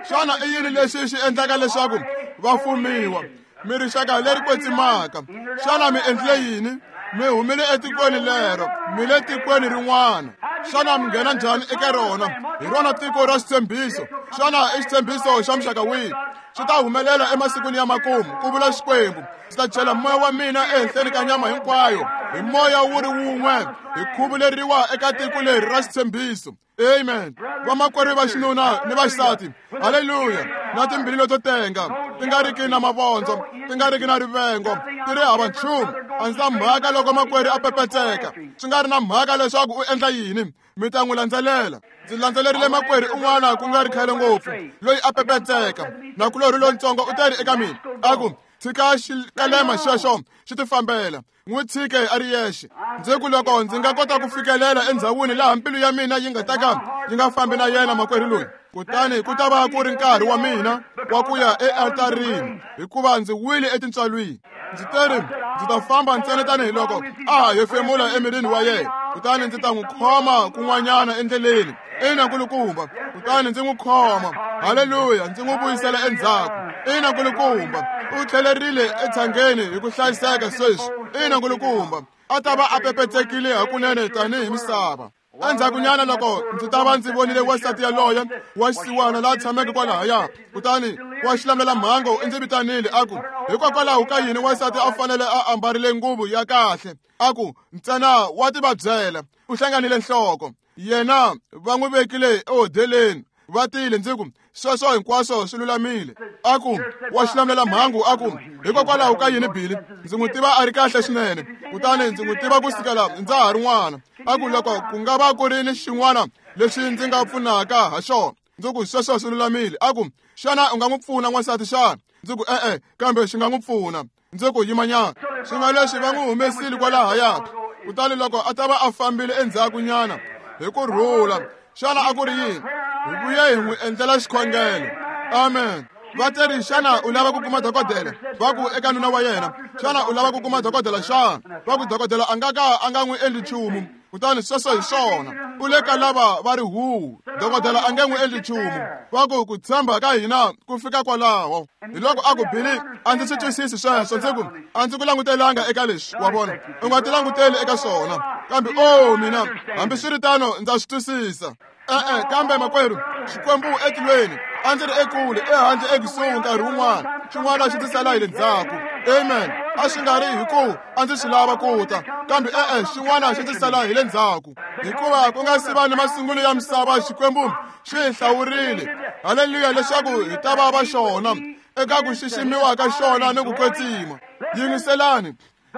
Xana i yini lexi xi endlaka leswaku va fumiwa? Mi rixaka leri kwetsimaka. Xana mi endlile yini? Mi humile etikweni lero, mi le tikweni rin'wana. Xana mi nghena njhani eka rona? Hi rona tiko ra xitshembiso. Xana i xitshembiso xa muxaka wihi? Swi ta humelela emasikwini ya makumu, ku vula Xikwembu. Ndzi ta chela moya wa mina ehenhleni ka nyama hinkwayo, hi moya wu ri wun'we, hi khuvuleriwa eka tiko leri ra xitshembiso. Amen. Vamakwerhu va xinuna ni va xisati, haleluya, na timbilu leto tenga, ti nga riki na mavondzo, ti nga riki na rivengo, ti ri hava nchumu. A ndzi na mhaka loko makwerhu a pepetseka, swi nga ri na mhaka leswaku u endla yini, mi ta n'wi landzelela. Ndzi landzelerile makwerhu un'wana ku nga ri khale ngopfu, loyi a pepetseka. Nakulorhi lontsongo u teri eka mina, a ku, tshika xikalema xexo xi tifambela, n'wi tshike a ri yexe. Ndzi ku loko ndzi nga kota ku fikelela endhawini laha mbilu ya mina yi nga ta ka yi nga fambi na yena makwerhu loyi, kutani ku ta va ku ri nkarhi wa mina wa ku ya ealtarini, hikuva ndzi wile etintswalwini. Ndzi teri ndzi ta famba ntsena tanihiloko a ha hefemula emirini wa yena, kutani ndzi ta n'wi khoma kun'wanyana endleleni. Ina nkulukumba, kutani ndzi n'wi khoma, haleluya, ndzi n'wi vuyisela endzhaku. Ina nkulukumba, u tlhelerile etshangeni hi ku hlayiseka sweswi. Ina nkulukumba, a ta va a pepetsekile hakunene tanihi misava. Endzhakunyana loko ndzi ta va ndzi vonile wansati yaloye wa xisiwana laha tshameke kwalahaya, kutani wa xilamulelamhangu i ndzi vitanile a ku, hikokwalaho ka yini wansati a fanele a ambarile nguvu ya kahle? A ku, ntsena wa tivabyela, u hlanganile nhloko. Yena va n'wi vekile ehodeleni, va tile. Ndzi ku, sweswo hinkwaswo swi lulamile. A ku, wa xilamulelamhangu a ku, hikokwalaho ka yini Billy? Ndzi n'wi tiva a ri kahle swinene, kutani ndzi n'wi tiva ku sukela ndza ha ri n'wana. A ku, loko ku nga va ku ri ni xin'wana lexi ndzi nga pfunaka ha xona. Ndzi ku, sweswo swi lulamile. A ku, xana u nga n'wi pfuna n'wansati xana? Ndzi ku, e-e, kambe xi nga n'wi pfuna. Ndzi ku, yimanyana. Swi nga leswi va n'wi humesile kwalahaya. Kutani loko a ta va a fambile endzhakunyana hi ku rhula, xana a ku ri yini? Hi vuye hi n'wi endlela xikhongelo. Amen. Va teri, xana u lava ku kuma dokodela? Va ku eka nuna wa yena, xana u lava ku kuma dokodela xana? Va ku dokodela a nga ka a nga n'wi endli nchumu. Kutani sweswo hi swona, u le ka lava va ri huhu, dokodela a nge n'wi endli nchumu. Va ku ku tshemba ka hina ku fika kwalaho. Hi loko a ku, Billy, a ndzi swi twisisi sweswo. Ndzi ku, a ndzi ku langutelanga eka leswi, wa vona, u nga ti languteli eka swona. Kambe o mina, hambiswiritano ndza swi twisisa. E-e, kambe makwerhu, Xikwembu etilweni, a ndzi ri ekule, ehandle ekusuhi nkarhi wun'wana, xin'wana xi ndzi sala hi le ndzhaku. Amen. A swi nga ri hi ku a ndzi swi lava ku ta, kambe e-e, xin'wana xi ndzi sala hi le ndzhaku. Hikuva ku nga si va ni masungulo ya misava, Xikwembu xi hi hlawurile, haleluya, leswaku hi ta va va xona, eka ku xiximiwa ka xona ni ku kwetsima. Yingiselani,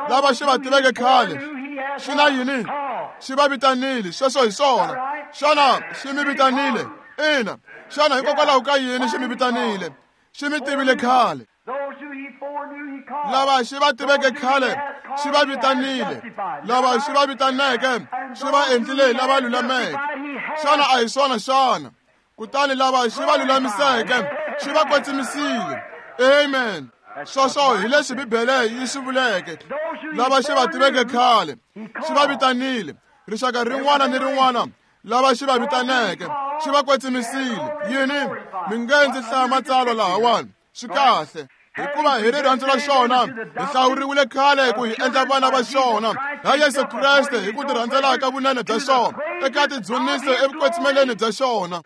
lava xi va tiveke khale, xi na yini? Xi va vitanile. Sweswo hi swona. Xana xi mi vitanile? Ina. Xana hikokwalaho ka yini xi mi vitanile? Xi mi tivile khale. Lava xi va tiveke khale, xi va vitanile. Lava xi va vitaneke, xi va endlile lava lulameke. Xana a hi swona xana? Kutani lava xi va lulamiseke, xi va kwetsimisile. Amen. Sweswo hi leswi Bibele yi swi vuleke. Lava xi va tiveke khale, xi va vitanile. Rixaka rin'wana ni rin'wana lava xi va vitaneke, xi va kwetsimisile. Yini? Mi nge ndzi hlaya matsalwa lahawani. Swi kahle. Hikuva hi rirhandzu ra xona, hi hlawuriwile khale ku hi endla vana va xona ha Yesu Kreste hi ku tirhandzela ka vunene bya xona, eka tidzuniso evukwetsimeleni bya xona.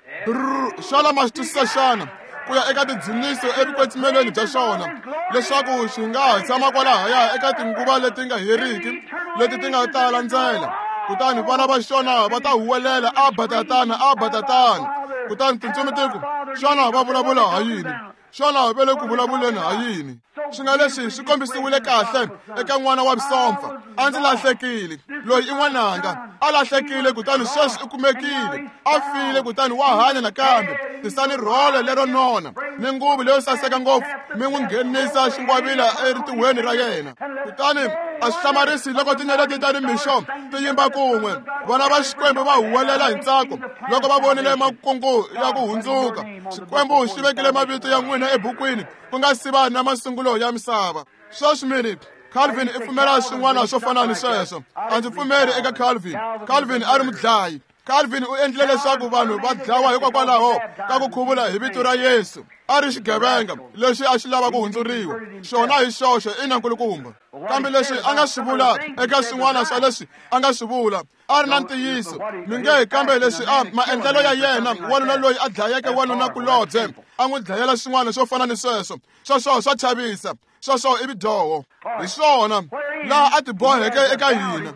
Xana ma swi twisisa xana? Ku ya eka tidzuniso evukwetsimeleni bya xona, leswaku xi nga ha tshama kwalahaya eka tinguva leti nga heriki, leti ti nga ta landzela. Kutani vana va xona va ta huwelela, Abba tatana, Abba tatana. Kutani tintsumi ti ku, xana va vulavula ha yini? Xana va le ku vulavuleni ha yini? Swi nga leswi swi kombisiwile kahle eka n'wana wa vusompfa. A ndzi lahlekile, loyi i n'wananga, a lahlekile kutani sweswi u kumekile, a file kutani wa hanya nakambe. Tisani rhole lero nona ni nguvu leyo saseka ngopfu, mi n'wi nghenisa xingwavila erintihweni ra yena. Kutani a swi hlamarisi loko tinyeleti ta nimixo ti yimba kun'we. Vana va Xikwembu va huwelela hi ntsako loko va vonile makungu ya ku hundzuka. Xikwembu xi vekile mavito ya n'wina ebukwini ku nga si va na masungulo ya misava. Sweswi mini, Calvin i pfumela swin'wana swo fana ni sweswo. A ndzi pfumeri eka Calvin. Calvin a ri mudlayi. Calvin u endlile leswaku vanhu va dlawa hikokwalaho ka ku khuvula hi vito ra Yesu. A ri xigevenga lexi a xi lava ku hundzuriwa. Xona hi xoxe i na nkulukumba. Kambe leswi a nga swi vula eka swin'wana swa leswi a nga swi vula, a ri na ntiyiso. Mi nge kambe leswi a maendlelo ya yena, wanuna loyi a dlayeke wanuna kulobye, a n'wi dlayela swin'wana swo fana ni sweswo. Sweswo swa chavisa. Sweswo i vudyoho. Hi swona laha a tiboheke eka hina.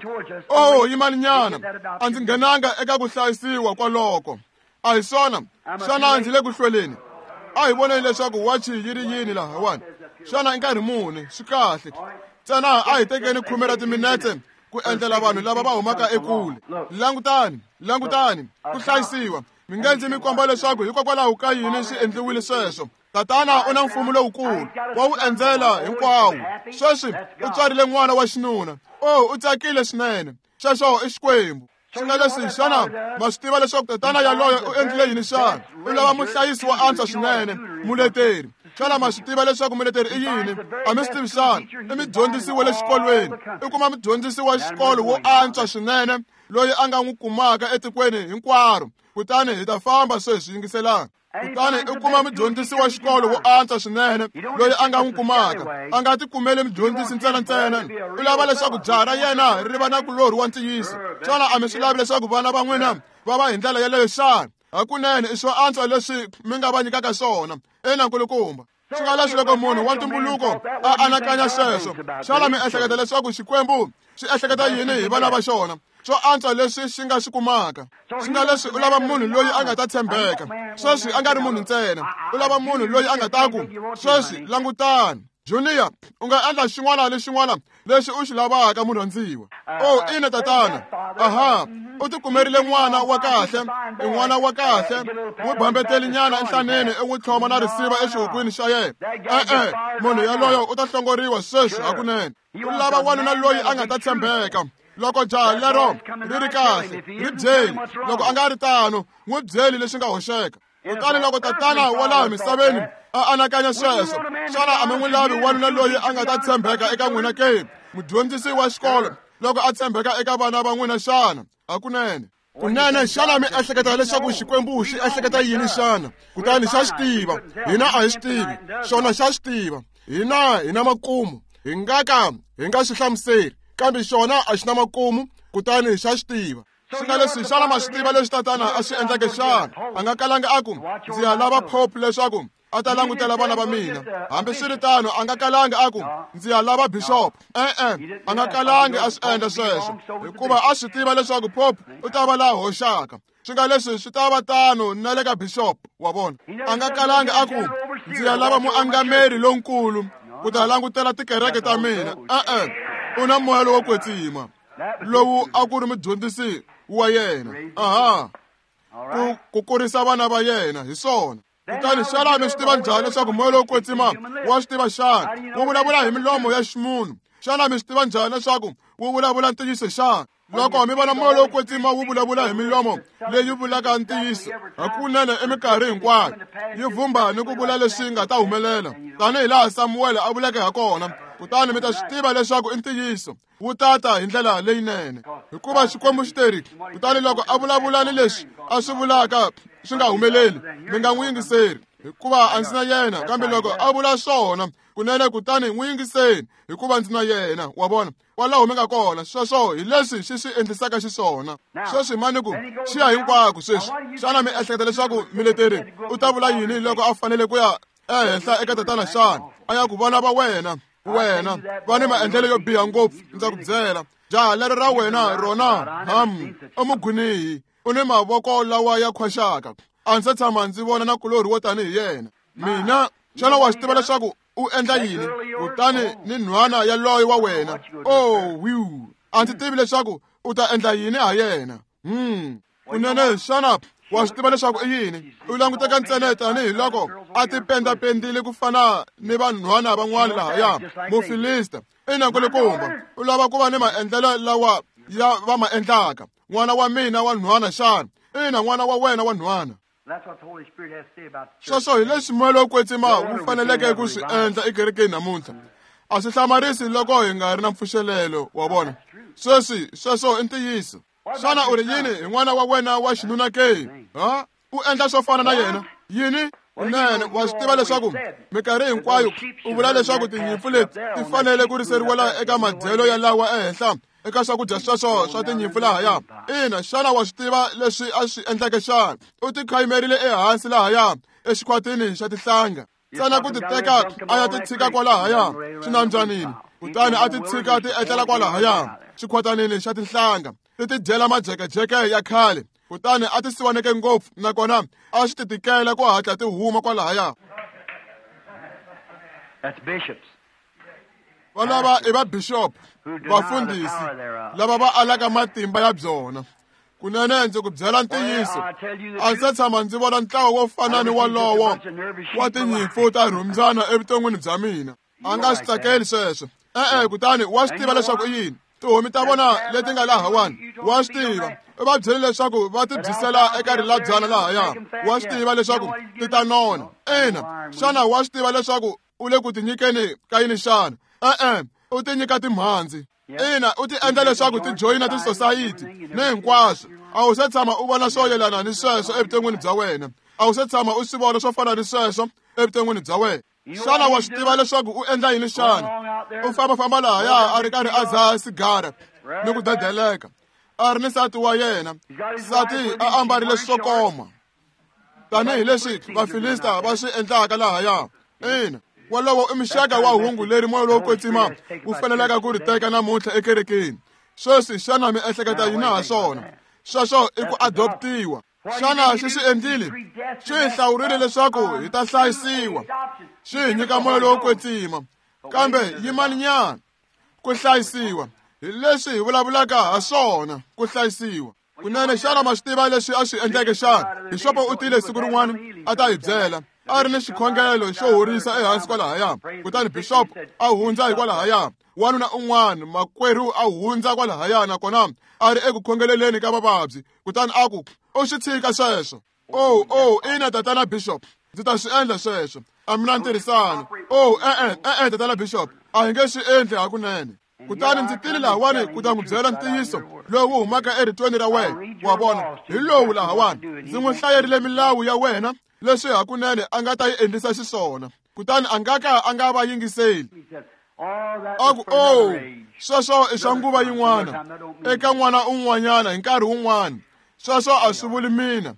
Oh, yimaninyana, a ndzi nghenanga eka ku hlayisiwa kwaloko. A hi swona? Xana ndzi le ku hlweleni? A hi voneni leswaku wachi yi ri yini lahawani. Xana i nkarhi muni? Swi kahle. Ntsena a hi tekeni khume ra timinete ku endlela vanhu lava va humaka ekule. Langutani, langutani, ku hlayisiwa. Mi nge ndzi mi komba leswaku hikokwalaho ka yini swi endliwile sweswo. Tatana u na mfumo lowukulu, wa wu endzela hinkwawo. Sweswi u tswarile n'wana wa xinuna. Oh, u tsakile swinene. Sweswo i Xikwembu. Swi nga leswi, xana ma swi tiva leswaku tatana yaloye u endlile yini xana? U lava muhlayisi wo antswa swinene, muleteri. Xana ma swi tiva leswaku muleteri i yini? A mi swi tivi xana? I mudyondzisi wa le xikolweni. I kuma mudyondzisi wa xikolo wo antswa swinene loyi a nga n'wi kumaka etikweni hinkwaro. Kutani hi ta famba sweswi, yingiselani. Kutani u kuma mudyondzisi wa xikolo wo antswa swinene loyi a nga n'wi kumaka. A nga tikumeli mudyondzisi ntsena ntsena. U lava leswaku jaha ra yena ri va na kulorhi wa ntiyiso. Xana a mi swi lavi leswaku vana va n'wina va va hi ndlela yeleyo xana? Hakunene i swo antswa leswi mi nga va nyikaka swona. Ina nkulukumba. Swi nga leswi loko munhu wa ntumbuluko a anakanya sweswo, xana mi ehleketa leswaku Xikwembu xi ehleketa yini hi vana va xona? Swo antswa leswi xi nga swi kumaka. Swi nga leswi u lava munhu loyi a nga ta tshembeka. Sweswi a nga ri munhu ntsena. U lava munhu loyi a nga ta ku, sweswi langutani, Junior, u nga endla xin'wana ni xin'wana lexi u xi lavaka murhandziwa. Oh, ina tatana. Aha, u tikumerile n'wana wa kahle, i n'wana wa kahle. N'wi bambeteli nyana enhlaneni i n'wi tlhoma na risiva exihukwini xa yena. E-e, munhu yaloyo u ta hlongoriwa sweswi hakunene. U lava wanuna loyi a nga ta tshembeka. Loko jaha lero ri ri kahle, ri byeli. Loko a nga ri tano, n'wi byeli leswi nga hoxeka. Kutani loko tatana wa laha misaveni a anakanya sweswo, xana a mi n'wi lavi wanuna loyi a nga ta tshembeka eka n'wina ke? Mudyondzisi wa xikolo loko a tshembeka eka vana va n'wina xana? Hakunene. Kunene xana mi ehleketa leswaku Xikwembu xi ehleketa yini xana? Kutani xa xi tiva. Hina a hi xi tivi. Xona xa xi tiva. Hina hi na makumu. Hi nga ka hi nga xi hlamuseri, kambe xona a xi na makumu, kutani xa xi tiva. Swi nga leswi xana ma swi tiva leswi tatana a swi endleke xana? A nga kalanga a ku, ndzi ya lava pope leswaku a ta langutela vana va mina. Hambiswiritano a nga kalanga a ku, ndzi ya lava bishop. E-e, a nga kalangi a swi endla sweswo, hikuva a swi tiva leswaku pope u ta va laha hoxaka. Swi nga leswi swi ta va tano na le ka bishop wa vona. A nga kalanga a ku, ndzi ya lava muangameri lonkulu ku ta langutela tikereke ta mina. E-e, u na moya lowo kwetsima lowu a ku ri mudyondzisi wa yena. Aha, ku ku kurisa vana va yena hi swona. Kutani xana mi swi tiva njhani leswaku moya lowo kwetsima wa swi tiva xana? Wu vulavula hi milomo ya ximunhu. Xana mi swi tiva njhani leswaku wu vulavula ntiyiso xana? Loko mi vona moya lowo kwetsima wu vulavula hi milomo leyi vulaka ntiyiso hakunene eminkarhi hinkwayo, yi vumba ni ku vula leswi nga ta humelela tanihi laha Samuwele a vuleke ha kona, kutani mi ta swi tiva leswaku i ntiyiso. Wu tata hi ndlela leyinene, hikuva Xikwembu xi teri. Kutani loko a vulavula ni leswi a swi vulaka swi nga humeleli, mi nga n'wi yingiseri, hikuva a ndzi na yena. Kambe loko a vula swona kunene, kutani n'wi yingiseni, hikuva ndzi na yena. Wa vona kwalaho mi nga kona. Sweswo hi leswi xi swi endlisaka xiswona. Sweswi mani ku xi ya hinkwako sweswi. Xana mi ehleketa leswaku mileteri u ta vula yini loko a fanele ku ya ehenhla eka tatana xana? A ya ku vana va wena, wena va ni maendlelo yo biha ngopfu. Ndza ku byela, jaha lero ra wena rona ham i mugwinihi, u ni mavoko lawa ya khwaxaka. A ndzi se tshama ndzi vona na kulorhi wo tanihi yena. Mina, xana wa swi tiva leswaku u endla yini? Kutani ni nhwana yaloye wa wena, oh wiu, a ndzi tivi leswaku u ta endla yini ha yena. Hmm, kunene xana wa swi tiva leswaku i yini? U languteka ntsena tanihi loko a tipendapendile ku fana ni vanhwana van'wana lahaya, Mufilista. Ina nkulukumba, u lava ku va ni maendlelo lawa ya va ma endlaka. N'wana wa mina wa nhwana xana? Ina, n'wana wa wena wa nhwana. Sweswo hi leswi moya lowo kwetsima wu faneleke ku swi endla ekerekeni namuntlha. A swi hlamarisi loko hi nga ri na mpfuxelelo wa vona. Sweswi sweswo i ntiyiso. Xana u ri yini hi n'wana wa wena wa xinuna ke? Ha? U endla swo fana na yena? Yini? Kunene wa swi tiva leswaku minkarhi hinkwayo u vula leswaku tinyimpfu leti ti fanele ku riseriwa laha eka madyelo ya lawa ehenhla eka swakudya sweswo swa tinyimpfu lahaya. Ina, xana wa swi tiva leswi a swi endleke xana? U ti khayimerile ehansi lahaya exikhwatini xa tihlanga, ntsena ku ti teka a ya ti tshika kwalahaya xinambyanini, kutani a ti tshika ti etlela kwalahaya xikhwatanini xa tinhlanga, ti ti dyela majekejeke ya khale, kutani a ti siwaneke ngopfu, nakona a swi ti tikela ku hatla ti huma kwalahaya. Valava i va bishop, vafundhisi lava va alaka matimba ya byona. Kunene ndzi ku byela ntiyiso, a ndzi se tshama ndzi vona ntlawa wo fana ni walowo wa tinyimpfu ta rhumbyana evuton'wini bya mina. A nga swi tsakeli sweswo. E-e, kutani wa swi tiva leswaku i yini? Tihomi ta vona leti nga lahawani, wa swi tiva. U va byele leswaku va ti byisela eka rilabyana lahaya. Wa swi tiva leswaku ti ta nona. Ina, xana wa swi tiva leswaku u le ku tinyikeni ka yini xana? E-e, u ti nyika timhandzi. Ina, u ti endla leswaku ti joyina tisosayiti ni hinkwaswo. A wu se tshama u vona swo yelana ni sweswo evuton'wini bya wena. A wu se tshama u swi vona swo fana ni sweswo evuton'wini bya wena. Xana wa swi tiva leswaku u endla yini xana? U fambafamba lahaya a ri karhi a dzaha sigara ni ku dedeleka. A ri ni nsati wa yena. Nsati a ambarile swo koma tanihileswi Vafilista va swi endlaka lahaya. Ina, wolowo i muxaka wa hungu leri moya lowo kwetsima wu faneleke ku ri teka namuntlha ekerekeni. Sweswi xana mi ehleketa yini ha swona? Sweswo i ku adoptiwa. Xana xi swi endlile? Xi hi hlawurile leswaku hi ta hlayisiwa. Xi hi nyika moya lowo kwetsima. Kambe yimani nyana, ku hlayisiwa hi leswi hi vulavulaka ha swona, ku hlayisiwa. Kunene xana ma swi tiva leswi a swi endleke xana? Bixopo u tile siku rin'wana a ta hi byela. A ri ni xikhongelo xo horisa ehansi kwalahaya. Kutani bishop a hundza hi kwalahaya. Wanuna un'wana makwerhu a hundza kwalahaya nakona a ri eku khongeleleni ka vavabyi. Kutani a ku, u swi tshika sweswo. Oh, oh, ina tatana bishop, ndzi ta swi endla sweswo. A mi na ntirhisano. Oh, e-e, e-e tatana bishop, a hi nge swi endli hakunene. Kutani ndzi tile lahawani ku ta n'wi byela ntiyiso lowu humaka eritweni ra wena. Wa vona, hi lowu lahawani. Ndzi n'wi hlayerile milawu ya wena leswi hakunene a nga ta yi endlisa xiswona. Kutani a nga ka a nga va yingiseli. A ku, oh, sweswo i swa nguva yin'wana eka n'wana un'wanyana hi nkarhi wun'wana. Sweswo a swi vuli mina.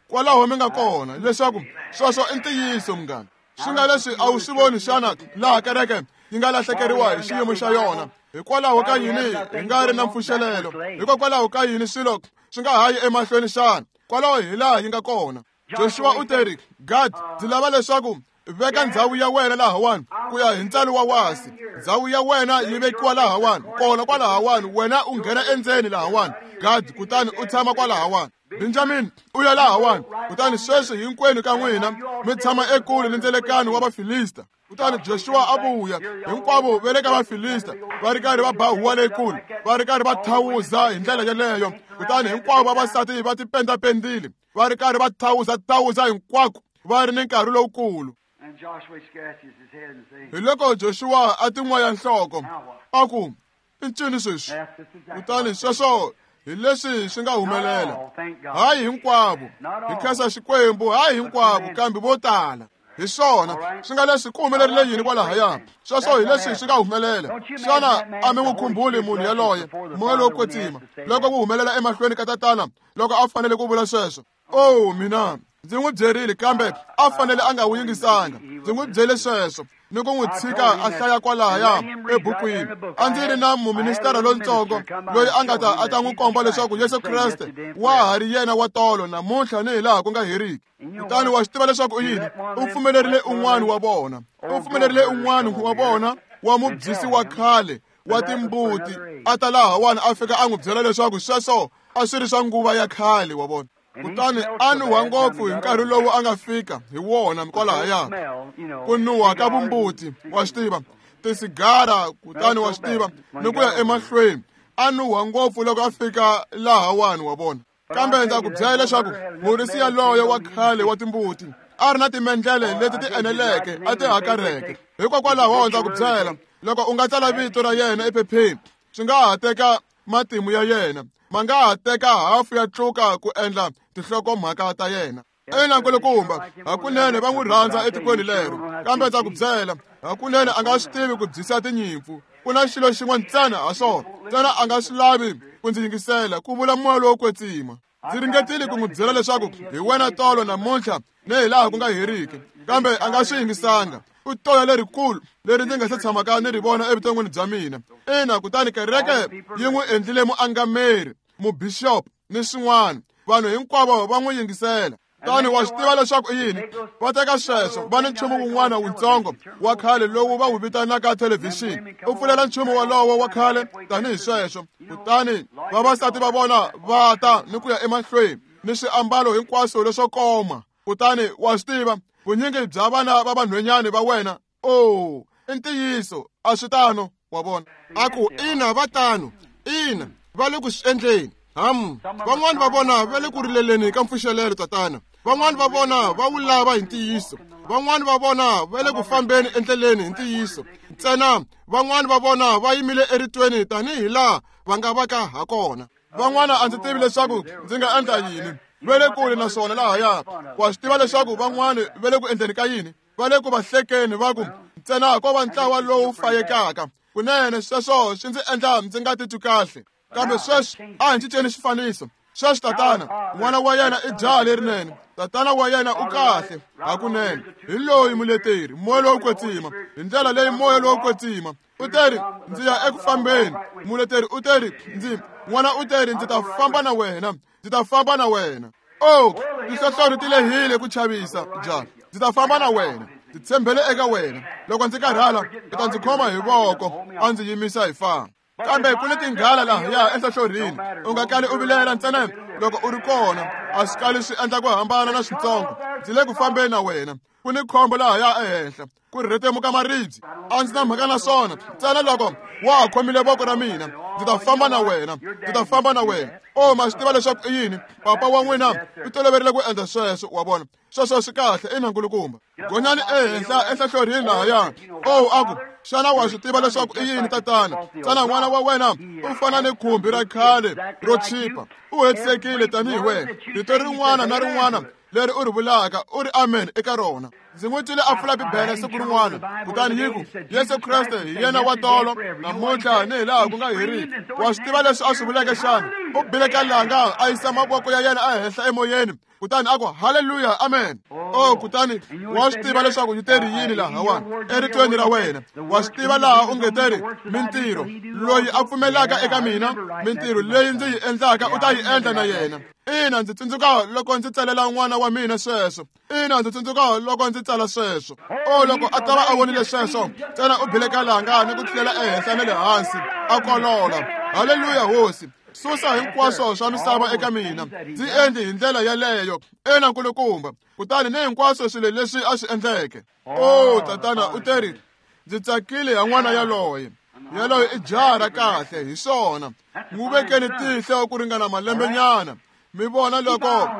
Kwalaho mi nga kona leswaku sweswo i ntiyiso munghana. Swi nga leswi a wu swi voni xana laha kereke yi nga lahlekeriwa hi xiyimo xa yona? Hikwalaho ka yini hi nga ri na mpfuxelelo? Hikokwalaho ka yini swilo swi nga ha yi emahlweni xana? Kwalaho hi laha yi nga kona. Joshua u teri, Gad, ndzi lava leswaku veka ndzhawu ya wena lahawani ku ya hi ntsalo wa wasi. Ndzhawu ya wena yi vekiwa lahawani, kona kwalahawani, wena u nghena endzeni lahawani, Gad, kutani u tshama kwalahawani. Benjamin, u ya lahawani. Kutani sweswi hinkwenu ka n'wina mi tshama ekule ni ndzelekano wa Vafilista. Kutani Joshua a vuya, hinkwavo va le ka Vafilista va ri karhi va ba huwa leyikulu, va ri karhi va thawuza hi ndlela yeleyo. Kutani hinkwavo vavasati va tipendapendile, va ri karhi va thawuza-thawuza hinkwako, va ri ni nkarhi lowukulu. Hi loko Joshua a tin'waya nhloko, a ku, i ncini sweswi? Kutani sweswo hi leswi swi nga humelela. Hayi hinkwavo, hi khensa Xikwembu, hayi hinkwavo, kambe vo tala. Hi swona swi nga leswi ku humelerile yini kwalahaya? Sweswo hi leswi swi nga humelela. Xana a mi n'wi khumbuli munhu yaloye, moya lowo kwetsima, loko wu humelela emahlweni ka tatana loko a fanele ku vula sweswo? Oh, mina ndzi n'wi byerile, kambe a fanele a nga wu yingisanga. Ndzi n'wi byele sweswo ni ku n'wi tshika a hlaya kwalahaya ebukwini. A ndzi ri na muministara lontsongo loyi a nga ta a ta n'wi komba leswaku Yesu Kreste wa ha ri yena wa tolo namuntlha ni hi laha ku nga heriki. Kutani wa swi tiva leswaku u yini? U pfumelerile un'wana wa vona. U pfumelerile un'wana wa vona wa mubyisi wa khale wa timbuti a ta lahawani a fika a n'wi byela leswaku sweswo a swi ri swa nguva ya khale, wa vona. Kutani a nuha ngopfu hi nkarhi lowu a nga fika hi wona kwalahaya. Ku nuha ka vumbuti, wa swi tiva, tisigara, kutani wa swi tiva, ni ku ya emahlweni. A nuha ngopfu loko a fika lahawani, wa vona. Kambe ndza ku byela leswaku murisi yaloye wa khale wa timbuti a ri na timendlele leti ti eneleke a ti hakarheke. Hikokwalaho ndza ku byela, loko u nga tsala vito ra yena ephepheni, swi nga ha teka matimu ya yena, ma nga ha teka hafu ya tluka ku endla tinhlokomhaka ta yena. Ina nkulukumba, hakunene va n'wi rhandza etikweni lero. Kambe ndza ku byela, hakunene a nga swi tivi ku byisa tinyimpfu. Ku na xilo xin'we ntsena ha swona, ntsena a nga swi lavi ku ndzi yingisela, ku vula moya lowo kwetsima. Ndzi ringetile ku n'wi byela leswaku hi wena tolo namuntlha ni hi laha ku nga heriki, kambe a nga swi yingisanga. U toya lerikulu leri ndzi nga se tshamaka ni ri vona evuton'wini bya mina. Ina, kutani kereke yi n'wi endlile muangameri, mubishop ni swin'wana. Vanhu hinkwavo va n'wi yingisela. Kutani wa swi tiva leswaku i yini? Va teka sweswo, va ni nchumu wun'wana wutsongo wa khale lowu va wu vitanaka thelevhixini. U pfulela nchumu wolowo wa khale tanihi sweswo. Kutani vavasati va vona va ta ni ku ya emahlweni ni swiambalo hinkwaswo leswo koma. Kutani wa swi tiva, vunyingi bya vana va vanhwanyana va wena, oh, i ntiyiso, a swi tano, wa vona. A ku, ina, va tano, ina, va le ku swi endleni. Ham, van'wani va vona va le ku rileleni ka mpfuxelelo, tatana. Van'wani va vona va wu lava hi ntiyiso. Van'wani va vona va le ku fambeni endleleni hi ntiyiso. Ntsena van'wani va vona va yimile eritweni tanihi laha va nga va ka ha kona. Van'wana a ndzi tivi leswaku ndzi nga endla yini. Va le kule na swona lahaya. Wa swi tiva leswaku van'wani va le ku endleni ka yini? Va le ku va hlekeni va ku ntsena ko va ntlawa lowu fayekaka. Kunene sweswo swi ndzi endla ndzi nga titwi kahle. Kambe sweswi a hi cinceni xifaniso. Sweswi tatana, n'wana wa yena i jaha lerinene. Tatana wa yena u kahle hakunene. Hi loyi muleteri, moya lowo kwetsima. Hi ndlela leyi moya lowo kwetsima. U teri ndzi ya eku fambeni. Muleteri u teri ndzi n'wana u teri ndzi ta famba na wena. Ndzi ta famba na wena. Oh, tinhlohlorhi ti lehile ku chavisa jaha. Ndzi ta famba na wena. Ndzi tshembele eka wena. Loko ndzi karhala, u ta ndzi khoma hi voko, a ndzi yimisa hi famba. Kambe ku ni tinghala lahaya enhlohlorhini. U nga kali u vilela ntsena loko u ri kona. A swi kali swi endla ku hambana na switsongo. Ndzi le ku fambeni na wena. Ku ni khombo lahaya ehenhla. Ku rhetemuka maribye. A ndzi na mhaka na swona. Ntsena loko wa ha khomile voko ra mina, ndzi ta famba na wena. Ndzi ta famba na wena. Oh, ma swi tiva leswaku i yini? Papa wa n'wina u toloverile ku endla sweswo, wa vona. Sweswo swi kahle, ina nkulukumba. Gonyani ehenhla enhlohlorhini lahaya. Oh, a ku, xana wa swi tiva leswaku i yini tatana? Tsana n'wana wa wena u fana ni khumbi ra khale ro chipa. U hetisekile tanihi wena. Rito rin'wana na rin'wana leri u ri vulaka u ri amen eka rona. Ndzi n'wi twile a pfula Bibele siku rin'wana, kutani yi ku, Yesu Kreste hi yena wa tolo, namuntlha ni hi laha ku nga heriki. Wa swi tiva leswi a swi vuleke xana? U bile ka langa a yisa mavoko ya yena ehenhla emoyeni, kutani a ku haleluya, amen. Oh, kutani wa swi tiva leswaku yi teri yini lahawani eritweni ra wena. Wa swi tiva laha u nge teri mintirho loyi a pfumelaka eka mina, mintirho leyi ndzi yi endlaka u ta yi endla na yena. Ina, ndzi tsundzuka loko ndzi tsalela n'wana wa mina sweswo. Ina, ndzi tsundzuka loko ndzi tsala sweswo. Oh, loko a ta va a vonile sweswo, ntsena u bile ka langa ni ku tlulela ehenhla na le hansi, a kolola. Haleluya, hosi. Susa hinkwaswo swa misava eka mina. Ndzi endli hi ndlela yaleyo. Ina, nkulukumba. Kutani ni hinkwaswo swilo leswi a swi endleke. Oh, tatana u teri, ndzi tsakile ya n'wana yaloye. Yaloye i jaha ra kahle, hi swona. N'wi vekeni tihlo ku ringana malembenyana. Mi vona loko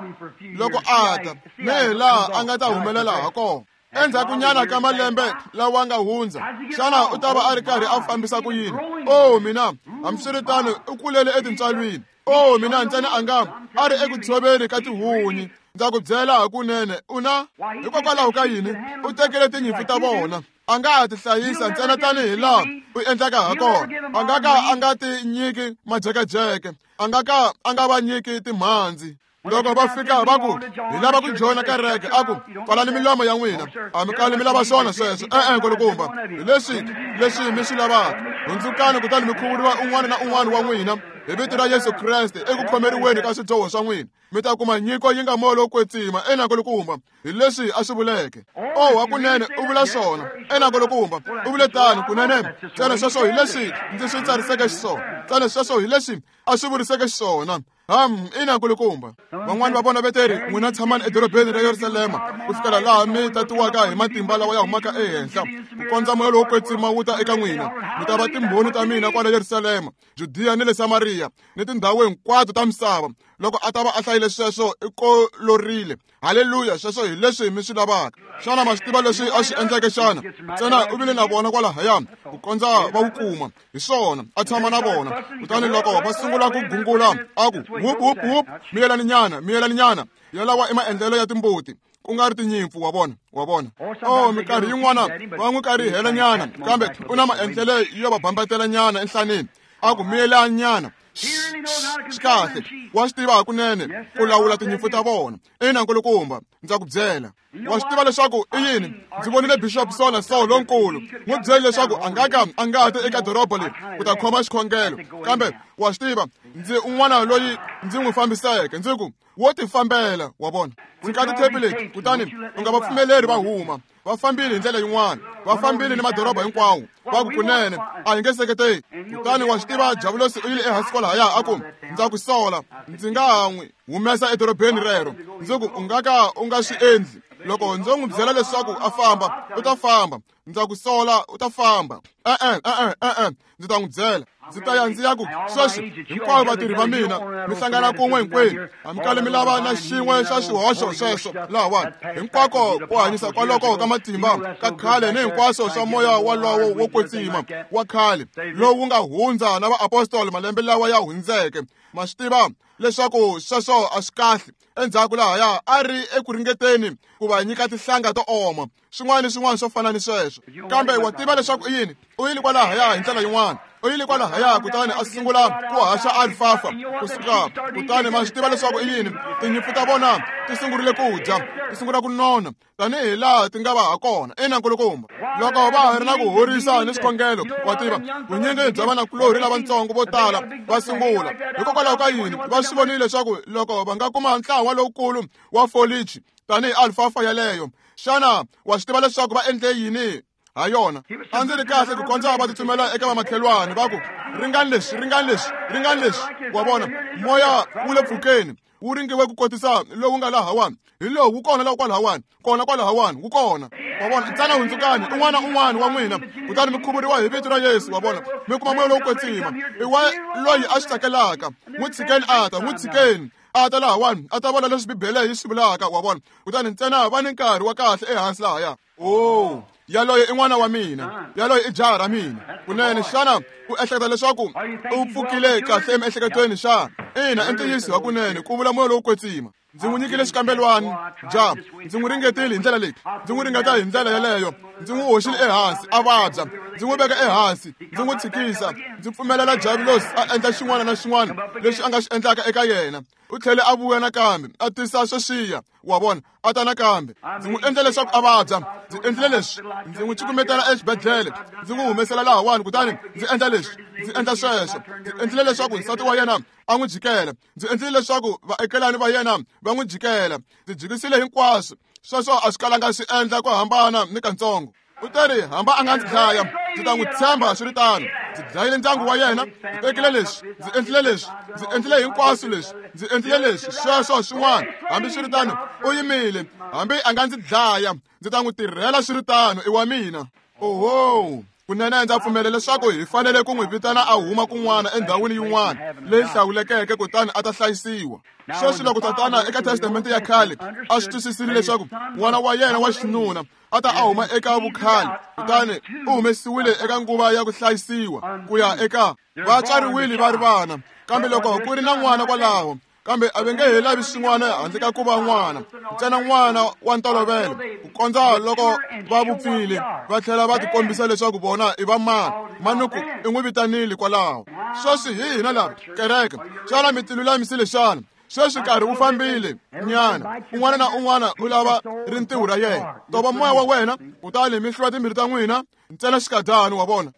loko a ta, ni hi laha a nga ta humelela ha kona. Endzhakunyana ka malembe lawa nga hundza, xana u ta va a ri karhi a fambisa ku yini? Oh, mina, hambiswiritano u kulele etintswalweni. Oh, mina ntsena a nga a ri eku tshoveni ka tihunyi. Ndza ku byela hakunene, u na hikokwalaho ka yini u tekele tinyimpfu ta vona? A nga ha ti hlayisa ntsena tanihi laha u endlaka ha kona. A nga ka a nga ti nyiki majekejeke, a nga ka a nga va nyiki timhandzi. Loko va fika va ku hi lava ku joyina kereke, a ku pfalani milomo ya n'wina, a mi kali mi lava swona sweswo. E-e, nkulukumba, hi leswi leswi mi swi lavaka. Hundzukani kutani mi khuvuriwa un'wana na un'wana wa n'wina hi vito ra Yesu Kreste eku khomeriweni ka swidyoho swa n'wina, mi ta kuma nyiko yi nga moya lowo kwetsima. Ina, nkulukumba, hi leswi a swi vuleke. Oh, hakunene u vula swona. Ina, nkulukumba, u vule tano kunene. Ntsena sweswo hi leswi ndzi swi tsariseke xiswona. Ntsena sweswo hi leswi a swi vuriseke xiswona. Ham, ina nkulukumba. Van'wani va vona veteri, n'wina tshamani edorobeni ra Yerusalema ku fikela laha mi tatiwaka hi matimba lawa ya humaka ehenhla, ku kondza moya lowo kwetsima wu ta eka n'wina. Mi ta va timbhoni ta mina kwala Yerusalema, Judiya ni le Samariya, ni tindhawu hinkwato ta misava. Loko a ta va a hlayile sweswo, i kolorile. Haleluya, sweswo hi leswi mi swi lavaka. Xana ma swi tiva leswi a swi endleke xana? Ntsena u vile na vona kwalahaya ku kondza va wu kuma. Hi swona, a tshama na vona. Kutani loko va sungula ku gungula, a ku whoop whoop whoop, miyelani nyana, miyelani nyana. Yalawa i maendlelo ya timbuti, ku nga ri tinyimpfu, wa vona, wa vona. Oh, minkarhi yin'wana va n'wi karihela nyana, kambe u na maendlelo yo va bambatela nyana enhlaneni. A ku miyelani nyana. Swi kahle, wa swi tiva hakunene ku lawula tinyimpfu ta vona. Ina, nkulukumba, ndza ku byela. Wa swi tiva leswaku i yini? Ndzi vonile Bishop so na so lonkulu. N'wi byele leswaku a nga ka a nga ti eka doroba leri ku ta khoma xikhongelo. Kambe wa swi tiva, ndzi un'wana loyi ndzi n'wi fambiseke. Ndzi ku, wo ti fambela, wa vona. Tshika tithepi leti, kutani u nga va pfumeleri va huma. Va fambile hi ndlela yin'wana, va fambile ni madoroba hinkwawo. Va ku kunene a hi nge seketeli. Kutani wa swi tiva, Javulosi u yile ehansi kwalahaya a ku, ndza ku sola, ndzi nga ha n'wi humesa edorobeni rero. Ndzi ku, u nga ka u nga swi endli. Loko ndzo n'wi byela leswaku a famba, u ta famba. Ndza ku sola, u ta famba. E-e, e-e, e-e, ndzi ta n'wi byela. Ndzi ta ya ndzi ya ku, sweswi hinkwavo vatirhi va mina mi hlangana kun'we hinkwenu. A mi kali mi lava na xin'we xa xihoxo sweswo lahawani. Hinkwako ku hanyisa kwaloko ka matimba ka khale ni hinkwaswo swa moya walowo wo kwetsima wa khale lowu nga hundza na vaapostoli malembe lawa ya hundzeke. Ma swi tiva leswaku sweswo a swi kahle. Endzhaku lahaya a ri eku ringeteni ku va nyika tinhlanga to oma, swin'wana ni swin'wana swo fana ni sweswo. Kambe wa tiva leswaku i yini? U yile kwalahaya hi ndlela yin'wana. U yile kwalahaya kutani a sungula ku haxa alfafa kusuka. Kutani ma swi tiva leswaku i yini? Tinyimpfu ta vona ti sungurile ku dya, ti sungula ku nona tanihi laha ti nga va ha kona. Ina nkulukumba, loko va ha ri na ku horisa ni swikhongelo, wa tiva vunyingi bya vanakulorhi lavatsongo vo tala va sungula. Hikokwalaho ka yini? Va swi vonile leswaku loko va nga kuma ntlawa lowukulu wa folichi tanihi alfafa yaleyo, xana wa swi tiva leswaku va endle yini ha yona? A ndzi ri kahle ku kondza va tsutsumela eka vamakhelwani va ku, ringani leswi, ringani leswi, ringani leswi. Wa vona, moya wu le pfukeni, wu ringiwe ku kotisa lowu nga lahawani, hi lowu wu kona laha kwalahawani, kona kwalahawani, wu kona. Wa vona, ntsena hundzukani un'wana na un'wana wa n'wina, kutani mi khuvuriwa hi vito ra Yesu. Wa vona, mi kuma moya lowo kwetsima. I wa loyi a swi tsakelaka, n'wi tshikeni a ta, n'wi tshikeni a ta lahawani, a ta vona leswi Bibele yi swi vulaka. Wa vona, kutani ntsena va ni nkarhi wa kahle ehansi lahaya. Oh, yaloye i n'wana wa mina, yaloye i jaha ra mina. Kunene, xana u ehleketa leswaku u pfukile kahle emiehleketweni xana? Ina, i ntiyiso hakunene, ku vula moya lowo kwetsima. Ndzi n'wi nyikile xikambelwani, ja, ndzi n'wi ringetile hi ndlela leyi, ndzi n'wi ringeta hi ndlela yeleyo, ndzi n'wi hoxile ehansi a vabya, ndzi n'wi veka ehansi, ndzi n'wi tshikisa, ndzi pfumelela Diabulosi a endla xin'wana na xin'wana lexi a nga xi endlaka eka yena. U tlhele a vuya nakambe, a tisa sweswiya, wa vona, a ta nakambe. Ndzi n'wi endle leswaku a vabya, ndzi endlile leswi, ndzi n'wi cukumetela exibedhlele, ndzi n'wi humesela lahawani, kutani ndzi endla leswi, ndzi endla sweswo. Ndzi endlile leswaku nsati wa yena a n'wi jikela, ndzi endlile leswaku vaekelani va yena va n'wi jikela. Ndzi jikisile hinkwaswo, sweswo a swi kalanga swi endla ku hambana ni katsongo. U teri hamba a nga ndzi dlaya, ndzi ta n'wi tshemba swi ri tano. Ndzi dlayile ndyangu wa yena, ndzi tekile leswi, ndzi endlile leswi, ndzi endlile hinkwaswo leswi, ndzi endlile leswi, sweswo swin'wana. Hambi swi ri tano, u yimile, hambi a nga ndzi dlaya, ndzi ta n'wi tirhela swi ri tano, i wa mina. Oho, kunene ndza pfumela leswaku hi fanele ku n'wi vitana a huma kun'wana endhawini yin'wana leyi hlawulekeke, kutani a ta hlayisiwa. Sweswi loko tatana eka Testamente ya khale a swi twisisile leswaku n'wana wa yena wa xinuna a ta a huma eka vukhale, kutani u humesiwile eka nguva ya ku hlayisiwa ku ya eka va tswariwile va ri vana. Kambe loko ku ri na n'wana kwalaho, kambe a va nge he lavi swin'wana handle ka ku va n'wana, ntsena n'wana wa ntolovelo, ku kondza loko va vupfile va tlhela va tikombisa leswaku vona i va mani. Manuku i n'wi vitanile kwalaho. Sweswi hi hina lava kereke, xana mi tilulamisile xana? Sweswi nkarhi wu fambile nyana, un'wana na un'wana u lava rintiho ra yena. Tova moya wa wena, kutani mi hlula timbilu ta n'wina ntsena xikadyana. Wa vona,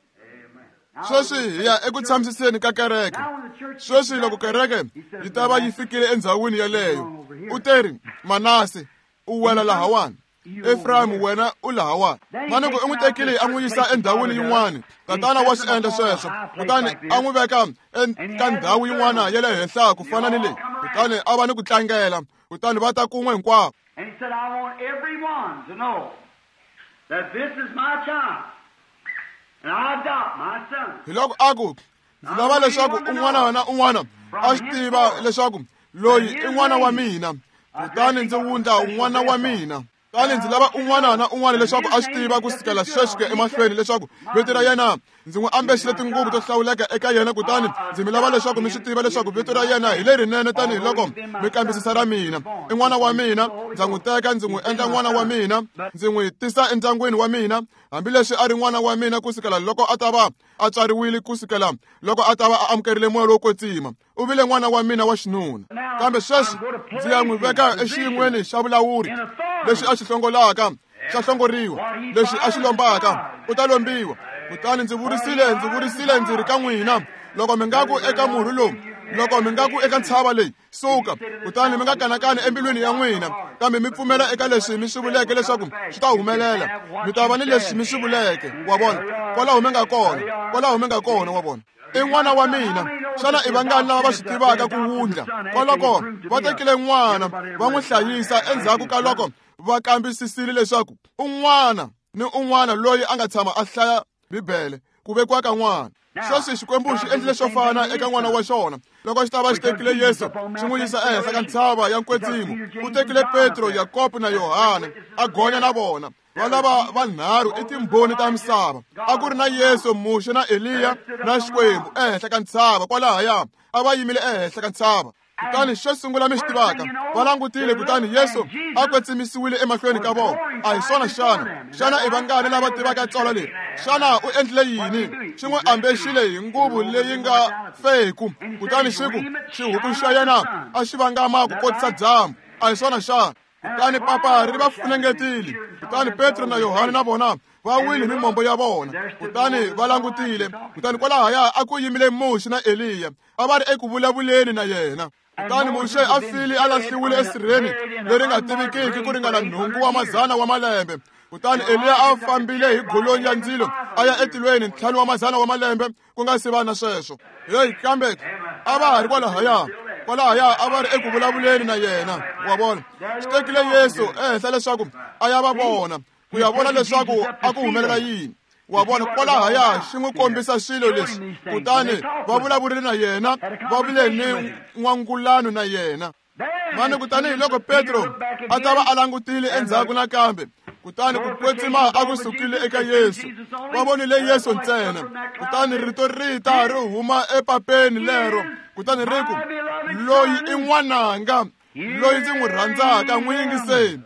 sweswi hi ya eku tshamisiseni ka kereke. Sweswi loko kereke yi ta va yi fikile endhawini yeleyo, u teri Manase u wela lahawani, Efrayimu wena u lahawani. Manuku u n'wi tekile a n'wi yisa endhawini yin'wana. Tatana wa swi endla sweswo, kutani a n'wi veka eka ndhawu yin'wana ya le henhla ku fana ni leyi, kutani a va ni ku tlangela, kutani va ta kun'we hinkwavo. And he said, I want everyone to know that this is my child, and I adopt my son. Hi loko a ku, ndzi lava leswaku un'wana na un'wana a swi tiva leswaku loyi i n'wana wa mina, kutani ndzi wundla n'wana wa mina. Kutani ndzi lava un'wana na un'wana leswaku a swi tiva ku sukela sweswi ku ya emahlweni leswaku vito ra yena ndzi n'wi ambexile tinguvu to hlawuleka eka yena, kutani ndzi mi lava leswaku mi swi tiva leswaku vito ra yena hi lerinene tanihiloko mi kambisisa ra mina. I n'wana wa mina, ndza n'wi teka ndzi n'wi endla n'wana wa mina, ndzi n'wi tisa endyangwini wa mina, hambileswi a ri n'wana wa mina kusukela loko a ta va a tswariwile, kusukela loko a ta va a amukerile moya lowo kwetsima. U vile n'wana wa mina wa xinuna. Kambe sweswi ndzi ya n'wi veka exiyin'weni xa vulawuri, lexi a xi hlongolaka xa hlongoriwa, lexi a xi lombaka u ta lombiwa. Kutani ndzi vurisile, ndzi vurisile ndzi ri ka n'wina, loko mi nga ku eka murhi lowu, loko mi nga ku eka ntshava leyi, suka, kutani mi nga kanakani embilwini ya n'wina, kambe mi pfumela eka leswi mi swi vuleke leswaku swi ta humelela, mi ta va ni leswi mi swi vuleke. Wa vona, kwalaho mi nga kona, kwalaho mi nga kona. Wa vona, i n'wana wa mina. Xana i vangani lava va swi tivaka ku wundla? Kwaloko va tekile n'wana va n'wi hlayisa endzhaku ka loko va kambisisile leswaku un'wana ni un'wana loyi a nga tshama a hlaya Bibele ku vekiwa ka n'wana. Sweswi Xikwembu xi endlile swo fana eka n'wana wa xona. Loko xi ta va xi tekile Yesu xi n'wi yisa ehenhla ka ntshava ya nkwetsimo, u tekile Petro, Yakobo na Yohane a gonya na vona. Va lava vanharhu i timbhoni ta misava. A ku ri na Yesu, Muxe na Eliya na Xikwembu ehenhla ka ntshava kwalahaya. A va yimile ehenhla ka ntshava. Kutani xo sungula mi xi tivaka, va langutile, kutani Yesu a kwetsimisiwile emahlweni ka vona. A hi swona xana? Xana i vangani lava tivaka tsalwa leri? Xana u endlile yini? Xi n'wi ambexile hi nguvu leyi nga feku, kutani xi ku xihuku xa yena a xi vangama ku kotisa dyambu. A hi swona xana? Kutani papa ri va funengetile. Kutani Petro na Yohane na vona va wile hi mimombo ya vona, kutani va langutile. Kutani kwalahaya a ku yimile Muxe na Eliya, a va ri eku vulavuleni na yena. Kutani Muxe a file a lahliwile esirheni leri nga tivikiki ku ringana nhungu wa mazana wa malembe. Kutani Eliya a fambile hi golonyi ya ndzilo a ya etilweni ntlhanu wa mazana wa malembe ku nga si va na sweswo. Heyi, kambe a va ha ri kwalahaya, kwalahaya a va ri eku vulavuleni na yena. Wa vona, swi tekile Yesu ehenhla leswaku a ya va vona, ku ya vona leswaku a ku humelela yini. Wa vona, kwalahaya xi n'wi kombisa swilo leswi, kutani va vulavurile na yena, va vule ni n'wangulano na yena. Mani kutani hi loko Petro a ta va a langutile endzhaku nakambe, kutani ku kwetsima a ku sukile eka Yesu. Va vonile Yesu ntsena. Kutani rito ri ta ri huma epapeni lero, kutani ri ku, loyi i n'wananga, loyi ndzi n'wi rhandzaka, n'wi yingiseni.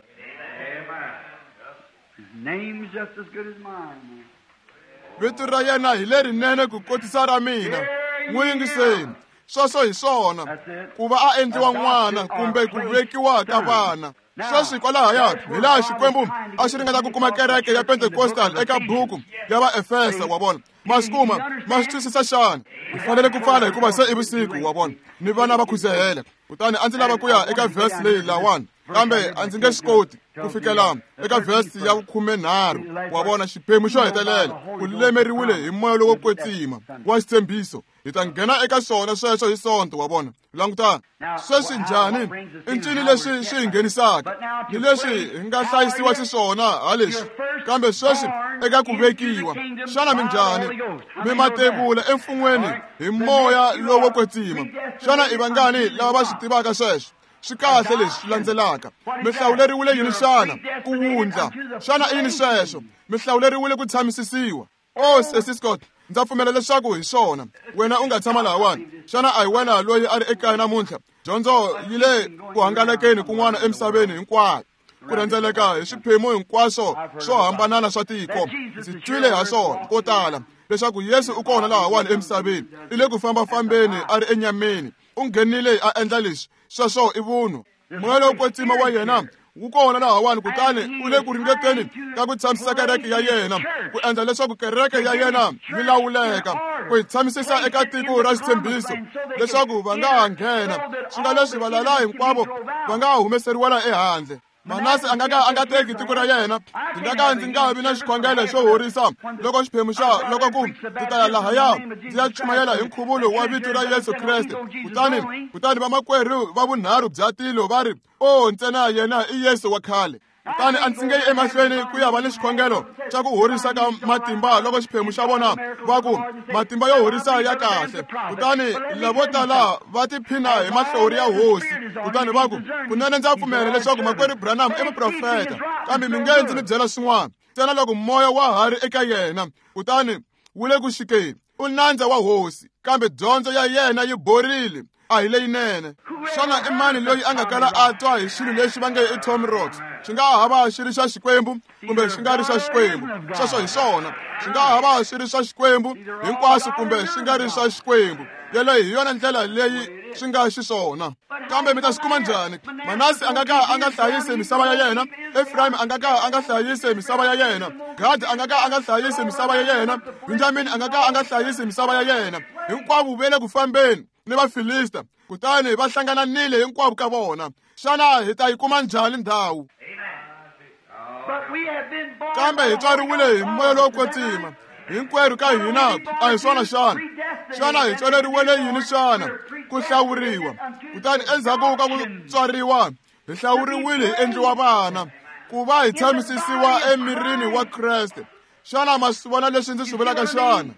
Vito ra yena hi lerinene ku kotisa ra mina, n'wi yingiseni. Sweswo hi swona, ku va a endliwa n'wana kumbe ku vekiwa ka vana. Sweswi kwalahaya hi laha Xikwembu a xi ringeta ku kuma kereke ya Pentecostal eka buku ya Vaefesa. Wa vona, ma swi kuma, ma swi twisisa xana? Hi fanele ku pfala hikuva se i vusiku, wa vona, ni vana va khuzehela. Kutani a ndzi lava ku ya eka verse leyi lawani, kambe a ndzi nge swi koti ku fikela eka verse ya khumenharhu. Wa vona, xiphemu xo hetelela, ku lemeriwile hi moya lowo kwetsima wa xitshembiso. Hi ta nghena eka swona sweswo hi Sonto. Wa vona, langutana sweswi njhani i ncini leswi swi hi nghenisaka ni leswi hi nga hlayisiwa xiswona ha leswi. Kambe sweswi eka ku vekiwa, xana minjhani? Mi matevula emfun'weni hi moya lowo kwetsima. Xana i vangani lava va swi tivaka sweswo? Swi kahle leswi landzelaka. Mi hlawuleriwile yini xana? Ku wundla. Xana i yini sweswo? Mi hlawuleriwile ku tshamisisiwa. O Sesi Scott, ndza pfumela leswaku hi swona. Wena u nga tshama lahawani. Xana a hi wena loyi a ri ekaya namuntlha? Dyondzo yi le ku hangalakeni kun'wana emisaveni hinkwayo, ku rhendzeleka hi swiphemu hinkwaswo swo hambanana swa tiko. Ndzi twile ha swona ko tala leswaku Yesu u kona lahawani emisaveni, i le ku fambafambeni a ri enyameni, u nghenile a endla leswi. Sweswo i vunhu. Moya lowo kwetsima wa yena wu kona lahawani, kutani u le ku ringeteni ka ku tshamisisa kereke ya yena, ku endla leswaku kereke ya yena yi lawuleka, ku yi tshamisisa eka tiko ra xitshembiso leswaku va nga ha nghena. Swi nga leswi valala hinkwavo va nga ha humeseriwela ehandle. Manase a nga ka a nga teki tiko ra yena. Ndzi nga ka ndzi nga vi na xikhongelo xo horisa loko xiphemu xa loko ku ndzi ta ya lahaya ndzi ya chumayela hi nkhuvulo wa vito ra Yesu Kreste. Kutani kutani vamakwerhu va vunharhu bya tilo va ri, o ntsena yena i Yesu wa khale. Kutani a ndzi nge yi emahlweni ku ya va ni xikhongelo xa ku horisa ka matimba loko xiphemu xa vona va ku matimba yo horisa ya kahle. Kutani lavo tala va tiphina hi mahlori ya hosi. Kutani va ku, kunene ndza pfumela leswaku makwerhu Branham i muprofeta, kambe mi nge ndzi mi byela swin'wana ntsena loko moya wa ha ri eka yena, kutani wu le ku xikeni. U nandza wa hosi, kambe dyondzo ya yena yi borile, a hi leyinene. Xana i mani loyi a nga kala a twa hi xilo lexi va nge i Tommy Rocks? Xi nga ha va xi ri xa Xikwembu kumbe xi nga ri xa Xikwembu. Sweswo hi swona. Xi nga ha va xi ri xa Xikwembu hinkwaswo kumbe xi nga ri xa Xikwembu. Yeleyo hi yona ndlela leyi swi nga xiswona. Kambe mi ta swi kuma njhani? Manase a nga ka a nga hlayisi misava ya yena, Efrayimi a nga ka a nga hlayisi misava ya yena, Gadi a nga ka a nga hlayisi misava ya yena, Benjamini a nga ka a nga hlayisi misava ya yena. Hinkwavo va le ku fambeni ni Vafilista, kutani va hlangananile hinkwavo ka vona. Xana hi ta yi kuma njhani ndhawu? Kambe hi tswariwile hi moya lowo kwetsima hinkwerhu ka hina, a hi swona xana? Xana hi tswaleriwele yini xana? Ku hlawuriwa. Kutani endzhaku ka ku tswariwa hi hlawuriwile hi endliwa vana, ku va hi tshamisisiwa emirini wa Kreste. Xana ma swi vona leswi ndzi swi vulaka xana?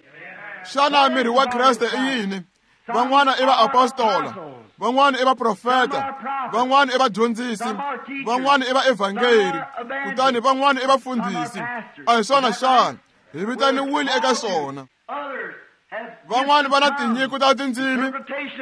Xana miri wa Kreste i yini? Van'wana i vaapostola, van'wana i vaprofeta, van'wana i vadyondzisi, van'wana i vaevhangeri, kutani van'wana i vafundhisi. A hi swona xana? Hi vitaniwile eka swona. Van'wana va na tinyiko ta tindzimi,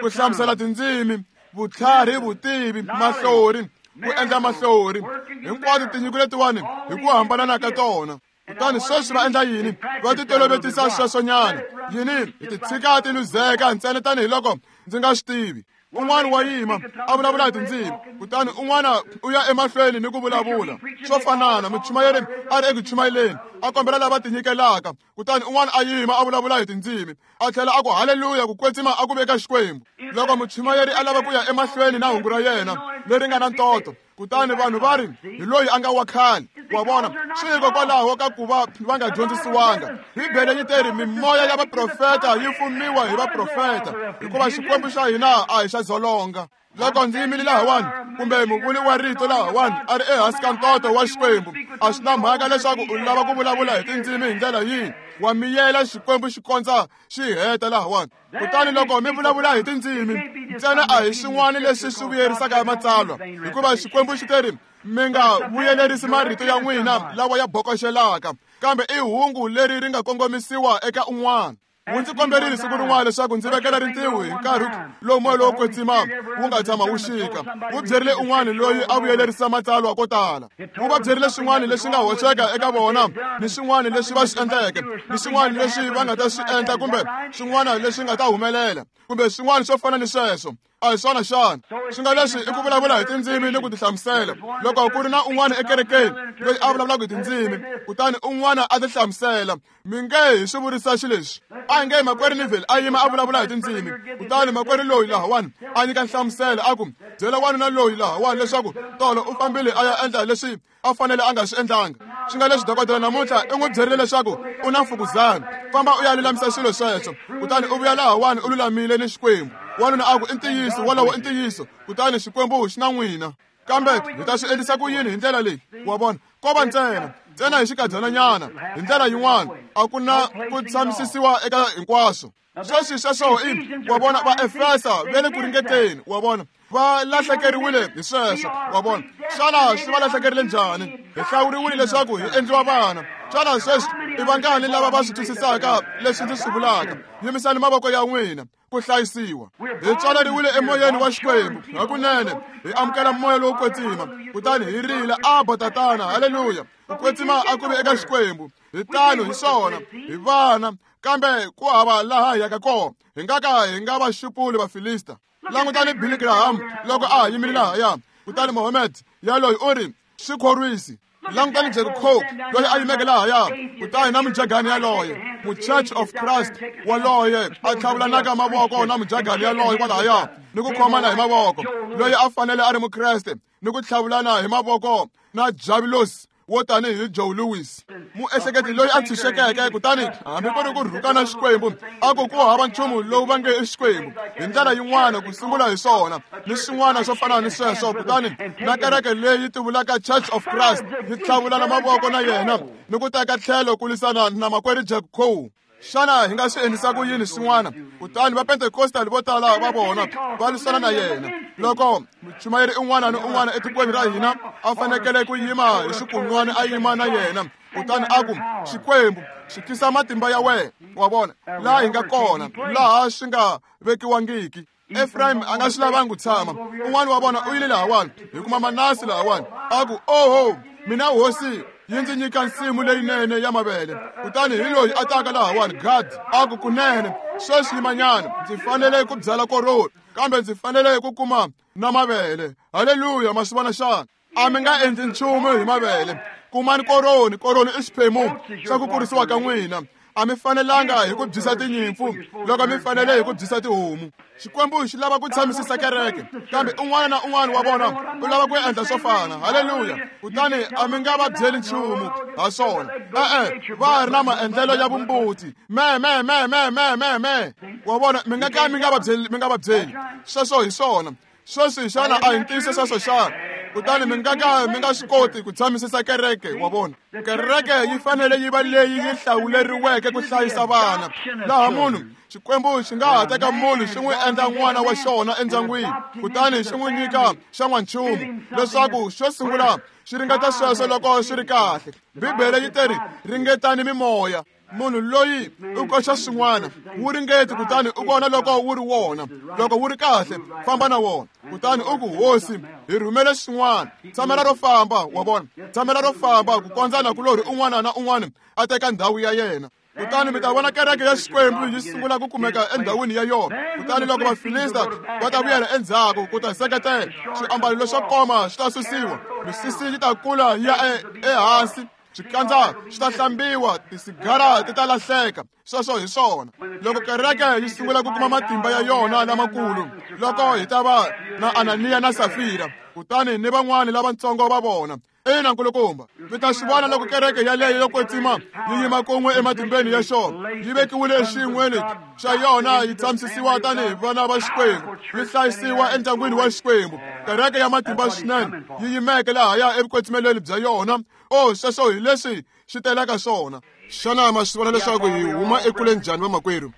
ku hlamusela tindzimi. Vutlhari, vutivi, mahlori, ku endla mahlori, hinkwato tinyiko letiwani hi ku hambanana ka tona. Kutani sweswi va endla yini? Va titolovetisa sweswonyana. Yini? Hi ti tshika ti luzeka ntsena tanihiloko ndzi nga swi tivi. Un'wana wa yima a vulavula hi tindzimi, kutani un'wana u ya emahlweni ni ku vulavula swo fanana. Muchumayeri a ri eku chumayeleni a kombela lava tinyikelaka, kutani un'wana a yima a vulavula hi tindzimi, a tlhela a ku haleluya, ku kwetsima a ku veka Xikwembu. Loko muchumayeri a lava ku ya emahlweni na hungu ra yena leri nga na ntoto, kutani vanhu va ri hi loyi a nga wa khale. Wa vona, swi hikokwalaho ka ku va va nga dyondzisiwanga. Bibele yi teri mimoya ya vaprofeta yi fumiwa hi vaprofeta, hikuva Xikwembu xa hina a hi xa dzolonga. Loko ndzi yimile lahawani, kumbe muvuli wa rito lahawani a ri ehansi ka ntoto wa Xikwembu, a swi na mhaka leswaku u lava ku vulavula hi tindzimi hi ndlela yihi, wa miyela Xikwembu xi kondza xi heta lahawani. Kutani loko mi vulavula hi tindzimi ntsena a hi swin'wana leswi swi vuyerisaka matsalwa, hikuva Xikwembu xi teri mi nga vuyelerisi marito ya n'wina lawa ya bokoxelaka, kambe i hungu leri ri nga kongomisiwa eka un'wana. Wu ndzi komberile siku rin'wana leswaku ndzi vekela rintiho hi nkarhi lowu moya lowo kwetsima wu nga tshama wu xika. Wu byerile un'wana loyi a vuyelerisa matsalwa ko tala. Wu va byerile swin'wana leswi nga hoxeka eka vona, ni swin'wana leswi va swi endleke, ni swin'wana leswi va nga ta swi endla, kumbe swin'wana leswi nga ta humelela, kumbe swin'wana swo fana ni sweswo. A hi swona xana? Swi nga leswi i ku vulavula hi tindzimi ni ku tihlamusela. Loko ku ri na un'wana ekerekeni loyi a vulavulaka hi tindzimi, kutani un'wana a tihlamusela, mi nge hi swi vurisa xileswi. A hi nge makwerhu Neville a yima a vulavula hi tindzimi, kutani makwerhu loyi lahawani a nyika nhlamuselo a ku byela wanuna loyi lahawani leswaku tolo u fambile a ya endla leswi a fanele a nga swi endlanga. Swi nga leswi dokodela namuntlha i n'wi byerile leswaku u na mfukuzana, famba u ya lulamisa swilo sweswo, kutani u vuya lahawani u lulamile ni Xikwembu. Wanuna a ku i ntiyiso, wolowo i ntiyiso, kutani Xikwembu xi na n'wina. Kambe hi ta swi endlisa ku yini hi ndlela leyi? Wa vona, ko va ntsena ntsena hi xikadyonanyana hi ndlela yin'wana, a ku na ku tshamisisiwa eka hinkwaswo. Sweswi sweswo i wa vona, va Efesa va le ku ringeteni, wa vona, va lahlekeriwile hi sweswo. Wa vona, xana swi va lahlekerile njhani? Hi hlawuriwile leswaku hi endliwa vana. Xana sweswi i vangani lava va swi twisisaka leswi ndzi swi vulaka? Yimisani mavoko ya n'wina. Ku hlayisiwa hi tswaleriwile emoyeni wa Xikwembu hakunene, hi amukela moya lowo kwetsima, kutani hi rila Abba Tatana, haleluya. Ku kwetsima a ku ve eka Xikwembu. Hi tano hi swona, hi vana, kambe ku hava laha hi yaka kona. Hi nga ka hi nga va xupuli Vafilista. Langutani Billy Graham loko a ha yimile lahaya, kutani Mohammed yaloyi u ri swi khorwisi. Langutani Jack Coke loyi a yimeke lahaya, kutani na mujagani yaloye, mu-Church of Christ waloye a tlhavulanaka mavoko na mujagani yaloye kwalahaya, ni ku khomana hi mavoko, loyi a fanele a ri Mukreste, ni ku tlhavulana hi mavoko na Javilos wo tanihi Joe Louis, muehleketi loyi a tshunxekeke, kutani hambi ku ri ku rhukana Xikwembu, a ku ku hava nchumu lowu va nge i Xikwembu hi ndlela yin'wana ku sungula hi swona ni swin'wana swo fana ni sweswo. Kutani na kereke leyi tivulaka Church of Christ yi tlhavulana mavoko na yena ni ku teka tlhelo ku lwisana na makwerhu Jack Coe. Xana hi nga swi endlisa ku yini swin'wana? Kutani va Pentecostal vo tala va vona va lwisana na yena. Loko muchumayeri un'wana ni un'wana etikweni ra hina a fanekele ku yima hi xikun'wana a yima na yena, kutani a ku Xikwembu xi tisa matimba ya wena. Wa vona laha hi nga kona, laha swi nga vekiwangiki. Ephraim a nga swi lavangi ku tshama. Un'wana wa vona u yile lahawani, hi kuma Manase lahawani, a ku oho, mina hosi yi ndzi nyika nsimu leyinene ya mavele. Kutani hi loyi a taka lahawani Gad, a ku kunene sweswi yimanyana, ndzi fanele ku byala koroni, kambe ndzi fanele ku kuma na mavele. Haleluya, ma swi vona xana? A mi nga endli nchumu hi mavele. Kumani koroni, koroni i xiphemu xa ku kurisiwa ka n'wina. A mi fanelanga hi ku byisa tinyimpfu loko mi fanele hi ku byisa tihomu. Xikwembu xi lava ku tshamisisa kereke, kambe un'wana na un'wana wa vona u lava ku endla swo fana. Haleluya. Kutani a mi nga va byeli nchumu ha swona. E-e, va ha ri na maendlelo ya vumbuti. Me me me me me me me. Wa vona, mi nga ka mi nga va byeli, mi nga va byeli. Sweswo hi swona. Sweswi xana a hi ntiyiso sweswo xana? Kutani mi nga ka mi nga swi koti ku tshamisisa kereke. Wa vona, kereke yi fanele yi va leyi yi hlawuleriweke ku hlayisa vana. Laha munhu Xikwembu xi nga ha teka munhu xi n'wi endla n'wana wa xona endyangwini, kutani xi n'wi nyika xa n'wanchumu leswaku xo sungula xi ringeta sweswo loko swi ri kahle. Bibele yi teri ringetani mimoya. Munhu loyi u koxa swin'wana, wu ringeti kutani u vona loko wu ri wona. Loko wu ri kahle, famba na wona. Kutani u ku, Hosi, hi rhumele swin'wana. Tshamela ro famba, wa vona. Tshamela ro famba ku kondza nakulorhi un'wana na un'wana a teka ndhawu ya yena. Kutani mi ta vona kereke ya Xikwembu yi sungula ku kumeka endhawini ya yona. Kutani loko Vafilista va ta vuyela endzhaku ku ta seketela, swiambalo leswo koma swi ta susiwa, misisi yi ta kula yi ya ehansi, swikandza swi ta hlambiwa, tisigara ti ta lahleka. Sweswo hi swona. Loko kereke yi sungula ku kuma matimba ya yona lamakulu, loko hi ta va na Ananiya na Safira, kutani ni van'wani lavatsongo va vona. Ina nkulukumba, mi ta swi vona loko kereke yaleyo yo kwetsima yi yima kun'we ematimbeni ya xona, yi vekiwile exiyin'weni xa yona, yi tshamisisiwa tanihi vana va Xikwembu, yi hlayisiwa endyangwini wa Xikwembu. Kereke ya matimba swinene yi yimeke lahaya evukwetsimelweni bya yona. O, sweswo hi leswi xi telaka swona. Xana ma swi vona leswaku hi huma ekule njhani, vamakwerhu?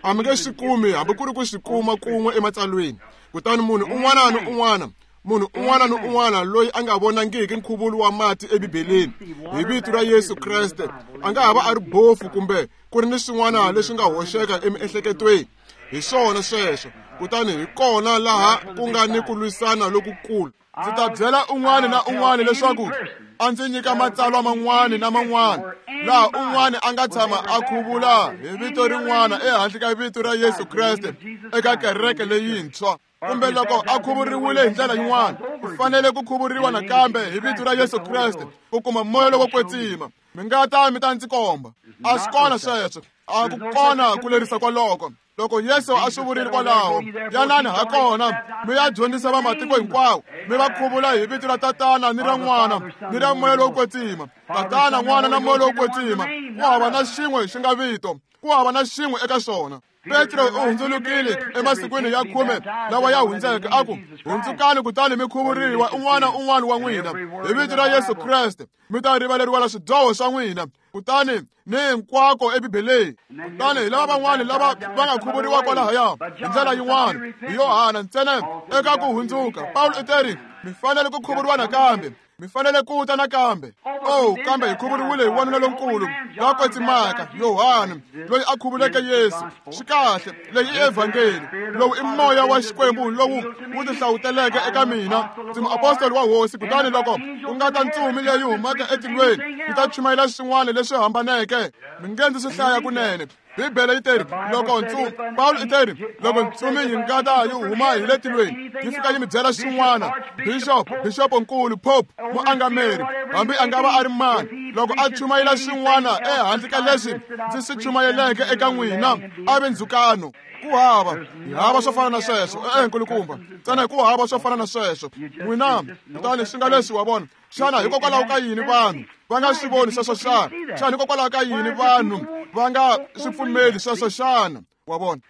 A mi nge swi kumi hambi ku ri ku swi kuma kun'we ematsalweni. Kutani munhu un'wana ni un'wana munhu un'wana ni un'wana loyi a nga vonangiki nkhuvulo wa mati eBibeleni hi vito ra Yesu Kreste a nga ha va a ri bofu kumbe ku ri ni swin'wana leswi nga hoxeka emiehleketweni. Hi swona sweswo. Kutani hi kona laha ku nga ni ku lwisana lokukulu. Ndzi ta byela un'wana na un'wana leswaku a ndzi nyika matsalwa man'wana na man'wana laha un'wana a nga tshama a khuvula hi vito rin'wana ehandle ka vito ra Yesu Kreste eka kereke leyintshwa. Kumbe loko a khuvuriwile hi ndlela yin'wana, u fanele ku khuvuriwa nakambe hi vito ra Yesu Kreste ku kuma moya lowo kwetsima. Mi nga ta mi ta ndzi komba. A swi kona sweswo. A ku kona ku lerisa kwaloko. Loko Yesu a swi vurile kwalaho, yanani ha kona mi ya dyondzisa vamatiko hinkwawo, mi va khuvula hi vito ra Tatana ni ra N'wana ni ra Moya lowo kwetsima. Tatana, N'wana na Moya lowo kwetsima. Ku hava na xin'we xi nga vito, ku hava na xin'we eka xona. Petro u hundzulukile emasikwini ya khume lawa ya hundzeke, a ku, hundzukani kutani mi khuvuriwa un'wana un'wana wa n'wina hi vito ra Yesu Kreste, mi ta rivaleriwa swidyoho swa n'wina. Kutani ni hinkwako eBibeleni. Kutani hi lava van'wani lava va nga khuvuriwa kwalahaya hi ndlela yin'wana hi Yohana ntsena eka ku hundzuka. Pawulo u teri, mi fanele ku khuvuriwa nakambe, mi fanele ku ta nakambe. Oh, kambe hi khuvuriwile hi wanuna lonkulu la kwetsimaka, Yohana, loyi a khuvuleke Yesu. Swi kahle, leyi i evhangeli. Lowu i moya wa Xikwembu lowu wu tihlawuteleke eka mina. Ndzi muapostoli wa Hosi. Kutani loko ku nga ta ntsumi leyi humaka etilweni yi ta chumayela swin'wana leswi hambaneke, mi nge ndzi swi hlaya kunene. Bibele yi teri, loko ntsumi, Pawulo i teri, loko ntsumi yi nga ta yi huma hi le tilweni yi fika yi mi byela swin'wana, bishop, bishopo-nkulu, pope, muangameri, hambi a nga va a ri mani, loko a chumayela swin'wana ehandle ka leswi ndzi swi chumayeleke eka n'wina, a ve ndzhukano. Ku hava, hi hava swo fana na sweswo. E-e, nkulukumba, ntsena ku hava swo fana na sweswo. N'wina, kutani swi nga leswi, wa vona. Xana hikokwalaho ka yini vanhu va nga swi voni sweswo xana? Xana hikokwalaho ka yini vanhu va nga swi pfumeli sweswo xana? Wa vona?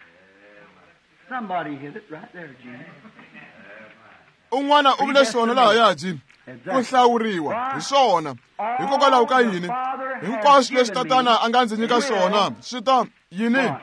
Un'wana u vule swona lahaya, Jim. Ku hlawuriwa hi swona. Hikokwalaho ka yini? Hinkwaswo leswi Tatana a nga ndzi nyika swona swi ta yini?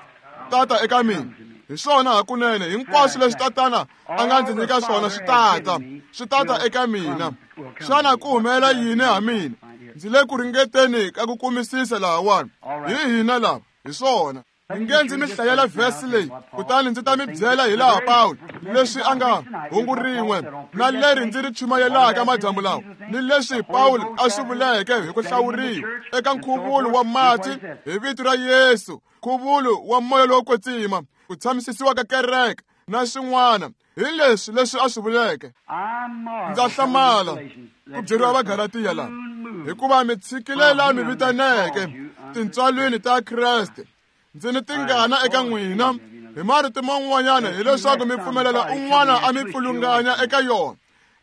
Tata eka mina. Hi swona hakunene, hinkwaswo leswi Tatana a nga ndzi nyika swona swi tata, swi tata eka mina. Xana ku humelela yini ha mina? Ndzi le ku ringeteni ka ku kumisisa lahawani. Hi hina lava, hi swona. Mi nge ndzi mi hlayela vhesi leyi, kutani ndzi ta mi byela hi laha Pawulo leswi a nga hungu rin'we na leri ndzi ri chumayelaka madyambu lawa, ni leswi Pawulo a swi vuleke hi ku hlawuriwa eka nkhuvulo wa mati hi vito ra Yesu, nkhuvulo wa moya lowo kwetsima, ku tshamisisiwa ka kereke na swin'wana. Hi leswi leswi a swi vuleke. Ndza hlamala ku byeriwa Vagalatiya laha, hikuva mi tshikile la mi vitaneke tintswalweni ta Kreste. Ndzi ni tingana eka n'wina hi marito man'wanyana, hileswaku mi pfumelela un'wana a mi pfulunganya eka yona,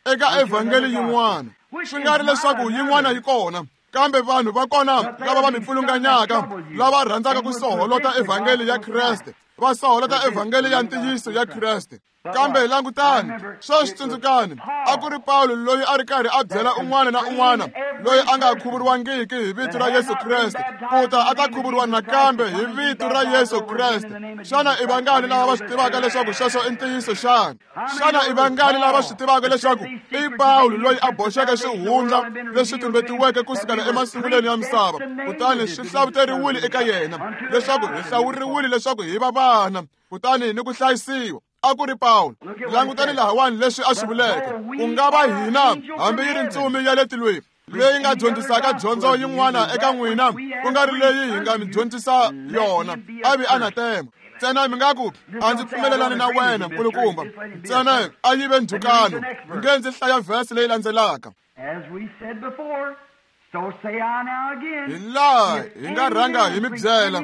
eka evhangeli yin'wana. Swi nga ri leswaku yin'wana yi kona, kambe vanhu va kona lava va mi pfulunganyaka, lava rhandzaka ku soholota evhangeli ya Kreste, Va soholota evhangeli ya ntiyiso ya Kreste. Kambe langutani, sweswi tsundzukani, a ku ri Pawulo loyi a ri karhi a byela un'wana na un'wana loyi a nga khuvuriwangiki hi vito ra Yesu Kreste ku ta a ta khuvuriwa nakambe hi vito ra Yesu Kreste. Xana i vangani lava va swi tivaka leswaku sweswo i ntiyiso xana? Xana i vangani lava va swi tivaka leswaku i Pawulo loyi a boxeke swihundla leswi tumbetiweke kusukela emasungulweni ya misava, kutani swi hlavuteriwile eka yena leswaku hi hlawuriwile leswaku hi va vana, kutani ni ku hlayisiwa? A ku ri Pawulo. Langutani lahawani leswi a swi vuleke. Ku nga va hina hambi yi ri ntsumi ya le tilweni leyi nga dyondzisaka dyondzo yin'wana eka n'wina, ku nga ri leyi hi nga mi dyondzisa yona, a vi anatema. Ntsena mi nga ku, a ndzi pfumelelani na wena nkulukumba, ntsena a yi ve ndzhukano. Nge ndzi hlaya vhesi leyi landzelaka. Hi laha hi nga rhanga hi mi byela,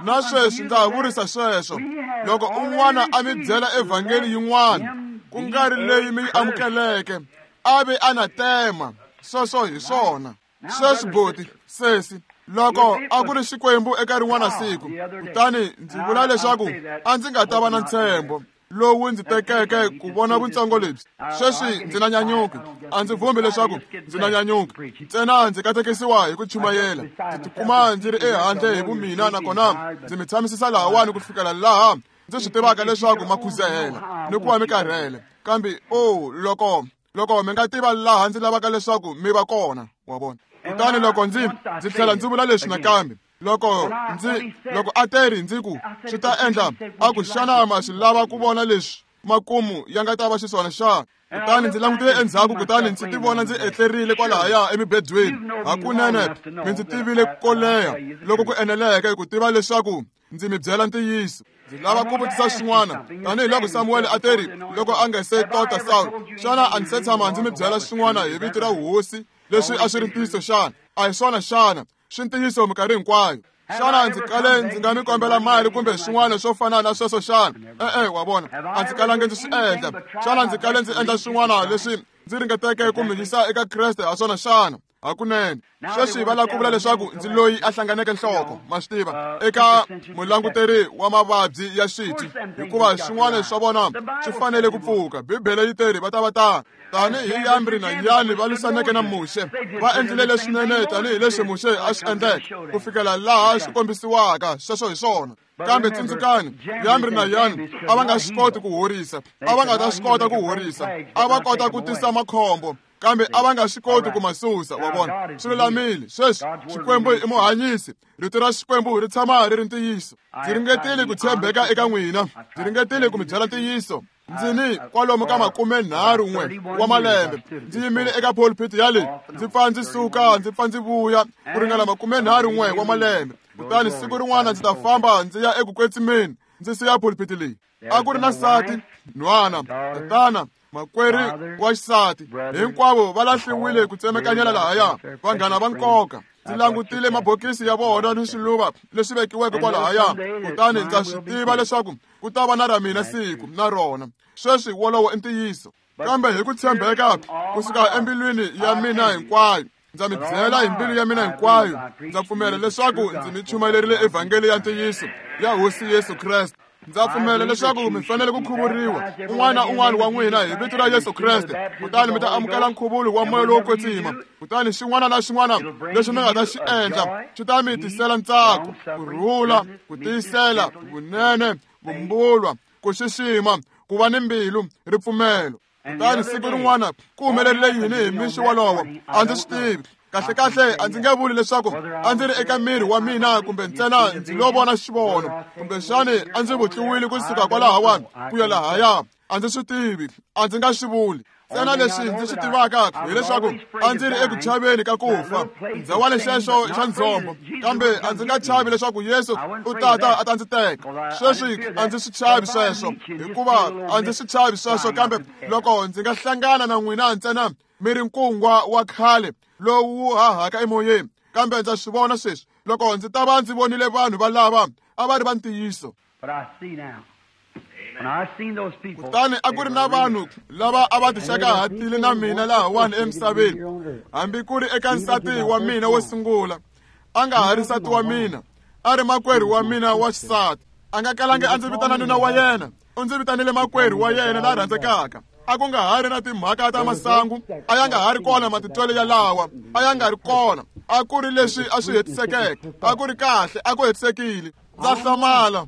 na sweswi ndza ha vurisa sweswo, loko un'wana a mi byela evhangeli yin'wana ku nga ri leyi mi yi amukeleke, a vi anatema. Sweswo hi swona. Sweswi boti, sesi, loko a ku ri Xikwembu eka rin'wana siku, kutani ndzi vula leswaku a ndzi nga ta va na ntshembo lowu ndzi tekeke ku vona vutsongo lebyi. Sweswi ndzi na nyanyuki, a ndzi vumbi leswaku ndzi na nyanyuki, ntsena ndzi katekisiwa hi ku chumayela. Ndzi tikuma ndzi ri ehandle hi vumina, nakona ndzi mi tshamisisa lahawani ku fikela laha ndzi swi tivaka leswaku ma khuzehela ni ku va mi karhele. Kambe o loko loko mi nga tiva laha ndzi lavaka leswaku mi va kona, wa vona. Kutani loko ndzi ndzi tlhela ndzi vula leswi nakambe, loko ndzi loko a teri ndzi ku swi ta endla, a ku xana ma swi lava ku vona leswi makumu ya nga ta va xiswona xana? Kutani ndzi langutile endzhaku, kutani ndzi tivona ndzi etlerile kwalahaya emibedweni. Hakunene mi ndzi tivile ko leha loko ku eneleke ku tiva leswaku ndzi mi byela ntiyiso. Ndzi lava ku vutisa xin'wana, tanihiloko Samuwele a teri loko a nga se tota Sawulo, xana a ndzi se tshama ndzi mi byela xin'wana hi vito ra hosi leswi a swi ri ntiyiso xana? A hi swona xana? Swi ntiyiso minkarhi hinkwayo. Xana ndzi kale ndzi nga mi kombela mali kumbe swin'wana swo fana na sweswo xana? E-e, wa vona, a ndzi kalangi ndzi swi endla. Xana ndzi kale ndzi endla swin'wana leswi ndzi ringeteke ku mi yisa eka Kreste ha swona xana? Hakunene. Sweswi va lava ku vula leswaku ndzi loyi a hlanganeke nhloko, ma swi tiva, eka mulanguteri wa mavabyi ya xitwi, hikuva swin'wana swa vona swi fanele ku pfuka. Bibele yi teri va ta va tana tanihi Yambri na Yani va lwisaneke na Muxe, va endlile leswinene tanihileswi Muxe a swi endleke ku fikela laha swi kombisiwaka. Sweswo hi swona. Kambe tsundzukani, Yambri na Yani a va nga swi koti ku horisa, a va nga ta swi kota ku horisa, a va kota ku tisa makhombo, kambe a va nga swi koti ku ma susa. Wa vona, swi lulamile. Sweswi Xikwembu i muhanyisi, rito ra Xikwembu ri tshama ri ri ntiyiso. Ndzi ringetile ku tshembeka eka n'wina, ndzi ringetile ku mi byela ntiyiso. Ndzi ni kwalomu ka makume nharhu n'we wa malembe ndzi yimile eka pulpit ya leyi, ndzi pfa ndzi suka ndzi pfa ndzi vuya ku ringana makume nharhu n'we wa malembe. Kutani siku rin'wana ndzi ta famba ndzi ya eku kwetsimeni, ndzi siya pulpit leyi. A ku ri na nsati, nhwana, tatana, makwerhu wa xisati, hinkwavo va lahliwile ku tsemekanyela lahaya, vanghana va nkoka. Ndzi langutile mabokisi ya vona ni swiluva leswi vekiweke kwalahaya, kutani ndza swi tiva leswaku ku ta va na ra mina siku na rona. Sweswi wolowo i ntiyiso. Kambe hi ku tshembeka kusuka embilwini ya mina hinkwayo, ndza mi byela hi mbilu ya mina hinkwayo, ndza pfumela leswaku ndzi mi chumayelerile evhangeli ya ntiyiso ya Hosi Yesu Kreste. Ndza pfumela leswaku mi fanele ku khuvuriwa un'wana na un'wana wa n'wina hi vito ra Yesu Kreste, kutani mi ta amukela nkhuvulo wa moya lowo kwetsima. Kutani xin'wana na xin'wana lexi mi nga ta xi endla xi ta mi tisela ntsako, ku rhula, ku tiyisela, vunene, vumbulwa, ku xixima, ku va ni mbilu, ripfumelo. Kutani siku rin'wana ku humelerile yini hi mixo wolowo? A ndzi swi tivi. Kahlekahle a ndzi nge vuli leswaku a ndzi ri eka miri wa mina kumbe ntsena ndzi lo vona xivono, kumbexani a ndzi vutliwile kusuka kwalahawani ku ya lahaya. A ndzi swi tivi, a ndzi nga swi vuli. Ntsena leswi ndzi swi tivaka hileswaku a ndzi ri eku chaveni ka ku fa, ndzawani xexo xa ndzhombo, kambe a ndzi nga chavi leswaku Yesu u tata a ta ndzi teka. Sweswi a ndzi swi chavi sweswo, hikuva a ndzi swi chavi sweswo. Kambe loko ndzi nga hlangana na n'wina ntsena mi ri nkungwa wa khale lowu hahaka emoyeni, kambe ndza swi vona sweswi loko ndzi ta va ndzi vonile vanhu valava a va ri va ntiyiso. Kutani a ku ri na vanhu lava a va tixakahatile na mina lahawani emisaveni, hambi ku ri eka nsati wa mina wo sungula, a nga ha ri nsati wa mina, a ri makwerhu wa mina wa xisati. A nga kalangi a ndzi vitana nuna wa yena, u ndzi vitanile makwerhu wa yena la rhandzekaka. A ku nga ha ri na timhaka ta masangu, a ya nga ha ri kona matitwelo yalawa, a ya nga ri kona. A ku ri leswi a swi hetisekeke, a ku ri kahle, a ku hetisekile. Ndza hlamala,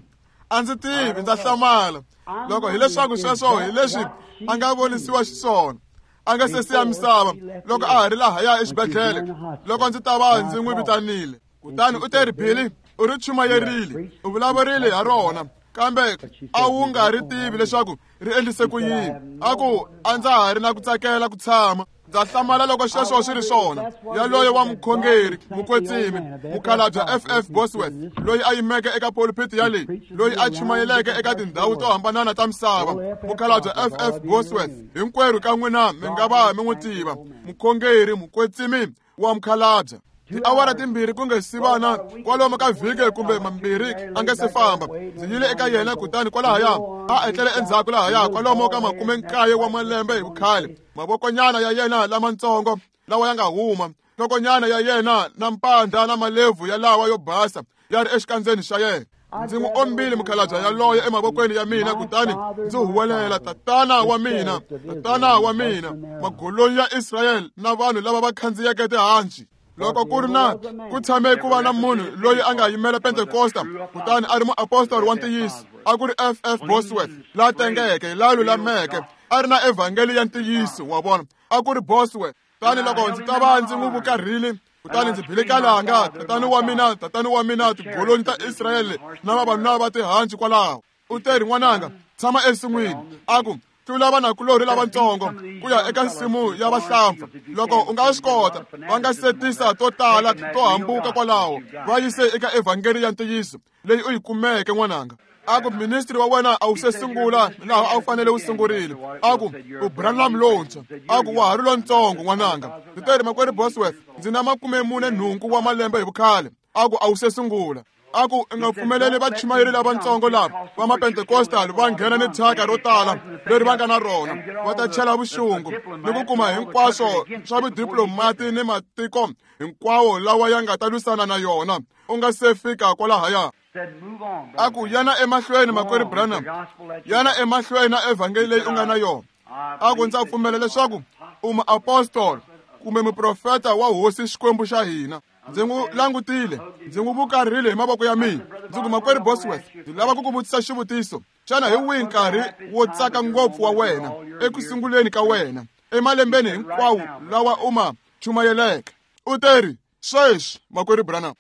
a ndzi tivi, ndza hlamala loko hileswaku sweswo hi leswi a nga vonisiwa xiswona a nga se siya misava loko a ha ri lahaya exibedhlele, loko ndzi ta va ndzi n'wi vitanile. Kutani u te ri, Billy, u ri chumayerile, u vulavurile ha rona, kambe a wu nga ri tivi leswaku ri endlise ku yini. A ku a ndza ha ri na ku tsakela ku tshama. Ndza hlamala loko sweswo swi ri swona. Yaloye wa mukhongeri mukwetsimi mukhalabye F F Bosworth, loyi a yimeke eka pulpit ya leyi, loyi a chumayeleke eka tindhawu to hambanana ta misava, mukhalabye F F Bosworth, hinkwerhu ka n'wina mi nga va mi n'wi tiva, mukhongeri mukwetsimi wa mukhalabye. Tiawara timbirhi ku nga si vana kwalomu ka vhiki kumbe mambirhi a nga se famba, ndzi yile eka yena. Kutani kwalahaya a etlele endzhaku lahaya kwalomu ka makume nkaye wa malembe hi vukhale, mavokonyana ya yena lamatsongo lawa ya nga huma, nhlokonyana ya yena na mpandla na malebvu yalawa yo basa ya ri exikandzeni xa yena. Ndzi n'wi ombile mukhalabye yaloye emavokweni ya mina, kutani ndzi huwelela, tatana wa mina, tatana wa mina, magolonyi ya Israyele na vanhu lava va khandziyeke tihanci. Loko ku ri na ku tshame ku va na munhu loyi a nga yimela Pentekosta kutani a ri muapostoli wa ntiyiso, a ku ri F F Bosworth la tengeke, la lulameke, a ri na evhangeli ya ntiyiso, wa vona, a ku ri Bosworth. Kutani loko ndzi ta va ndzi n'wi vukarhile, kutani ndzi bile kalanga, tatani wa mina, tatani wa mina, tigolonyi ta Israyele na vavanuna va tihanci kwalaho. U te ri, n'wananga, tshama ensin'wini. A ku, tlula vanakulorhi lavatsongo ku ya eka nsimu ya vahlampfa. Loko u nga swi kota, va nga setisa to tala to hambuka kwalaho, va yise eka evhangeli ya ntiyiso leyi u yi kumeke, n'wananga. A ku, ministri wa wena a wu se sungula laha a wu fanele wu sungurile. A ku, u Branham lontshwa. A ku, wa ha ri lontsongo, n'wananga. Ndzi te ri, makwerhu Bosworth, ndzi na makume mune nhungu wa malembe hi vukhale. A ku, a wu se sungula. A ku, u nga pfumeleli vachumayeri lavatsongo lava va mapentecostal va nghena ni thyaka ro tala leri va nga na rona, va ta chela vuxungu ni ku kuma hinkwaswo swa vudiplomati ni matiko hinkwawo lawa ya nga ta lwisana na yona u nga se fika kwalahaya. A ku, yana emahlweni, makwerhu Branham, yana emahlweni na evhangeli leyi u nga na yona. A ku, ndza pfumela leswaku u muapostoli kumbe muprofeta wa Hosi Xikwembu xa hina. Ndzi n'wi langutile, ndzi n'wi vukarhile hi mavoko ya mina. Ndzi ku, makwerhu Bosworth, ndzi lava ku ku vutisa xivutiso. Xana hi wihi nkarhi wo tsaka ngopfu wa wena eku sunguleni ka wena emalembeni hinkwawo lawa u ma chumayeleke? U te ri, sweswi, makwerhu Branham.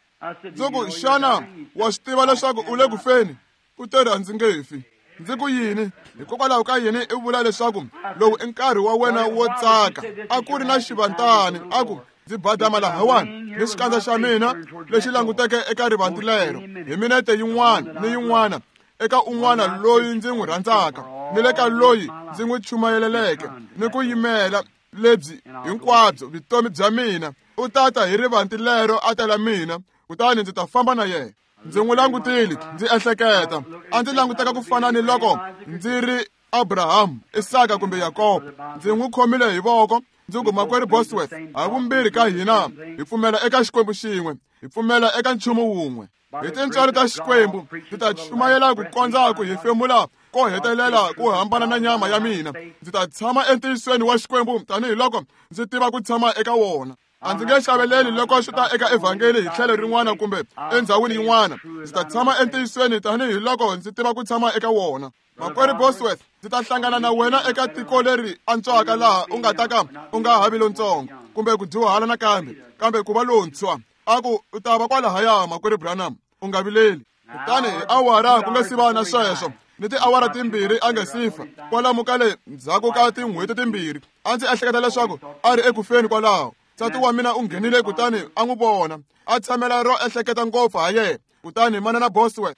Ndzi ku, xana wa swi tiva leswaku u le ku feni? U te ri, a ndzi nge fi. Ndzi ku, yini? Hikokwalaho ka yini i vula leswaku lowu i nkarhi wa wena wo tsaka? A ku ri na xivantani. A ku, ndzi badama lahawani ni xikandza xa mina lexi languteke eka rivanti lero hi minete yin'wana ni yin'wana eka un'wana loyi ndzi n'wi rhandzaka ni le ka loyi ndzi n'wi chumayeleleke ni ku yimela lebyi hinkwabyo vutomi bya mina. U tata hi rivanti lero a tela mina, kutani ndzi ta famba na yena. Ndzi n'wi langutile, ndzi ehleketa, a ndzi languteka ku fana ni loko ndzi ri Abraham, Isaka kumbe Yakobo. Ndzi n'wi khomile hi voko, ndzi ku, makwerhu Bosworth, ha vumbirhi ka hina hi pfumela eka Xikwembu xin'we, hi pfumela eka nchumu wun'we. Hi tintswalo ta Xikwembu ndzi ta chumayela ku kondza ku hefemula ko hetelela ku hambana na nyama ya mina. Ndzi ta tshama entiyisweni wa Xikwembu tanihiloko ndzi tiva ku tshama eka wona. A ndzi nge xaveleli loko swi ta eka evhangeli hi tlhelo rin'wana kumbe endhawini yin'wana. Ndzi ta tshama entiyisweni tanihiloko ndzi tiva ku tshama eka wona. Makwerhu Bosworth, ndzi ta hlangana na wena eka tiko leri antswaka laha u nga ta ka u nga ha vi lontsongo kumbe ku dyuhala nakambe, kambe ku va lontshwa. A ku, u ta va kwalahaya, makwerhu Branham, u nga vileli. Kutani hi awara ku nga si va na sweswo, ni tiawara timbirhi a nga si fa, kwalomu ka le ndzhaku ka tin'hweti timbirhi, a ndzi ehleketa leswaku a ri eku feni kwalaho. Nsati wa mina u nghenile kutani a n'wi vona, a tshamela ro ehleketa ngopfu ha yena. Kutani manana Bosworth,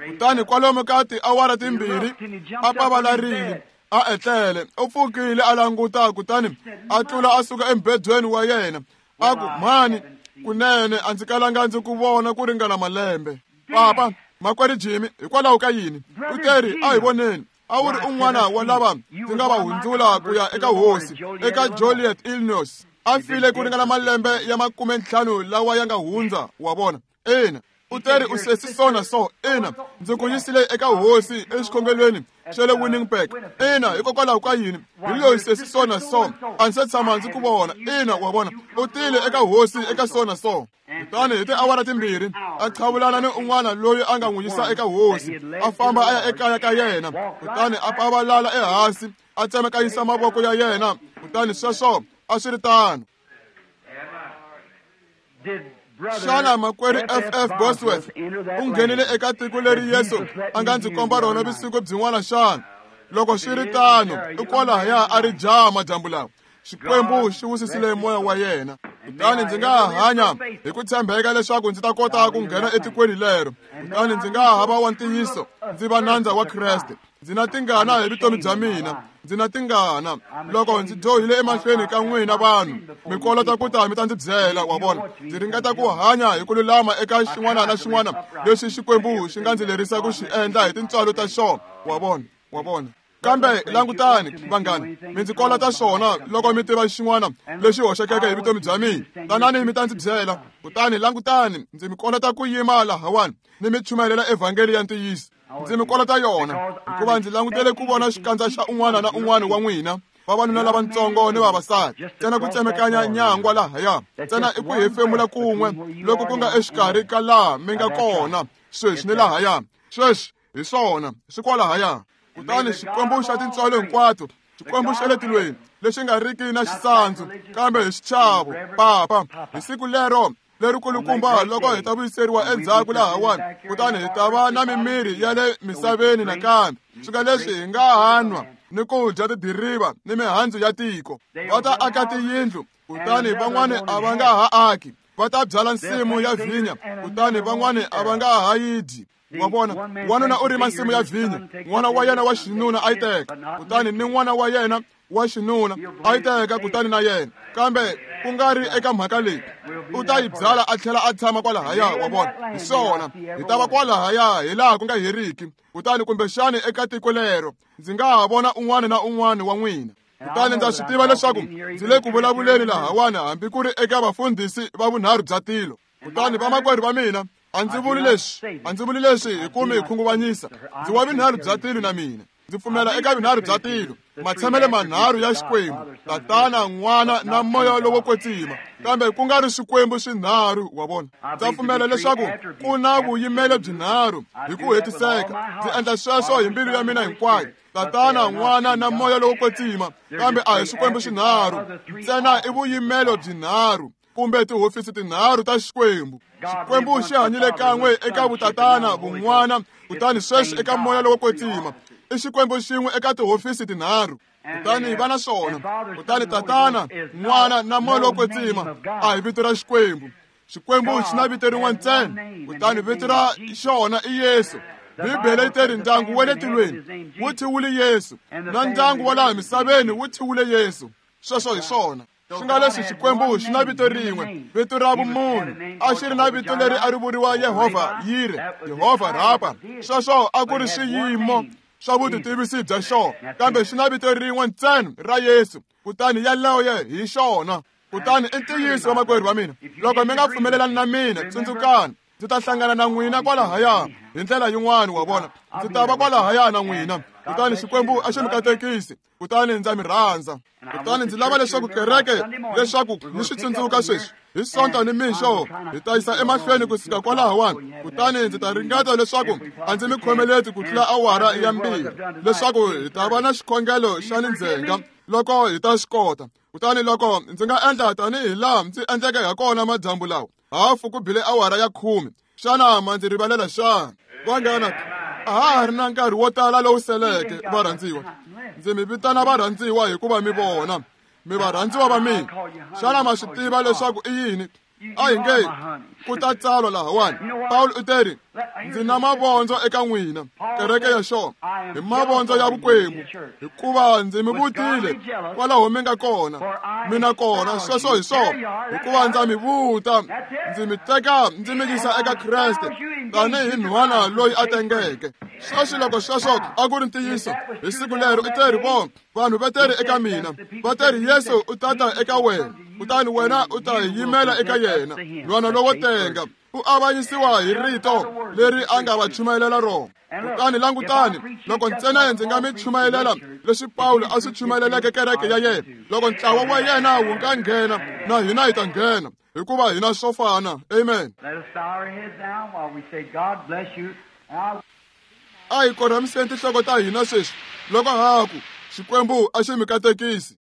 kutani kwalomu ka tiawara timbirhi a pavalarile, a etlele. U pfukile a languta, kutani a tlula a suka embedweni wa yena. A ku, mhani, kunene a ndzi kalanga ndzi ku vona ku ringana malembe. Papa, makwerhu Jimmy, hikwalaho ka yini? U te ri, a hi voneni. A wu ri un'wana wa lava ndzi nga va hundzula ku ya eka Hosi, eka Joliet, Illinois. A file ku ringana malembe ya makume ntlhanu lawa ya nga hundza, wa vona. Ina. U teri u sesi so na so. Ina, ndzi ku yisile eka hosi exikhongelweni xa le Winnipeg. Ina, hikokwalaho ka yini? Hi loyi sesi so na so. A ndzi se tshama ndzi ku vona. Ina, wa vona. U tile eka hosi eka so na so. Kutani hi tiawara timbirhi a qhavulana ni un'wana loyi a nga n'wi yisa eka hosi, a famba a ya ekaya ka yena, kutani a pavalala ehansi, a tsemakanyisa mavoko ya yena, kutani sweswo a swi ri tano. Xana makwerhu F F Bosworth u nghenile eka tiko leri Yesu a nga ndzi komba rona vusiku byin'wana xana? Loko swi ri tano, i kwalahaya a ri jaha madyambu lawa. Xikwembu xi wisisile moya wa yena. Kutani ndzi nga hanya hi ku tshembeka leswaku ndzi ta kota ku nghena etikweni lero. Kutani ndzi nga ha va wa ntiyiso, ndzi va nandza wa Kreste. Ndzi na tingana hi vutomi bya mina. Ndzi na tingana loko ndzi dyohile emahlweni ka n'wina vanhu. Mi kolota ku ta mi ta ndzi byela, wa vona. Ndzi ringeta ku hanya hi ku lulama eka xin'wana na xin'wana lexi Xikwembu xi nga ndzi lerisa ku xi endla hi tintswalo ta xona, wa vona, wa vona. Kambe langutani vanghana, mi ndzi kolota swona loko mi tiva xin'wana lexi hoxekeke hi vutomi bya mina. Tanani mi ta ndzi byela. Kutani langutani, ndzi mi kolota ku yima lahawani ni mi chumayela evhangeli ya ntiyiso. Ndzi mi kolota yona hikuva ndzi langutele ku vona xikandza xa un'wana na un'wana wa n'wina, vavanuna lavatsongo ni vavasati. Ntsena ku tsemekanya nyangwa lahaya, ntsena i ku hefemula kun'we loko ku nga exikarhi ka laha mi nga kona sweswi ni lahaya. Sweswi hi swona, swi kwalahaya. Kutani Xikwembu xa tintswalo hinkwato, Xikwembu xa le tilweni lexi nga riki na xisandzu kambe hi xichavo, Papa, hi siku lero lerikulukumba loko hi ta vuyiseriwa endzhaku lahawani, kutani hi ta va na mimiri ya le misaveni nakambe. Swi nga leswi hi nga ha nwa ni ku dya tidiriva ni mihandzu ya tiko. Va ta aka tiyindlu, kutani van'wani a va nga ha aki. Va ta byala nsimu ya vhinya, kutani van'wani a va nga ha yi dyi. Wa vona, wanuna u rima nsimu ya vhinya, n'wana wa yena wa xinuna a yi teka, kutani ni n'wana wa yena wa xinuna a yi teka, kutani na yena. Kambe ku nga ri eka mhaka leyi, u ta yi byala a tlhela a tshama kwalahaya, wa vona. Hi swona, hi ta va kwalahaya hi laha ku nga heriki. Kutani kumbexani eka tiko lero ndzi nga ha vona un'wana na un'wana wa n'wina. Kutani ndza swi tiva leswaku ndzi le ku vulavuleni lahawani hambi ku ri eka vafundhisi va vunharhu bya tilo. Kutani vamakwerhu va mina, a ndzi vuli leswi, a ndzi vuli leswi hi ku mi khunguvanyisa. Ndzi wa vunharhu bya tilo na mina. Ndzi pfumela eka vunharhu bya tilo, matshamele manharhu ya Xikwembu, Tatana, N'wana na Moya lowo Kwetsima, kambe ku nga ri swikwembu swinharhu, wa vona. Ndza pfumela leswaku ku na vuyimelo byinharhu hi ku hetiseka. Ndzi endla sweswo hi mbilu ya mina hinkwayo. Tatana, N'wana na Moya lowo Kwetsima, kambe a hi swikwembu swinharhu, ntsena i vuyimelo byinharhu kumbe tihofisi tinharhu ta Xikwembu. Xikwembu xi hanyile kan'we eka vutatana, vun'wana, kutani sweswi eka Moya lowo Kwetsima. I Xikwembu xin'we eka tihofisi tinharhu. Kutani va na swona. Kutani Tatana, N'wana na Moya lowo Kwetsima a hi vito ra Xikwembu. Xikwembu xi na vito rin'we ntsena, kutani vito ra xona i Yesu. Bibele yi teri ndyangu wa le tilweni wu thyiwile Yesu, na ndyangu wa laha misaveni wu thyiwile Yesu. Sweswo hi swona. Swi nga leswi Xikwembu xi na vito rin'we, vito ra vumunhu. A xi ri na vito leri a ri vuriwa Yehovha Yire, Yehovha Rapa. Sweswo a ku ri swiyimo swa vutitivisi bya xona, kambe xi na vito rin'we ntsena ra Yesu, kutani yaloye hi xona. Kutani i ntiyiso vamakwerhu va mina, loko mi nga pfumelelani na mina, tsundzukani, ndzi ta hlangana na n'wina kwalahaya hi ndlela yin'wana, wa vona. Ndzi ta va kwalahaya na n'wina. Kutani Xikwembu a xi mi katekisi, kutani ndza mi rhandza. Kutani ndzi lava leswaku kereke leswaku mi swi tsundzuka sweswi. Hi Sonto ni mixo hi ta yisa emahlweni ku suka kwalahawani. Kutani ndzi ta ringeta leswaku a ndzi mi khomeleti ku tlula awara ya mbirhi, leswaku hi ta va na xikhongelo xa le ndzhenga loko hi ta swi kota. Kutani loko ndzi nga endla tanihi laha ndzi endleke ha kona madyambu lawa, hafu ku bile awara ya khume, xana ma ndzi rivalela xana? Vanghana, a ha ha ri na nkarhi wo tala lowu seleke, varhandziwa. Ndzi mi vitana varhandziwa hikuva mi vona, mi varhandziwa va mina. Xana ma swi tiva leswaku i yini? A hi nge ku ta tsalwa lahawani. Pawulo u teri, ndzi na mavondzo eka n'wina, kereke ya xona, hi mavondzo ya vukwembu, hikuva ndzi mi vutile kwalaho mi nga kona, mina kona. Sweswo hi swona, hikuva ndza mi vuta, ndzi mi teka ndzi mi yisa eka Kreste tanihi nhwana loyi a tengeke. Sweswi loko sweswo a ku ri ntiyiso, hi siku lero u teri, vona, vanhu va teri eka mina, va teri Yesu u ta ta eka wena, kutani wena u ta yimela eka yena, nhwana lowo tenga. U avanyisiwa hi rito leri a nga va chumayelela rona. Kutani langutani, loko ntsena ndzi nga mi chumayelela leswi Pawulo a swi chumayeleleke kereke ya yena, loko ntlawa wa yena wu nga nghena, na hina hi ta nghena, hikuva hina swo fana. Amen. Let us bow our heads now while we say, God bless you. And I A hi korhamiseni tinhloko ta hina sweswi loko ha ku Xikwembu a xi mi katekisi.